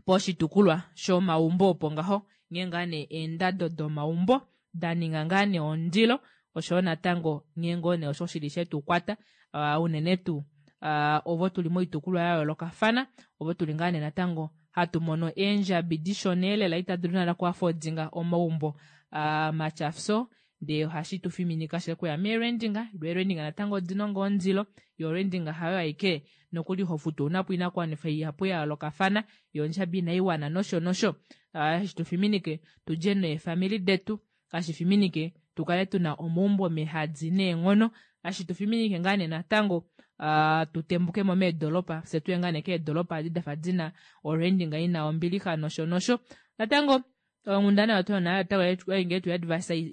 poshitukulwa shomaumbo opo ngaho nghee ngaa nee eendado domaumbo da ninga ngaa nee ondilo oshoyo natango nghee ngoo nee osho shili shetu kwata uh, unene tuu uh, ovo tuli moitukulwa ya yoolokafana ovo tuli ngaa nee natango hatu mono eendjabi dishona elela ita dulu nana kuafodinga omaumbo uh, matyafyo ndee ohashi tu fiminika she kuya meerendinga lwo eerendinga natango odina ngoo ondilo yo orendinga hayo aike nokuli ho futu ouna po oinakuwanifa ihapu ya yoolokafana yo ondjabi inai wana nosho nosho hashi tu fiminike tudje neefamili detu hashi fiminike tu kale tuna omaumbo mehadi neenghono hashi tu fiminike ngaa nee natango uh, tu tembuke mo meedolopa fye tuye ngaa nee keedolopa adi dafa dina orendinga ina ombilixa nosho nosho natango onghundana oyo tuna nayo otai nge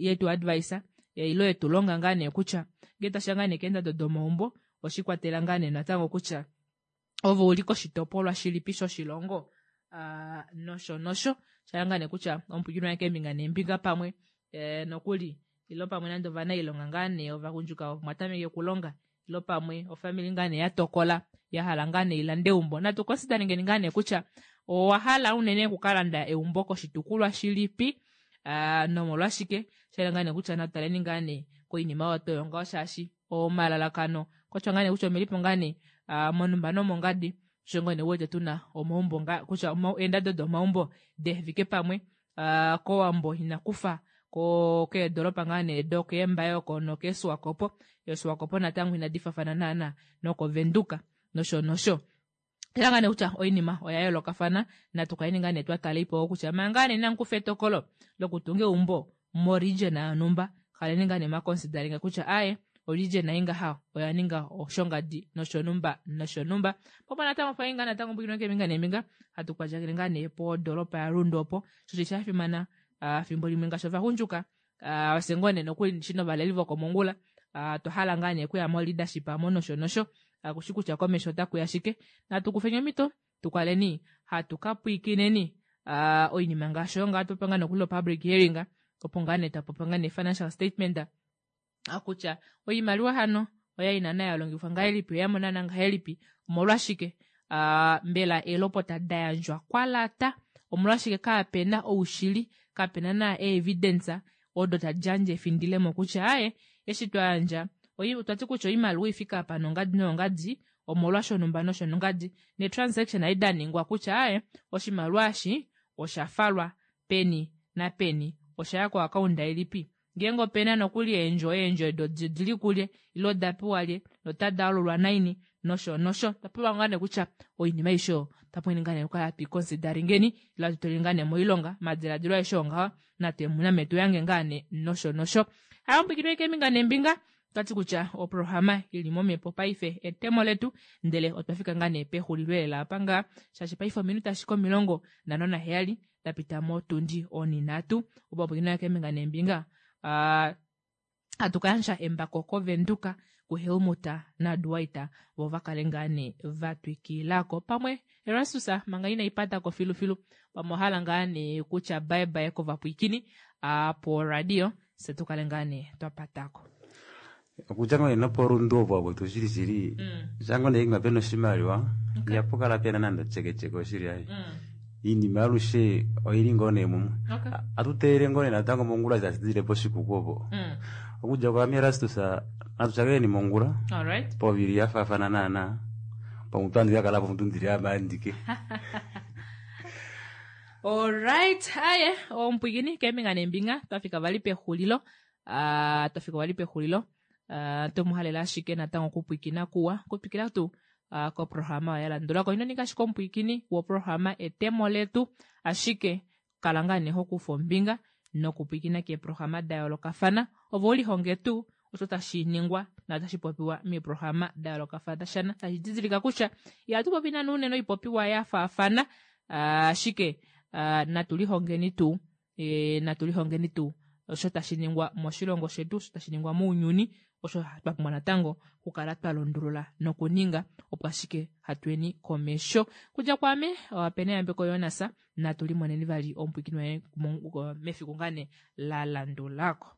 yetu advice ilo yetu longa ngaa nee kutya ngee tashiya ngaa nee keendado domaumbo oshikwatela ngaa nee natango kutya ove uli koshitopolwa shilipi shoshilongo uh, nosho nosho shala ngaa nee kutya omupwilikini wange keembinga neembinga pamwe eh, nokuli ilo pamwe nande ovanailonga ngaa nee ovagundjuka mwa tameke okulonga ilo pamwe ofamili ngaa nee ya tokola ya hala ngaa nee ilande eumbo natu consideringeni ngaa nee kutya owa hala unene okukalanda eumbo koshitukulwa shilipi uh, nomolwashike shala ngaa nee kutya natu taleni ngaa nee koinima oyo toyo ngaho shaashi omalalakano kotya ngaa nee kutya omelipo ngaa nee uh, monumba nomongadi sho ngoo nee wete tuna omaumbo nga kutya eendado domaumbo dehefike pamwe uh, kOwambo inakufa ko keedolopa ngaa nee dokeembaye oko nokeeSwakopo eeSwakopo natango inadi fafana naana nokoVenduka nosho nosho tala ngaa nee kutya oinima oya yoolokafana natu kaleni ngaa nee twa tala ipo kutya manga ngaa nee inamu kufa etokolo lokutunga eumbo moregion yonhumba kaleni ngaa nee mwa consideringa kutya aaye oregion ei ngaha oya ninga oshongadi noshonhumba noshonhumba popo natango pa ngaa natango mbwikino keembinga neembinga hatu kwandjangele ngaa nee podoropa yaRundu opo sho sha fimana uh, fimbo limwe ngaashi ovagundjuka uh, ofye ngoo nee nokuli shi novaleli vokomongula uh, twa hala ngaa nee okuya mo leadership amo nosho nosho uh, kushi kutya komesho otakuya shike natu kufeni omhito tukaleni hatu ka pwiikineni uh, oinima ngaashi oyo ngaa twapewa ngaa nokuli public hearing opo ngaa nee twapopa ngaa nee financial statement kutya oimaliwa hano oya ina na ya longifwa ngahelipi oya mona ngahelipi omolwashike uh, mbela eelopota da yandjwa kwa lata omolwashike kaapena oushili kapena na eevidence odo tadi yandje efindilemo kutya aye eshi twa yandja otwa ti kutya oimaliwa ifika apa nongadi nongadi omolwa shonumba noshonongadi netransaction ai da ningwa kutya aye oshimaliwa eshi Osha falwa peni napeni? Osha ya koakaunda ilipi? Ngeenge opena nokuli eendjo, eendjo edo odili kulye ile oda pewa lye notada alulwa naini nosho nosho. Otwa pewa ngaa nee kutya oinima aishe oyo otwa pumbwa ngaa nee okukala hatu ikonsidaringeni ile hatu tuleni ngaa nee moilonga omadiladilo aeshe oo ngaho name tu yange ngaa nee nosho nosho. Hayo ompwikinwa keembinga neembinga otwati kutya oprograma ili momhepo paife etemo letu ndele otwa fika ngaa nee pexulilo lela apa ngaa shaashi paife ominute ashike 57 da pita motundi oninhatu opo ompwikinwa keembinga neembinga uh, hatu kayandja embako kovenduka kuHelmut naDwight vo vakale ngaa nee vatwikilako pamwe Erastus manga ina ipatako filufilu pamwe ohala ngaa nee kutya bye bye kovapwiikini po radio se tukale ngaa nee twapatako. Okudja ngoo nee noporundu opo apo shili shili shango nee inga pena oshimaliwa ihapu kala pena nande otyeketye oshili ai iinima alushe oili ngoo nee mumwe. Atu teelele ngoo nee natango mongula tashi dile poshikuku opo. Okudja kwaame Erastus natu shakeneni mongula Alright. povili ya faafana naana pamwe otandi kakala po ndili ame andike. Alright, aye omupwiikini keembinga neembinga twafika vali pexulilo uh, twafika vali pexulilo uh, tomuhalela ashike natango okupwiikina kuwa okutwikila tuu uh, koprograma oyo ya landulako. Ino ninga ashike omupwiikini woprograma etemo letu ashike kala ngaa nee hokufa ombinga nokupwiikina keeprograma da yoolokafana ove ulihonge tuu osho tashi ningwa notashi popiwa meeprograma da yoolokafana tashi didilika kutya ihatu popi nana unene oipopiwa ya faafana ashike uh, natu lihongeni tuu e, natu lihongeni tuu osho tashi ningwa moshilongo shetu osho tashi ningwa mounyuni osho twa pumbwa natango okukala twa lundulula nokuninga opo ashike hatweni komesho. Kudja kwaame opena Yambeko Jonas natu limoneni vali omupwiikini waye mefiku ngaa nee la landulako.